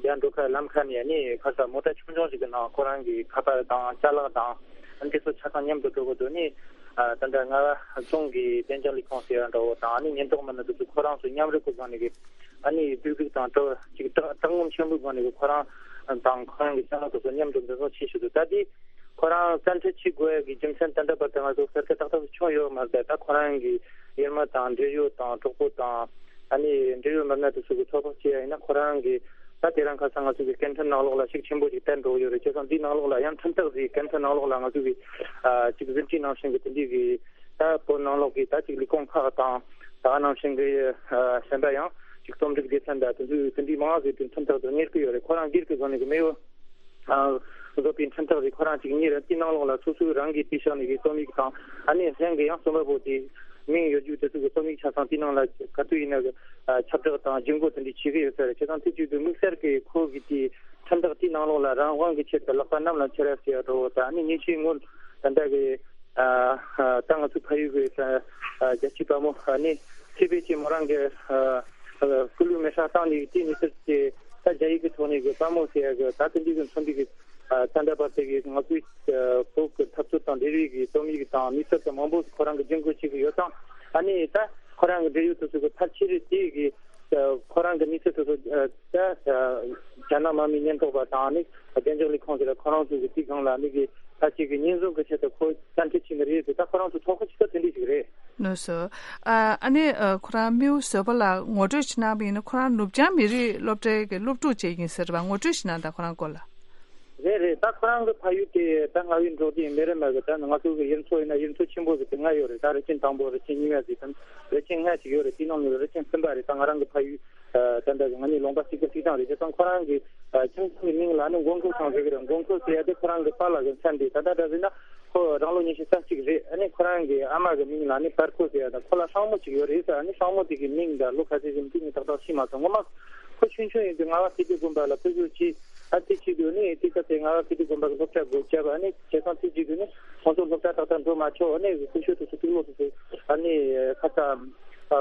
ཡར་འགྲོ་ཁ་ལམ་ཁ་ནས་ཨ་ནི་ཁ་ས་མོ་ཊ་ཆུང་ཆུང་ཞིག་གི་ནང་ཁོ་རང་གི་ཁ་པར་དང་ཅ་ལག་དང་ཨ་ནི་དེ་ཚོ་ཆ་ཚང་མཉམ་དུ་འགྲོ་གི་འདུག་ནི་ཨ་ད་ལྟ་རྔ་བ་རྫོང་གི་དཔལ་འབྱོར་ལས་ཁུངས་ཟེར་བ་འདྲ་བོ་དང་ཨ་ནི་ཉེན་རྟོག་མི་སྣ་དེ་ཚོ་ཁོ་རང་ཚོ་མཉམ་རུབ་ཀྱི་སྒང་ནས་གི་ཨ་ནི་སྡུག་སྡུག་དང་དྲག་ཅིག་དྲག་དྲག་ངོམ་ཆེན་པོའི་སྒང་ནས་གི་ཁོ་རང་དང་ཁོ་རང་གི་ཅ་ལག་དེ་ཚོ་མཉམ་དུ་འཛིན་བཟུང་བྱས་བཞག་འདུག་ད་དེ་ཁོ་རང་བཙན་ཁྲིད་བྱེད་དགོས་ཡ་གི་རྒྱུ་མཚན་ད་ལྟ་བར་དུ་ང་ཚོ་གསལ་ཁ་ཏག་ཏག་བྱུང་ཡོད་མ་རེད། ད་ཁོ་རང་གི་ཡུལ་མི་དང་འབྲེལ་ཡོད་དང་གྲོགས་པོ་དང་ཨ་ནི་འབྲེལ་ཡོད་མི་སྣ་དེ་ཚོ་གི་ཚོད་དཔག་བྱས་ཡ་ཡིན་ན་ཁོ་རང་གི་ད་དེ་རིང་ཁ་སང་ང་ཚོ་གི་སྐད་འཕྲིན་ནང་ལོགས་ལ་ཤུགས་ཆེན་པོ་ཞིག་བསྟན་འགྲོ་གི་ཡོད་རེད། བྱས་ཙང་འདིའི་ནང་ལོགས་ལ་ཡང་འཕྲིན་སྟེགས་ཀྱི་སྐད་འཕྲིན་ནང་ལོགས་ལ་ང་ཚོ་གི་ཨ་ཅིག་གཟི་བརྗིད་ནང་བཞིན་གི་དེ་འདྲའི་གི་ད་བོད་ནང་ལོགས་ཀྱི་ད་ཅིག་ལས་ཁུངས་ཁག་དང་ད་ག་ནང་བཞིན་གི་ཨ་གཞན་པ་ཡང་ཅིག་རྩོམ་སྒྲིག་སྡེ་ཚན་དང་དེ་ཚོའི་དེ་འདྲའི་མང་ཟིག་དེ་མཐུན་ཐག་ཏུ་གཉེར་གི་ཡོད་རེད། ཁོ་རང་སྒེར་གྱི་སྒོ་ནས་གི་མེས་པོ་ཨ་བཟོ་པའི་མཐུན་ཐག་རེད། ཁོ་རང་ཅིག་གཉེར་དེའི་ནང་ལོགས་ལ་སོ་སོའི་རང་གི་པེ་ཤག་ནས་གི་རྩོམ་ཡིག་དང་ཨ་ནི་གཞན་གི་ཡང་རྩོམ་པ་པོ་དེ་མིང་ཡོད་རྒྱུ་དེ་ཚོ་གི་རྩོམ་ཡིག་ཆ་ཚང་དེའི་ནང་ལ་ག་དུས་ཡིན་ན་གི་ཨ་ཁྱབ་བསྒྲགས་དང་ཇུས་འགོད་དེ་འདྲ་བྱེད་གི་ཡོད་ས་རེད། བྱས་ཙང་དེ་བྱེད་དུས་དམིགས་བསལ་གི་ཁོ་གི་དེ་མཐུན་ཐག་དེའི་ནང་ལོགས་ལ་རང་དབང་གི་ཆེད་དུ་ལག་པ་གནམ་ལ་འཁྱེར་ཡ་ཟེར་ཡ་འགྲོ་བོ་དང་ཨ་ནི་ཉིན་ཤས་སྔོན་ད་ལྟ་གི་ཨ་ད་ང་ཚོའི་ཕ་ཡུལ་གྱི་ཨ་རྒྱལ་གཅེས་དཔའ་མོ་ཨ་ནི་ཚེ་འཕེལ་གྱིས་མོ་རང་གི་ཨ་སྐུ་ལུས་མེ་སྲེག་བཏང་ནས་དེའི་གནས་ཚུལ་དེ་ད་རྒྱ་ཡིག་གི་ཐོག་ནས་གི་དཔའ་མོ་ཟེར་ཡ་གི་ད་དེ་འདྲའི་གི་མཚོན་པའི་གི་ཨ་ད་ལྟ་བར་དེ་གི་ང་ཚོའི་ཨ་བོད་ཀྱི་འཐབ་རྩོད་དང་འབྲེལ་བའི་གི་རྩོམ་ཡིག་དང་དམིགས་བསལ་དུ་མང་པོ་ཁོ་རང་གི་སྒྲིག་འགོད་བྱེད་ཀྱི་ཡོད་ཙང་ཨ་ནི་ད་ཁོ་རང་གི་འབྲེལ་ཡོད་དུ་ཚུད་གི་ཕལ་ཆེར་དེ་གི་ཨ་ཁོ་རང་གི་དམིགས་བསལ་དུ་ཚུད་ཨ་ད་ཨ་རྒྱ་ནག་དམག་མིའི་ཉེན་རྟོག་པ་དང་ཨ་ནི་བདེ་འཇགས་ལས་ཁུངས་ཟེར་ཁོ་རང་ཚོ་གི་དེའི་སྒང་ལ་ཨ་ནི་གི་ཕལ་ཆེར་གི་ཉེན་སྲུང་གི་ཆེད་དུ་ཁོ་བཙན་ཁྲིད་བྱེད་ནི་རེད་ཟེར། ད་ཁོ་རང་ཚོ་ཚོགས་ཁག་ཅིག་ད་དེ་འདྲས་ཞིག་རེད། ལགས་སོ། ཨ་ཨ་ནི་ཨ་ཁོ་རང་མེས་པོ་བཟོད་པ་ལགས་ངོ་སྤྲོད་བྱེད་གནང་བ་ཡིན་ན་ཁོ་རང་ནུབ་བྱང་མི་རིགས་སློབ་གྲྭའི་གི་སློབ་ཕྲུག་ཅིག་ཡིན་ཟེར་བ་ངོ་སྤྲོད་བྱེད་གནང་དང་ཁོ་རང་སྐོར་ལ། རེད་རེད། ད་ཁོ་རང་གི་ཕ་ཡུལ་དེ་ད་རྔ་བའི་འབྲོག་སྡེ་མེ་རི་མ་གི་ད་ང་ཚོ་གི་ཡུལ་ཚོ་ཡིན་ན་ཡུལ་ཚོ་ཆེན་པོ་ཟིག་དེ་ལྔ་ཡོད་རེད། ད་རི་ཆེན་དང་པོ་རི་ཆེན་གཉིས་པ་ཟིག་དང་རི་ཆེན་ལྔ་ཅིག་ཡོད་རེད། དེའི་ནང་ནས་རི་ཆེན་གསུམ་པ་རེད། ད་ང་རང་གི་ཕ་ཡུལ་ཨ་ད་ལྟ་གི་ང་གཉིས་ལུང་པ་གཅིག་གི་གཅིག་ཐང་རེད། བྱས་ཙང་ཁོ་རང་གི་ཨ་ཁྱིམ་ཚང་གི་མིང་ལ་ནི་མགོན་ཁོ་ཚང་ཟེར་གི་རེད། མགོན་ཁོ་ཟེར་ཡ་དེ་ཁོ་རང་གི་པཱ་ལགས་གི་མཚན་རེད། ད་ལྟ་འདྲ་ཟེར་ན་ཁོ་རང་ལོ་ཉི་ཤུ་རྩ་གཅིག་རེད། ཨ་ནི་ཁོ་རང་གི་ཨ་མ་གི་མིང་ལ་ནི་པར་ཁོ་ཟེར་ཡ་དང་ཁོ་ལ་སྲིང་མོ་གཅིག་ཡོད་རེད་ཟེར། ཨ་ནི་སྲིང་མོ་དེ་གི་མིང་དང་ལོ་ག་ཚོད་ཟིན་དེ་ངས་ཏག་ཏག་ཤེས་མ་སོང་། ངོ་མ་ཁོ་ཆུང་ཆུང་ཡིན་དུས་ང་བ་སྐྱིད་སྡུག་དགོན་པ་ལ་ཕེབས་བསུ་བྱས། ཨ་དེ་བྱེད་དུས་ནི་དེ་སྐབས་དེ་ང་བ་སྐྱིད་སྡུག་དགོན་པ་གི་སློབ་གྲྭ་སྒོ་བརྒྱབ། ཨ་ནི་བྱས་ཙང་དེ་བྱེད་དུས་ནི་ཁོང་ཚོ་སློབ་གྲྭ་ཏག་ཏག་འགྲོ་མ་ཆོག་ཨ་ནི་སྐུ་ཞབས་དེ་ཚོ་དུག་ལོག་དེ་ཚོ་ཨ་ནི་ཁ་ས་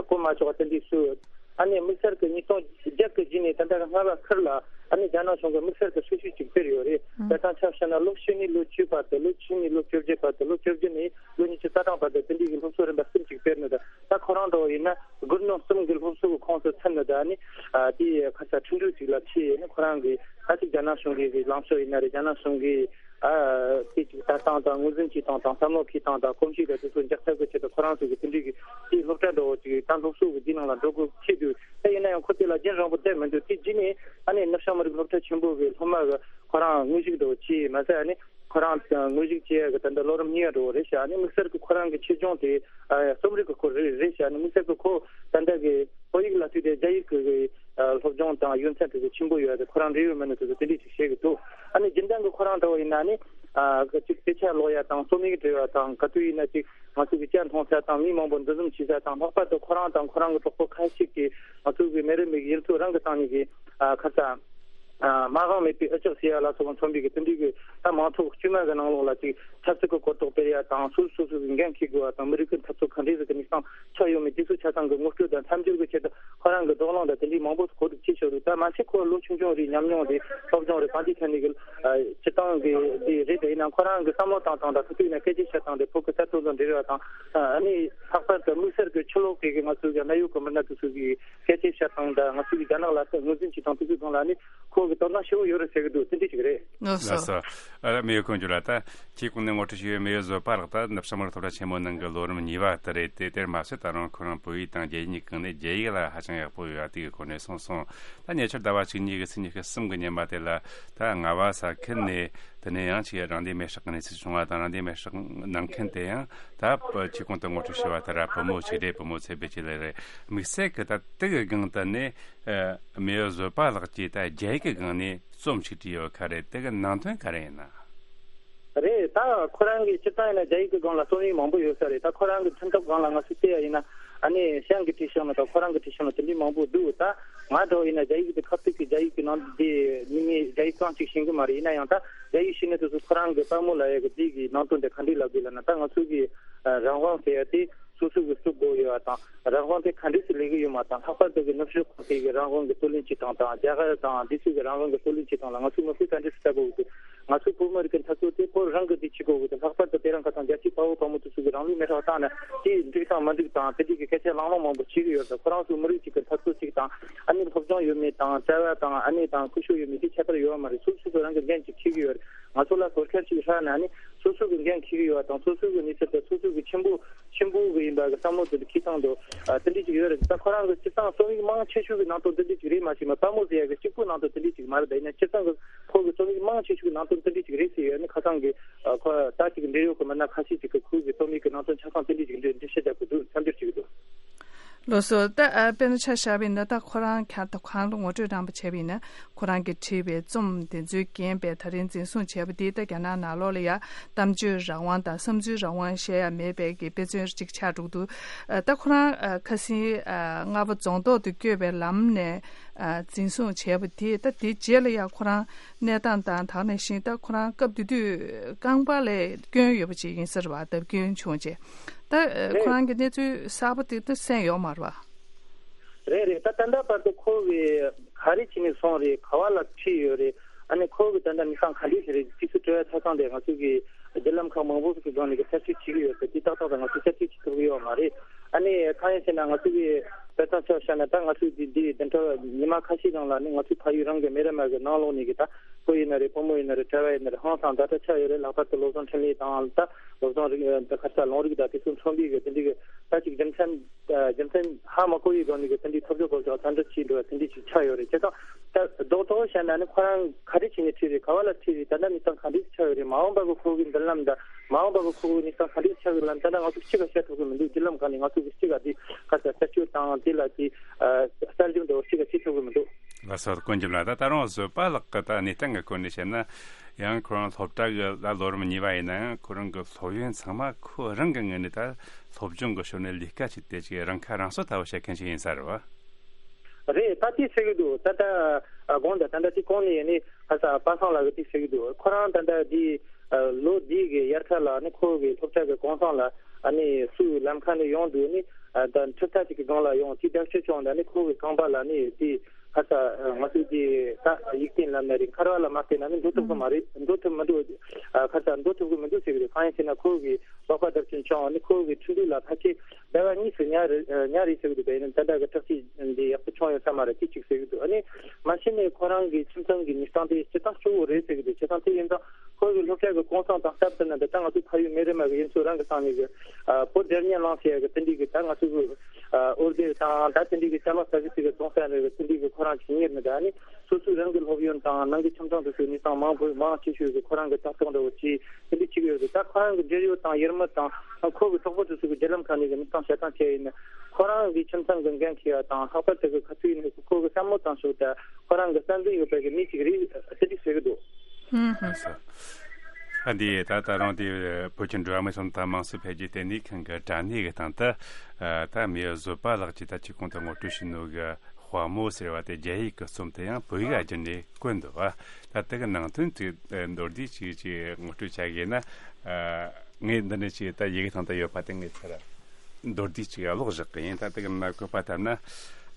གོ་མ་ཆོག་ཨ་དེ་འདྲས་སུ། ཨ་ནི་དམིགས་བསལ་གྱི་ཉིས་སྟོང་བརྒྱད་ཀྱི་རྗེས་ནས་ད་ལྟ་རྔ་བ་ཁུལ་ལ་ཨ་ནི་རྒྱ་ནག་གཞུང་གིས་དམིགས་བསལ་གྱི་ཧྲིལ་ཤུལ་ཅིག་སྤེལ་ཡོད་རེད། ད་ཐང་ཆ་བཤད་ན་ལོ་བཅུ་ནས་ལོ་བཅུ་བར་དུ། ལོ་བཅུ་ནས་ལོ་བཅོ་བརྒྱད་བར་དུ། ལོ་བཅོ་བརྒྱད་ནས་ལོ་ཉི་ཤུ་རྩ་གྲངས་བར་དུ་དེ་འདྲའི་གི་སློབ་གསོ་རིམ་པ་གསུམ་ཅིག་སྤེལ་ནས། ད་ད་ཁོ་རང་འདྲ་བོ་ཡིན་ན་སྒོར་མོ་གསུམ་གི་སློབ་གསོ་གི་ཁོངས་སུ་ཚུད་ནས། ད་ཨ་ནི་ཨ་དེ་ཁ་ས་ཁྲིན་ཏུའུ་ཅིག་ལ་ཁྲིད་ཡས་ནི་ཁོ་རང་གི་ད་ཅིག་རྒྱ་ནག་གཞུང་གི་གི་ལངས་ཕྱོགས་ཡིན་ན་རེད། རྒྱ་ནག་གཞུང་གི་ཨ་དེ་ཅིག་ལྟ་སྟངས་དང་ངོས་འཛིན་བྱེད་སྟངས་དང་བསམ་བློ་འཁྱེར་སྟངས་དང་གོམས་གཤིས་དང་དེ་ཚོ་འཇགས་ཐབས་ཀྱི་ཆེད་དུ་ཁོ་རང་ཚོ་གི་དེ་འདྲའི་གི་དེའི་སློབ་གྲྭ་འདྲ་བོ་ཅིག་ད་སློབ་གསོ་གི་དེའི་ནང་ལ་འགྲོ་དགོས་ཁེལ་དུས། ད་ཡིན་ན་ཡང་ཁོ་དེ་ལ་རྒྱུན་རིང་པོ་བསྡད་མི་འདུག་དེ་རྗེས་ནས་ཨ་ནི་ནུབ་བྱང་མི་རིགས་སློབ་གྲྭ་ཆེན་པོ་གི་སློབ་མ་གི་ཁོ་རང་དངོས་གཞི་འདྲ་བོ་བྱས་མ་ཟད། ཨ་ནི་ཁོ་རང་དངོས་གཞི་བྱས་ཡ་གི་ད་ལྟ་ལོ་རིམ་གཉིས་པ་འདྲ་བོ་རེད་ཤག་ཨ་ནི་དམིགས་བསལ་གི་ཁོ་རང་གི་ཆེད་སྦྱོང་དེ་ཨ་རྩོམ་རིག་གི་སྐོར་རེད་རེད་ཤག་ཨ་ནི་དམིགས་བསལ་གི་ཁོ་ད་ལྟ་གི་བོད་ཡིག་ལ་ལྟོས་ཏེ་རྒྱ་ཡིག་གི་གི་ཨ་སློབ་སྦྱོང་དང་ཡོན་ཚད་དེ་ཚོ་ཆེན་པོ་ཡོད་དེ་ཁོ་རང་འབྲེལ་ཡོད་མི་སྣ་དེ་ཚོ་དེ་འདྲས་ཅིག་བཤད་གི་འདུག་ཨ་ནི་རྒྱུན་ལྡན་གི་ཁོ་རང་འདྲ་བོ་ཡིན་ན་ནི་ཨ་གི་ཅིག་དཔེ་ཆ་ཀློག་ཡ་དང་རྩོམ་ཡིག་འབྲི་བ་དང་ག་དུས་ཡིན་ན་ཅིག་ང་ཚོ་གི་ཇ་འཐུང་ས་དང་མི་མང་པོ་འདུ་འཛོམས་བྱེད་ས་དང་། ལྷག་པར་དུ་ཁོ་རང་དང་ཁོ་རང་གི་གྲོགས་པོ་ཁ་ཤས་ཀྱིས་ང་ཚོ་གི་མེ་རི་མིག་ཡུལ་ཚོ་རང་གི་སྟེང་ནས་གི་ཨ་ཁ་ས། ཨ་མ་དབང་མེད་པའི་འུ་ཅག་ཟེར་ཡ་ལ་སོགས་པ་མཚོན་པའི་གི་དེ་འདྲའི་གི་ད་མང་ཚོགས་དཀྱུས་མ་གི་ནང་ལོགས་ལ་ཅིག་ཆབ་སྲིད་ཀྱི་གོ་རྟོགས་སྤེལ་ཡ་དང་། སོ་སོ་སོ་སོ་གི་འགན་འཁྱེར་དགོས་པ་དང་། མི་རིགས་ཀྱི་འཐབ་རྩོད་ག་འདྲས་ཟིག་གི་གནས་སྟངས་ཆགས་ཡོད་མེད་དེ་ཚོ་ཆ་ཚང་གི་ངོ་སྤྲོད་དང་མཚམས་སྦྱོར་གི་ཆེད་དུ་ཁོ་རང་གི་བགྲོ་གླེང་དང་དེ་འདྲའི་མང་པོ་གོ་སྒྲིག་བྱས་ཆོག་རེད། ད་མ་ཚད་ཁོ་ལོ་ཆུང་ཆུང་རེད། ཉམས་མྱོང་རེད། སློབ་སྦྱོང་རེད། གང་ཅིའི་ཐད་ནས་གི་ཨ་སྤྱིར་བཏང་གི་དེ་རེད། དེ་ཡིན་ན་ཁོ་རང་གི་བསམ་བློ་བཏང་སྟངས་དང་། ཁོ་ཚོས་ན་སྐད་ཆ་བཤད་སྟངས་དེ་བོད་ཀྱི་ས་ཐོག་དང་འབྲེལ་བ་དང་། ཨ་ནི་ལྷག་པར་དུ་དམིགས་བསལ་གི་ཕྱི་ལོགས་གི་གི་ང་ཚོའི་གི་གནད་ཡོད་གི་མི་སྣ་དེ་ཚོ་གི་ སྐད་ཆ་བཤད་སྟངས་དང་ང་ཚོ་གི་རྒྱ་ནག་ལ་ངོས་འཛིན་བྱེད་སྟངས་དེ་ཚོའི་སྒང་ལ་ནི་ཁོ་གི་དོ་སྣང་ཞེ་པོ་ཡོད་རེད་ཟེར་གི་འདུག་དེ་འདྲ་ཞིག་རེད། ལགས་སོ། ཨ་ལ་མེས་ཡོད་ཀུན་འགྱུར་ལ་ད་ཁྱེད་ཁོང་ནས་ངོ་སྤྲོད་ཞུ་ཡོད་མེས་ཡོད་བཟོད་པ་ལགས། ད་ནུབ་བྱང་མི་རིགས་སློབ་གྲྭ་ཆེན་མོ་ནང་གི་ལོ་རིམ་གཉིས་པ་དེ་རེད་དེ། དེར་མ་ཟད་ད་རུང་ཁོ་རང་བོད་ཡིག་དང་རྒྱ་ཡིག་གཉིས་ཀྱི་སྒང་ནས་རྒྱ་ཡིག་ལ་ཧ་ཅང་ཡག་པོ་ཡོད་པ་དེ་གི་སྐོར་ནས་གསུངས་སོང་། ད་ཉེ་ཆར་ཟླ་བ་བཅུ་གཉིས་གི་ཚེས་ཉི་ཤུ་གསུམ་གི་ཉིན་མ་དེ་ལ་ད་རྔ་བ་ས་ཁུལ་ནས། དེ་ནས་ཡང་ཅིག་རང་བདེན་མེ་སྲེག་གི་གནས་ཚུལ་བྱུང་བ་དང་། རང་བདེན་མེ་སྲེག་གནང་མཁན་དེ་ཡང་ད་ཁྱེད་གོང་དུ་ངོ་སྤྲོད་ཞུས་པ་ལྟར་བུ་མོ་ཅིག་རེད། བུ་མོ་ཚེ་འཕེལ་ཅིག་ལགས་རེད། དམིགས་བསལ་གྱི་ད་དེ་གི་སྒང་དུ་ནས་མེས་ཡོད་བཟོད་པ་ལགས་ཀྱིས་ད་རྒྱ་ཡིག་གི་སྒང་ནས་རྩོམ་ཞིག་བྲིས་ཡོད་ཁ་རེད། དེ་གི་ནང་དོན་ག་རེ་ཡིན་ན། རེད། ད་ཁོ་རང་གིས་སྤྱིར་བཏང་ཡིན་ན་རྒྱ་ཡིག་གི་སྒང་ལ་རྩོམ་ཡིག་མང་པོ་ཡོད་ས་རེད། ད་ཁོ་རང་གི་འཁྲུངས་སྐབས་སྒང་ལ་ང་ཚོས་བལྟས་ཡ་ཡིན་ན། ཨ་ནི་གཞན་གྱིས་བྲིས་བཞག་ན་དང་ཁོ་རང་གིས་བྲིས་བཞག་ན་དེ་འདྲའི་མང་པོ་འདུག་ད་ང་འདྲ་བོ་ཡིན་ན་རྒྱ་ཡིག་དེ་ཁ་ཐུག་གི་རྒྱ་ཡིག་གི་ནང་དེ་མི་ངས་རྒྱ་ཡིག་རྐང་གཅིག་ཤེས་གི་མ་རེད། ཡིན་ན་ཡང་ད་རྒྱ་ཡིག་ཤེས་ནི་དེ་ཚོ་ཁོ་རང་གི་པད་མོ་ལབ་ཡ་གི་དེ་གི་ནང་དོན་དེ་ག་འདྲས་ལབ་དགོས་ལབ་ན། ད་ང་ཚོ་གི་རང་དབང་ཟེར་ཡ་དེ་སོ་སོ་གི་སུ་དགོས་ཡོད་པ་དང་། རང་དབང་དེ་ག་འདྲས་སུ་ལས་གི་ཡོད་མ་དང་། ལྷག་པར་དུ་གི་ནུབ་ཕྱོགས་གོང་འཕེལ་གི་རང་དབང་གི་རྩོད་ལེན་བྱེད་སྟངས་དང་། རྒྱ་གར་དང་དེ་ཚོ་གི་རང་དབང་གི་རྩོད་ལེན་བྱེད་སྟངས་ལ་ང་ཚོ་མི་ཚོས་ག་འདྲས་སུ་ལྟ་དགོས་ཀྱི་འདུག་ང་ཚོ་བོད་མི་རིགས་ཀྱི་འཐབ་རྩོད་དེ་བོད་རང་གི་དེ་བྱེད་དགོས་ཀྱི་འདུག་ལྷག་པར་དུ་དེ་རིང་ཁ་སང་རྒྱལ་གཅེས་དཔའ་བོ་དཔའ་མོ་དེ་ཚོ་གི་རང་ལུས་མེར་སྲེག་བཏང་ནས་དེ་འགྲིག་དང་མ་འགྲིག་དང་དེ་འདྲའི་གི་སྐད་ཆ་ལང་ལོང་མང་པོ་བྱེད་ཀྱི་ཡོད་རེད། ཁོ་རང་ཚོ་མི་རིགས་གཅིག་གི་འཐབ་རྩོད་གཅིག་དང་། ཨ་ནི་སློབ་སྦྱོང་ཡོད་མེད་དང་། བྱ་བ་དང་ཨ་ནི་དང་སྐུ་ཞབས་ཡོད་མེད་དེ་ཁྱད་པར་ཡོད་མ་རེད། སོ་སོ་སོ་རང་གི་འགན་གཅིག་འཁྱེར་གྱི་ཡོད་རེད། ང་ཚོ་ལ་ཟུར་ཁ་ཞིག་ཧྲ་ན་ནི་སོ་སོ་གི་འགན་འཁྱེར་གྱི་ཡོད་པ་དང་། སོ་སོ་གི་མི་ཚེ་དེ་སོ་སོ་གི་ཆེན་པོ་ཆེན་པོ་གི་ཡིན་པ་གི་བསམ་བློ་དེ་འཁྱེར་སྟངས་དེ་དེ་འདྲ་ཅིག་ཡོད་རེད། ད་ཁོ་རང་གི་སྤྱིར་བཏང་རྩོམ་ཡིག་མང་ཆེ་ཤོས་ཀྱི་ནང་དོན་དེ་འདྲ་ཅིག་རེད་མ་གཏོགས། དཔའ་མོ་ཟེར་ཡ་གི་གཅིག་པུ་ནང་དོན་དེ་འདྲ་ཅིག་མ་རེད། ད་ཡིན་ན་སྤྱིར་བཏང་གི་ཁོ་གི་རྩོམ་ཡིག་མང་ཆེ་ཤོས་ཀྱི་ནང་དོན་དེ་འདྲ་ཅིག་རེད་ཟེར་ཡོད་ནི། ཁ་སང་གི་ཁོ་ད་ཅིག་འབྲེལ་ཡོད་ཀྱི་མི་སྣ་ཁ་ཤས་ཅིག་གིས་ཁོ་གི་རྩོམ་ཡིག་གི་ནང་དོན་ཆ་ཚང་དེ་འདྲ་ཅིག་འགྲེལ་བཤད་རྒྱག་དགོས་འདུག་མཚམས་སྦྱོར་བྱེད་ཀྱི་འདུག་ལགས་སོ། ད་ཨ་དཔེར་ན་ཆ་བཞག་པ་ཡིན་ན། ད་ཁོ་རང་ཁ་ད་གང་ལ་ངོ་སྤྲོད་རམ་པ་བྱས་པ་ཡིན་ན། ཁོ་རང་གིས་བྲིས་པའི་རྩོམ་དེ་ཚོའི་རྐྱེན་པས་ད་རིང་འཛིན་བཟུང་བྱས་པ་དེ། ད་རྒྱ་ནག་ནང་ལོགས་ལ་ཡ་གཏམ་བརྗོད་རང་དབང་དང་བསམ་ཚུལ་རང་དབང་བཤད་ཡ་མེད་པའི་གི་དཔེ་མཚོན་གཅིག་ཆགས་འགྲོ་གི་འདུག་ཨ་ད་ཁོ་རང་ཨ་ཁ་སང་ཨ་རྔ་བ་རྫོང་ཐོག་ཏུ་བསྐྱོད་པའི་ལམ་ནས་ཨ་འཛིན་བཟུང་བྱས་པ་དེ། ད་དེ་རྗེས་ལ་ཡ་ཁོ་རང་གནས་སྟངས་དང་། ད་ག་ནང་བཞིན་ད་ཁོ་རང་སྐབས་དེ་དུས་རྐང་པ་ལ་སྐྱོན་ཡོད་པ་ཅིག་ཡིན་ས་རེད་པ། བརྡབ་སྐྱོན་བྱུང་རྗེས། ད་ཨ་རེད། ཁོ་རང་གི་གནས་ཚུལ་གསར་པ་དེ་ད་གསན་ཡོད་མ་རེད་པ། རེད་རེད། ད་ད་ལྟ་བར་དུ་ཁོ་གིས་ག་རེ་བྱས་ནས་སོང་རེད། ག་བ་ལ་ཁྲིད་ཡོད་རེད། ཨ་ནི་ཁོ་གིས་ད་ལྟ་གནས་སྟངས་ག་འདྲས་ཞིག་རེད། དེ་ཚོ་དྲི་བ་ཆ་ཚང་དེ་ང་ཚོ་གི་བརྒྱུད་ལམ་ཁག་མང་པོ་ཞིག་གི་སྒང་ནས་གི་རྩད་གཅོད་བྱེད་ཀྱི་ཡོད་པས། དེ་ཏག་ཏག་ཏུ་ང་ཚོས་རྩད་གཅོད་བྱེད་ཐུབ་ཀྱི་ཡོད་མ་རེད། ཨ་ནི་གང་ཡིན་ཟེར་ན་ང་ཚོ་གི་དཔེ་མཚོན་ཆ་བཞག་ན། ད་ང་ཚོས་འདི་འདི་བདུན་ཕྲག་ཉི་མ་ཁ་ཤས་སྒང་ལ་ནི་ང་ཚོའི་ཕ་ཡུལ་རང་གི་མེ་ར་མ་གི་ནང་ལོགས་ནས་གི་ད་བུ་ཡིན་ན་རེད། བུ་མོ་ཡིན་ན་རེད། གྲྭ་བ་ཡིན་ན་རེད། ཧང་སང་ཛ་དྲག་ཆགས་ཡོད་རེད། ལྷག་པར་དུ་སློབ་སྦྱོང་འཕྲིན་ལས་དང་། ད་སློབ་སྦྱོང་རིག་ད་ག་ས་ལུང་རིགས་དང་དེ་ཚོ་མཚོན་པའི་གི་དེ་འདྲའི་གི་ད་ཅིག་རྒྱུ་མཚན་རྒྱུ་མཚན་ཧ་མ་གོ་བའི་སྒང་ནས་གི་དེ་འདྲའི་ཐོབ་ཚོད་སྐོར་སོགས་ད་འདྲ་བྱས་འགྲོ་བ་དེ་འདྲའི་ཅིག་ཆགས་ཡོད་རེད། བྱས་ཙང་ད་རྡོག་རྡོག་བཤད་ན་ནི་ཁོ་རང་ག་རེ་བྱས་ནས་ཁྲིད་རེད། ག་བ་ལ་ཁྲིད་རེད། ད་ལྟ་གནས་སྟངས་ག་འདྲ་ཆགས་ཡོད་རེད། མ་འོངས་པ་གི་ཁོ་གི་མདུན་ལམ་དང་། མ་འོངས་པ་གི་ཁོ་གི་གནས་སྟངས་ག་འདྲ་ཆགས་ཡོད་ལ་ད་ལྟ་ང་ཚོ་གཅིག་ག་བཤད་ཐུབ་ཀྱི་མི་འདུག་བརྒྱུད་ལམ་སྒང་ནས་ང་ཚོ་གི་གཅིག་ག་དེ་ག་ས་རྩད་གཅོད་དང་དེ་ལ་དེ་གསར་བྱུང་འདྲ་བོ་གཅིག་ག་བྱེད་ཐུབ་ཀྱི་མི་འདུག་ལགས་སོ། དཀོན་མཆོག་ལགས། ད་ད་རུང་བཟོད་པ་ལགས་ཀྱི་ད་གནས་སྟངས་ཀྱི་སྐོར་ནས་བཤད་ན། ཡང་ཁོ་རང་སློབ་གྲྭ་གི་ད་ལོ་རིམ་གཉིས་པ་ཡིན་ན་ཡང་ཁོ་རང་གི་སློབ་ཡོན་ཚང་མ་ཁོ་རང་གི་ངོས་ནས་ད་སློབ་སྦྱོང་གི་ཞོར་ནས་ལས་ཀ་བྱས་ཏེ་ཅིག་རང་ཁ་རང་གསོ་ལྟ་བུ་བྱེད་མཁན་ཞིག་ཡིན་ས་རེད་བ། རེད། ད་དེ་ཟེར་གི་འདུག་ད་ལྟ་ཨ་དགོངས་དག་ད་ལྟ་དེ་གོང་ནས་ཡིན་ནི་ཁ་ས་པ་སངས་ལགས་ཀྱིས་དེ་ཟེར་གི་འདུག་ཁོ་རང་ད་ལྟ་དེ་ཨ་ལོ་འདི་གི་དབྱར་ཁ་ལ་ནི་ཁོ་གི་སློབ་གྲྭ་གི་གུང་སེང་ལ་ཨ་ནི་སུའི་ལམ་ཁ་ནས་ཡོང་འདུག་ནི་ཨ་ད་འཁྲུག་ཐག་ཅིག་གི་སྒང་ལ་ཡོང་དེ་རྒྱབ་སྐྱོར་བྱུང་ད་ནི་ཁོ་གི་རྐང་པ་ལ་ནི་དེ་ཁ་ས་ང་ཚོས་དེ་ད་ཡིག་བརྟན་ལབ་ན་རེད། འཁར་བ་ལ་མ་བརྟེན་ན་ནི་འགྲོ་ཐུབ་གི་མ་རེད། འགྲོ་ཐུབ་མི་འདུག་ཨ་ཁ་ས་འགྲོ་ཐུབ་གི་མི་འདུག་ཟེར་གི་རེད། གང་ཡིན་ཟེར་ན་ཁོ་གི་ལག་པ་རྡབ་སྐྱོན་བྱུང་ནི་ཁོ་གི་འཕྲིན་ཐུང་ལ་ཕལ་ཆེར་ཟླ་བ་གཉིས་སུ་ཉར་རེད། ཉར་རེད་ཟེར་གི་འདུག་ད་ཡིན་ན་ད་ལྟ་གི་དྲག་སྐྱེད་འདི་ཡག་པོ་བྱུང་ཡོད་ས་མ་རེད། དེ་གཅིག་ཟེར་གི་འདུག་ཨ་ནི་མ་གཞི་ནས་ཁོ་རང་གི་ཁྱིམ་ཚང་གི་གནས་སྟངས་དེ་སྤྱིར་བཏང་སྐྱོ་བོ་རེད་ཟེར་གི་འདུག་བྱས་ཙང་དེ་ཡིན་ཙང་ཁོ་གི་སློབ་གྲྭ་གི་གུང་སེང་དང་སྟབས་བསྟུན་ན་ད་ལྟ་ང་ཚོ་ཕ་ཡུལ་མེ་རི་མ་གི་ཡུལ་ཚོ་རང་གི་སྟེང་ནས་གི་ཨ་བོད་སྒེར་གཉེན་ལངས་ཟེར་ཡ་གི་དེ་འདྲའི་གི་ད་ང་ཚོ་གི་ཨ་འོར་སྡེར་དང་ད་དེ་འདྲའི་གི་ཅ་ལག་ཟ་གི་ཅིག་གི་གཏོང་ས་རེད། གི་དེ་འདྲའི་གི་ཁོ་རང་གི་གཉེར་ནི་ད་ནི་སོ་སོའི་རང་གི་སློབ་ཡོན་དང་ནང་གི་ཁྱིམ་ཚང་དེ་ཚོའི་གནས་སྟངས་མང་པོ་མང་ཆེ་ཤོས་གི་ཁོ་རང་གི་ལྟ་རྟོག་འདྲ་བོ་ཅིག་དེ་འདྲ་བྱེད་ཀྱི་ཡོད་རེད། ད་ཁོ་རང་གི་འབྲེལ་ཡོད་དང་ཡར་མར་དང་ཁོ་གི་གྲོགས་པོ་དེ་ཚོ་གི་རྒྱུད་ལམ་ཁག་ནས་གི་མི་ཚང་བྱེད་སྟངས་བྱས་ཡིན་ན་ཁོ་རང་གི་ཁྱིམ་ཚང་གི་འགན་འཁྱེར་ཡ་དང་ལྷག་པར་དུ་གི་ཁ་ཐུག་ཡིན་ན་ཁོ་གི་བསམ་བློ་བཏང་ཕྱོགས་དང་ཁོ་རང་གི་བསམ་འདུན་ཡོད་པའི་གི་མི་ཅིག་རེད་ཟེར་གི་འདུག་ཧུམ་ཧུམ། ཨ་འདི་ད་ད་རུང་དེ་བོད་ཀྱི་འགྲོ་བ་མིའི་ཐོབ་ཐང་དམངས་གཙོ་འཕེལ་རྒྱས་ལྟེ་གནས་ཁང་གི་དྲ་གནས་ཀྱི་སྟེང་དུ་ད་མེས་བཟོད་པ་ལགས་ཀྱིས་ད་ཅིག་གོང་དུ་ངོ་སྤྲོད་བྱས་ནོ་གི་དཔའ་མོ་ཟེར་བ་དེ་རྒྱ་ཡིག་གི་རྩོམ་དེ་ཡང་བོད་ཡིག་བསྒྱུར་ནས་བཀོད་འདུག་བ། ད་དེ་གི་ནང་དོན་དེ་མདོར་བསྡུས་ཅིག་ཅིག་ངོ་སྤྲོད་བྱ་དགོས་ན། ངས་འདི་ནས་ཅིག་ད་ཡི་གེ་ཐང་ད་ཡོད་པ་དེ་ངས་ཚུར་མདོར་བསྡུས་ཅིག་ཀློག་བཞག་གི་ཡིན། ད་དེ་གི་མ་བཀོད་པ་ལྟར་ན།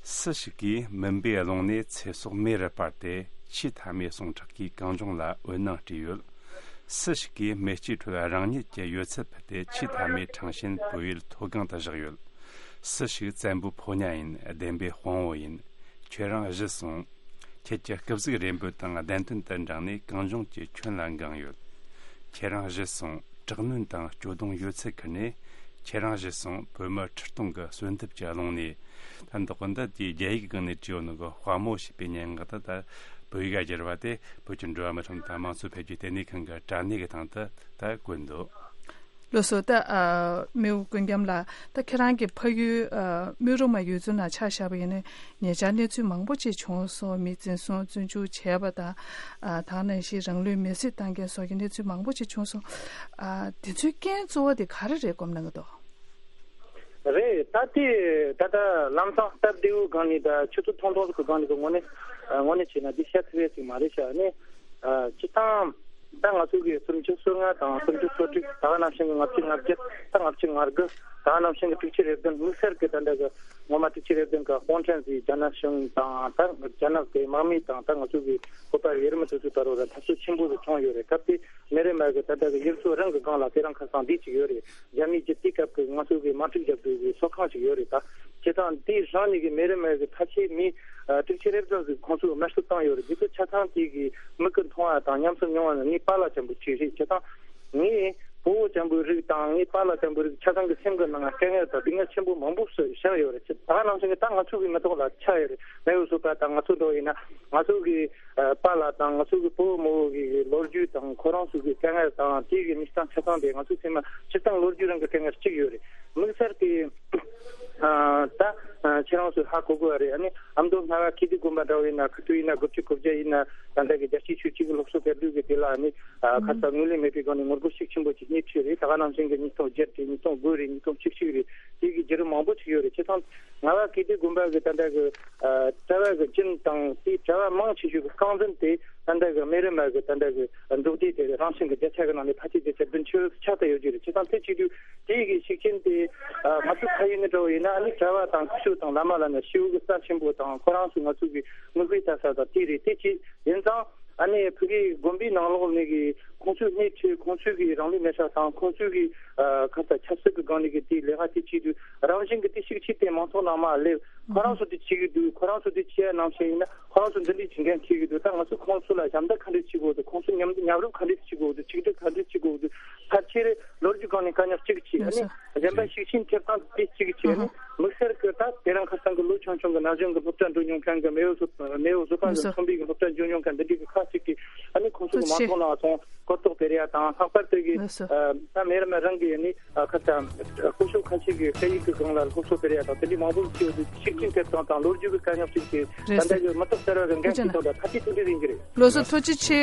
སུ་ཞིག་གིས་མུན་པའི་ཀློང་ནས་ཚེ་སྲོག་མེ་རུ་སྤར་ཏེ་ཆེས་མཐའ་མའི་ཟུངས་ཁྲག་གིས་གངས་ལྗོངས་ལ་འོད་སྣང་སྤྲས་ཡོད། སུ་ཞིག་གིས་མེ་ལྕེའི་ཁྲོད་རང་ཉིད་ཀྱི་ཡོད་ཚད་ཕུད་དེ་ཆེས་མཐའ་མའི་ཁྲང་ཞན་བོད་ཡུལ་མཐོ་སྒང་དུ་བཞག་ཡོད། སུ་ཞིག་བཙན་པོའི་ཕོ་ཉ་ཡིན། བདེན་པའི་དཔང་བོ་ཡིན། ཁྱེད་རང་གཞི་སོང་། ཁྱེད་ཀྱི་སྐུ་གཟུགས་རེ་འབོད་དང་བདེན་དོན་དུ་འབྲངས་ནས་གངས་ལྗོངས་ཀྱི་ཁྱོན་ལ་འགེངས་ཡོད། ཁྱེད་རང་གཞི་སོང་། དྲག་གནོན་དང་སྐྱོ་གདུང་ཡོད་ཚད་ཁུར་ནས། ཁྱེད་རང་གཞི་སོང་། བོད་མི་ཁྲི་སྟོང་གི་གསོན་འདེབས་ཀྱི་ཀློང་ནས། ད་འདི་དག་འདི་དེའི་རྒྱ་ཡིག་སྒང་ནས་བྲིས་ཡོད་ནོ་གི་དཔའ་མོ་ཞེས་པའི་སྙན་ངག་དེ་ད་བོད་ཡིག་ག་བསྒྱུར་བ་དེ་བོད་ཀྱི་འགྲོ་བ་མི་ཁྲིམས་དང་དམངས་གཙོ་འཕེལ་རྒྱས་ལྟེ་གནས་ཁང་གི་དྲ་གནས་ཀྱི་སྟེང་དུ་ད་བཀོད་འདུག། ལགས་སོ། ད་ཨ་རྨེའུ་ཀུན་རྒྱམ་ལགས། ད་ཁྱེད་རང་གི་ཕ་ཡུལ་ཨ་རྨེའུ་རུ་མ་ཡུལ་ཚོ་ནང་ཆ་བཞག་པ་ཡིན་ན་ཉེ་ཆར་གནས་ཚུལ་མང་པོ་ཅིག་བྱུང་སོང་། མི་འཛིན་བཟུང་བཙོན་འཇུག་བྱས་པ་དང་། ཨ་ད་ག་ནང་བཞིན་རང་ལུས་མེར་སྲེག་བཏང་མཁན་སོགས་ཀྱི་གནས་ཚུལ་མང་པོ་ཅིག་བྱུང་སོང་། ཨ་དེ་ཚོའི་རྐྱེན་གཙོ་བོ་དེ་ག་རེ་རེད་དགོངས་གནང་གི་འདུག། རེད། ད་དེ་ད་ལྟ་ལམ་སང་སྟབས་བདེ་བོའི་སྒང་ནས་ད་ཆུ་ཚོད་ཐུང་ཐུང་ཟིག་གི་སྒང་ནས་གི་དངོས་གནས་ཨ་དངོས་གནས་བྱས་ན་འདི་བཤད་ཐུབ་ཡས་ཅིག་མ་རེད་ཤག་ནས། ཨ་སྤྱིར་བཏང་ད་ང་ཚོ་གི་སུམ་ཅུ་སོ་ལྔ་དང་སུམ་ཅུ་སོ་དྲུག། ད་ག་ནང་བཞིན་གི་ལྔ་བཅུ་ང་བརྒྱད། ད་ལྔ་བཅུ་ང་དགུ། ད་ག་ནང་བཞིན་གི་དྲུག་ཅུ་རེ་བདུན། དམིགས་བསལ་གི་ད་ལྟ་གི་ངོ་མ་དྲུག་ཅུ་རེ་བདུན་གི་དཔུང་ཕྲན་ཟིག་རྒྱ་ནག་གཞུང་དང་ད་རྒྱ་ནག་གི་དམག་མི་དང་ད་ང་ཚོ་གི་བོད་པ་ཡུལ་མི་དེ་ཚོའི་བར་རུ་ལ་འཐབ་རྩོད་ཆེན་པོ་ཟིག་བྱུང་ཡོད་རེད། སྐབས་དེ་མི་རེ་མ་གི་ད་ལྟ་གི་ཡུལ་ཚོ་རང་གི་སྒང་ལ་དེ་རིང་ཁ་སང་འདི་ཅིག་ཡོད་རེད། རྒྱ་མིའི་གི་དེ་སྐབས་ཀྱི་ང་ཚོ་གི་དམག་འཁྲུག་རྒྱབ་དུས་ཀྱི་ཚོགས་ཁང་ཞིག་ཡོད་རེད་ད། བྱས་ཙང་དེའི་རང་ཉིད་ཀྱི་མི་རེ་མ་གི་ཕལ་ཆེར་མི་ཨ་དྲུག་ཅུ་རེ་བདུན་ཟིག་ཁོང་ཚོས་དམར་གསོད་བཏང་ཡོད་རེད། འདི་ཚོ་ཆ་ཚང་དེ་གི་མིག་གིས་མཐོང་བ་དང་ཉམས་སུ་མྱོང་བ་ནི་ངའི་པཱ་ལགས་ཅན་པོ་གཅིག་རེད། བྱས་ཙང་ངས་བོད་པ་ཅན་པོའི་རིགས་དང་ངའི་པཱ་ལགས་ཅན་པོའི་རིགས་ཆ་ཚང་གི་སེམས་ཀྱི་ནང་ལ་དཀའ་ངལ་དང་སྡུག་བསྔལ་ཆེན་པོ་མང་པོ་བཞག་ཡོད་རེད། ད་ག་ནང་བཞིན་གི་ད་ང་ཚོ་གི་མི་ཐོག་ལ་ཆགས་ཡོད་རེད། མེས་པོ་བཟོ་པ་དང་ང་ཚོ་འདྲ་བོ་ཡིན་ན་ང་ཚོ་གི་ཨ་པཱ་ལགས་དང་ང་ཚོ་གི་བུ་མོ་གི་ལོ་རྒྱུས་དང་ཁོ་རང་ཚོ་གི་དཀའ་ངལ་དང་དེ་གི་མི་སྟངས་ཆ་ཚང་དེ་ང་ཚོའི་སེམས་ལ་སྤྱིར་བཏང་ལོ་རྒྱུས་རང་གི་དཀའ་ངལ་གཅིག་ཡོད་རེད། དམིགས་བསལ་གི་ཨ་ད་ཨ་ཁྱེད་རང་ཚོས་ཧ་གོ་དགོས་པ་རེད། ཨ་ནི་ཨ་མདོ་རྔ་བ་ཀིརྟི་དགོན་པ་འདྲ་བོ་ཡིན་ན་ཁུ་ཐུ་ཡིན་ན་དགུ་བཅུ་གོ་བརྒྱད་ཡིན་ན་ད་ལྟ་གི་རྒྱལ་གཅེས་ཆོས་གཅིག་གི་སློབ་གསོ་སྤེལ་དུས་གི་དེ་ལ་ཨ་ནི་ཨ་ཁ་ས་ངོས་ལེན་མེད་པའི་སྒང་ནས་ངོ་རྒོལ་ཤུགས་ཆེན་པོ་ཅིག་སླེབས་བྱས་རེད། ད་ག་ནང་བཞིན་གི་ཉིས་སྟོང་བརྒྱད་རེད། ཉིས་སྟོང་དགུ་རེད། ཉིས་སྟོང་བཅུ་གཅིག་རེད། དེ་གི་བརྒྱུད་རིམ་མང་པོ་ཅིག་ཡོད་རེད། བྱས་ཙང་རྔ་བ་ཀིརྟི་དགོན་པ་གི་ད་ལྟ་གི་ཨ་གྲྭ་བ་གི་རྒྱུན་དང་དེའི་གྲྭ་བ་མང་ཆེ་ཤོས་ཀྱི་རྐང་འཛིན་དེ་ད་ལྟ་གི་མི་རེ་མ་གི་ད་ལྟ་གི་འབྲོག་སྡེ་དེ་རང་བཞིན་གི་བརྒྱ་ཆ་གི་ནང་ནས་ཕལ་ཆེར་བརྒྱ་ཆ་བདུན་ཅུ་ཆགས་ཏེ་ཡོད་རྒྱུ་རེད། བྱས་ཙང་དེ་བྱེད་དུས་དེ་གི་ཤུགས་རྐྱེན་དེ་ཨ་ང་ཚོ་ཕ་ཡུལ་ནས་འདྲ་བོ་ཡིན་ན་ཨ་ནི་གྲྭ་བ་དང་ཁུ་ཤུ་དང་བླ་མ་ལ་ནི་ཤིའུ་གི་ས་ཆེན་པོ་དང་ཁོ་རང་ཚོ་ང་ཚོ་གི་མི་དགོས་ས་ས་དང་དེ་རེད། དེ་བྱས་ཡིན་ཙང་ཨ་ནི་ཕ་གི་དགོན་པའི་ནང་ལོགས་ནས་གི་ཁོང་ཚོའི་སྣེ་ཁྲིད། ཁོང་ཚོའི་གི་རང་ལུས་མེར་སྲེག་དང་ཁོང་ཚོའི་གི་ཨ་ཁ་ས་ཆབ་སྲིད་ཀྱི་སྒང་ནས་གི་དེའི་ལས་ཀ་དེ་བྱེད་དུས་རང་བཞིན་གི་དེ་ཤུགས་ཆེ་དེ་མང་ཚོགས་ནང་མར་སླེབས། ཁོ་རང་ཚོ་དེ་བྱེད་གི་འདུག། ཁོ་རང་ཚོ་དེ་བྱེད་ཡ་ནང་བཞིན་ཡིན་ན་ཁོ་རང་ཚོ་འདི་འདྲའི་བྱེད་མཁན་ཁེལ་གི་འདུག། ད་ང་ཚོ་ཁོང་ཚོ་ལ་ཞབས་འདེགས་ག་འདྲས་བྱེད་དགོས་འདུག། ཁོང་ཚོ་མཉམ་མཉམ་རུབ་ག་འདྲས་བྱེད་དགོས་འདུག། ཆིག་སྒྲིལ་ག་འདྲས་བྱེད་དགོས་འདུག། ཕལ་ཆེར་ལོ་རྒྱུས་སྒང་ནས་དཀའ་རྙོག་གཅིག་བྱས། ཨ་ནི་གཞན་པ་ཤུགས་རྐྱེན་ཐེབས་སྟངས་དེ་གཅིག་བྱས། ཨ་ནི་དམིགས་བསལ་གྱི་ད་དེ་རིང་ཁ་སང་གི་ལོ་ཆུང་ཆུང་གི་ན་གཞོན་གྱི་སློབ་གྲྭ་འགྲོ་མྱོང་མཁན་གྱི་མེས་པོ་བཟོ་མེས་པོ་བཟོ་པ་ཟིག་མཚོན་པའི་གི་སློབ་གྲྭ་འགྲོ་མྱོང་མཁན་འདི་འདྲའི་གི་ཁག་ཅིག་གིས་ཨ་ནི་ཁོང་ཚོ་གི་མང་ཚོགས་ནང་སོང་གོ་རྟོགས་སྤེལ་ཡ་དང་། ལྷག་པར་དུ་གི་ད་མེ་ར་མེ་རང་གི་ཨ་ནི་ཁ་ས་སྐུ་ཞབས་ཁ་ཤས་ཀྱི་སྐད་ཡིག་གི་སྒང་ལ་སློབ་གསོ་སྤེལ་ཡ་དང་དེ་འདྲའི་མང་པོ་ཞིག་ཤུགས་རྐྱེན་ཐེབས་སྟངས་དང་ལོ་རྒྱུས་ཀྱི་དཀའ་རྙོག་ཅིག་གིས་ད་ལྟ་གི་མི་ཐོག་གསར་བ་གི་འགན་འཁྱེར་སྟངས་དང་ཐ་ཚིག་དེ་འདྲ་ཡིན་གྱི་རེད། ལགས་སོ། ཐུགས་རྗེ་ཆེ།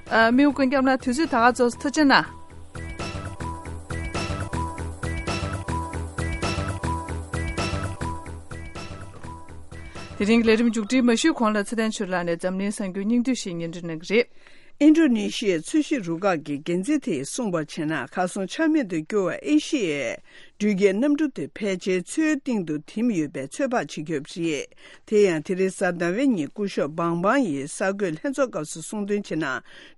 ཨ་རྨེའུ་ཀུན་རྒྱམ་ལགས་དུས་ཚོད་ད་ག་ཚོད་ཐུགས་རྗེ་གནང་། དེ་རིང་ལས་རིམ་མཇུག་སྒྲིལ་མ་ཞུས་གོང་ལ་ཚེ་བརྟན་ཆོས་ལགས་ནས་འཛམ་གླིང་གསར་འགྱུར་སྙིང་བསྡུས་ཤིག་སྙན་སྒྲོན་གནང་གི་རེད། ཨིན་ཌོ་ནེ་ཤི་ཡའི་མཚོ་བཞི་རུ་ཁག་གི་འགན་འཛིན་དེས་གསུངས་པར་བྱས་ན། གར་སོང་ཆ་མེད་དུ་གྱུར་བ་ཨེ་ཤི་ཡའི་འགྲུལ་སྐྱེལ་གནམ་གྲུ་དེ་ཕལ་ཆེར་མཚོའི་གཏིང་དུ་ཐིམ་ཡོད་པའི་ཚོད་དཔག་བྱེད་ཀྱི་ཡོད་པ་རེད། དེ་ཡང་དེ་རིང་གཟའ་ཟླ་བའི་ཉིན་སྐུ་ཞབས་བང་བང་ཡིས་གསར་འགོད་ལྷན་ཚོགས་སྐབས་སུ་གསུངས་དོན་བྱས་ན།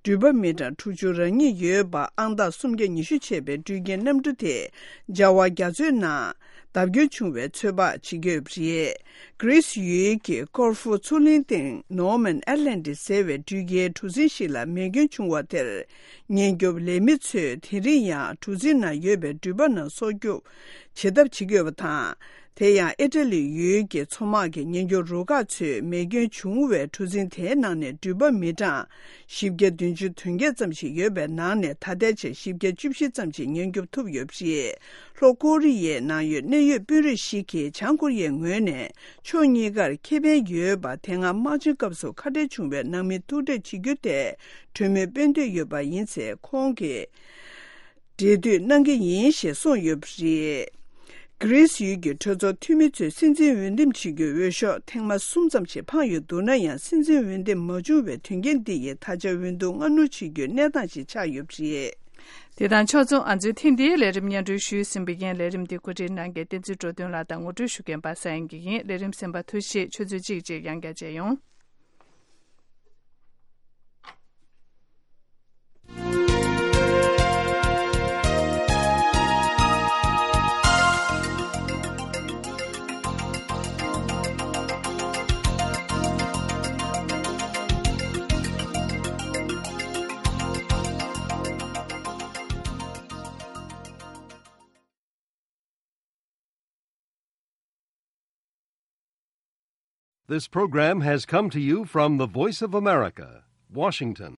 འགྲུལ་པ་མི་གྲངས་དྲུག་ཅུ་རེ་གཉིས་ཡོད་པ་ཨང་རྟགས་སུམ་བརྒྱ་ཉི་ཤུ་བྱས་པའི་འགྲུལ་སྐྱེལ་གནམ་གྲུ་དེ་འཇའ་ཝ་རྒྱ་མཚོའི་ནང་བརྡབ་སྐྱོན་བྱུང་བའི་ཚོད་དཔག་བྱེད་ཀྱི་ཡོད་པ་རེད། གྷི་རིས་ཡུལ་གྱི་ཀོར་ཧྥུ་མཚོ་གླིང་སྟེང་ནོར་མན་ཨེ་ལན་ཌི་ཟེར་བའི་འགྲུལ་སྐྱེལ་གྲུ་གཟིངས་ཤིག་ལ་མེ་སྐྱོན་བྱུང་བ་དེར། ཉེན་སྐྱོབ་ལས་མི་ཚོས་དེ་རིང་ཡང་གྲུ་གཟིངས་ནང་ཡོད་པའི་འགྲུལ་པ་རྣམས་སྲོག་སྐྱོབ་བྱེད་ཐབས་བྱེད་ཀྱི་ཡོད་པ་དང་། དེ་ཡང་ཨི་ཊ་ལི་ཡུལ་གྱི་མཚོ་དམག་གི་ཉེན་སྐྱོབ་རུ་ཁག་ཚོས་མེ་སྐྱོན་བྱུང་བའི་གྲུ་གཟིངས་དེའི་ནང་ནས་འགྲུལ་པ་མི་གྲངས་བཞི་བརྒྱ་བདུན་ཅུ་དོན་བརྒྱད་ཙམ་ཞིག་ཡོད་པའི་ནང་ནས། ད་ལྟའི་ཆར་བཞི་བརྒྱ་བཅུ་བཞི་ཙམ་ཞིག་ཉེན་སྐྱོབ་ཐུབ་ཡོད་པ་རེད། ལྷོ་ཀོ་རི་ཡའི་ནང་ཡོད་གནད་ཡོད་དཔོན་རིགས་ཤིག་གིས་བྱང་ཀོ་རི་ཡའི་ངོས་ནས་ཕྱོགས་གཉིས་ཀར་ཁེ་ཕན་ཡོད་པ། དེ་སྔ་དམག་ཆེན་སྐབས་སུ་ཁ་བྲལ་བྱུང་བའི་ནང་མི་ཐུག་འཕྲད་བྱེད་རྒྱུ་དེ་གྲོས་མོལ་སྤེལ་འདོད་ཡོད་པ་ཡིན་ཚེ། ཁོང་གིས་འབྲེལ་མཐུད་གནང་གི་ཡིན་ཞེས་གསུངས་ཡོད་པ་རེད། གྷི་རིས་ཡུལ་གྱི་གྲོས་ཚོགས་འཐུས་མི་ཚོས་སྲིད་འཛིན་འོས་འདེམས་བྱེད་རྒྱུའི་འོས་ཤོག་ཐེངས་མ་གསུམ་ཙམ་ཞིག་འཕངས་ཡོད་འདུག་ན་ཡང་། སྲིད་འཛིན་འོས་འདེམས་མ་བྱུང་བའི་དོན་རྐྱེན་འདི་ཡིས་ད་ཆ་འོས་བསྡུ་སྔ་སྣུར་བྱེད་རྒྱུའི་གནས་སྟངས་ཤིག་ཆགས་ཡོད་པ་རེད། དེ་དང་ཕྱོགས་མཚུངས། ང་ཚོའི་ཐེངས་འདིའི་ལས་རིམ་སྙན་སྒྲོན་ཞུས་ཟིན་པ་ཡིན། ལས་རིམ་འདི་གོ་སྒྲིག་གནང་མཁན་བསྟན་འཛིན་འགྲོ་དོན་ལགས་དང་ངོ་སྤྲོད་ཞུ་མཁན་པ་ས་ཡན་གྱི་ཡིན། ལས་རིམ་གསན་པར་ཐུགས་རྗེ་ཆེ། ཆུ་ཚོད་གཅིག་རྗེས་ཡང་བསྐྱར་མཇལ་ཡོང་། This program has come to you from the Voice of America, Washington.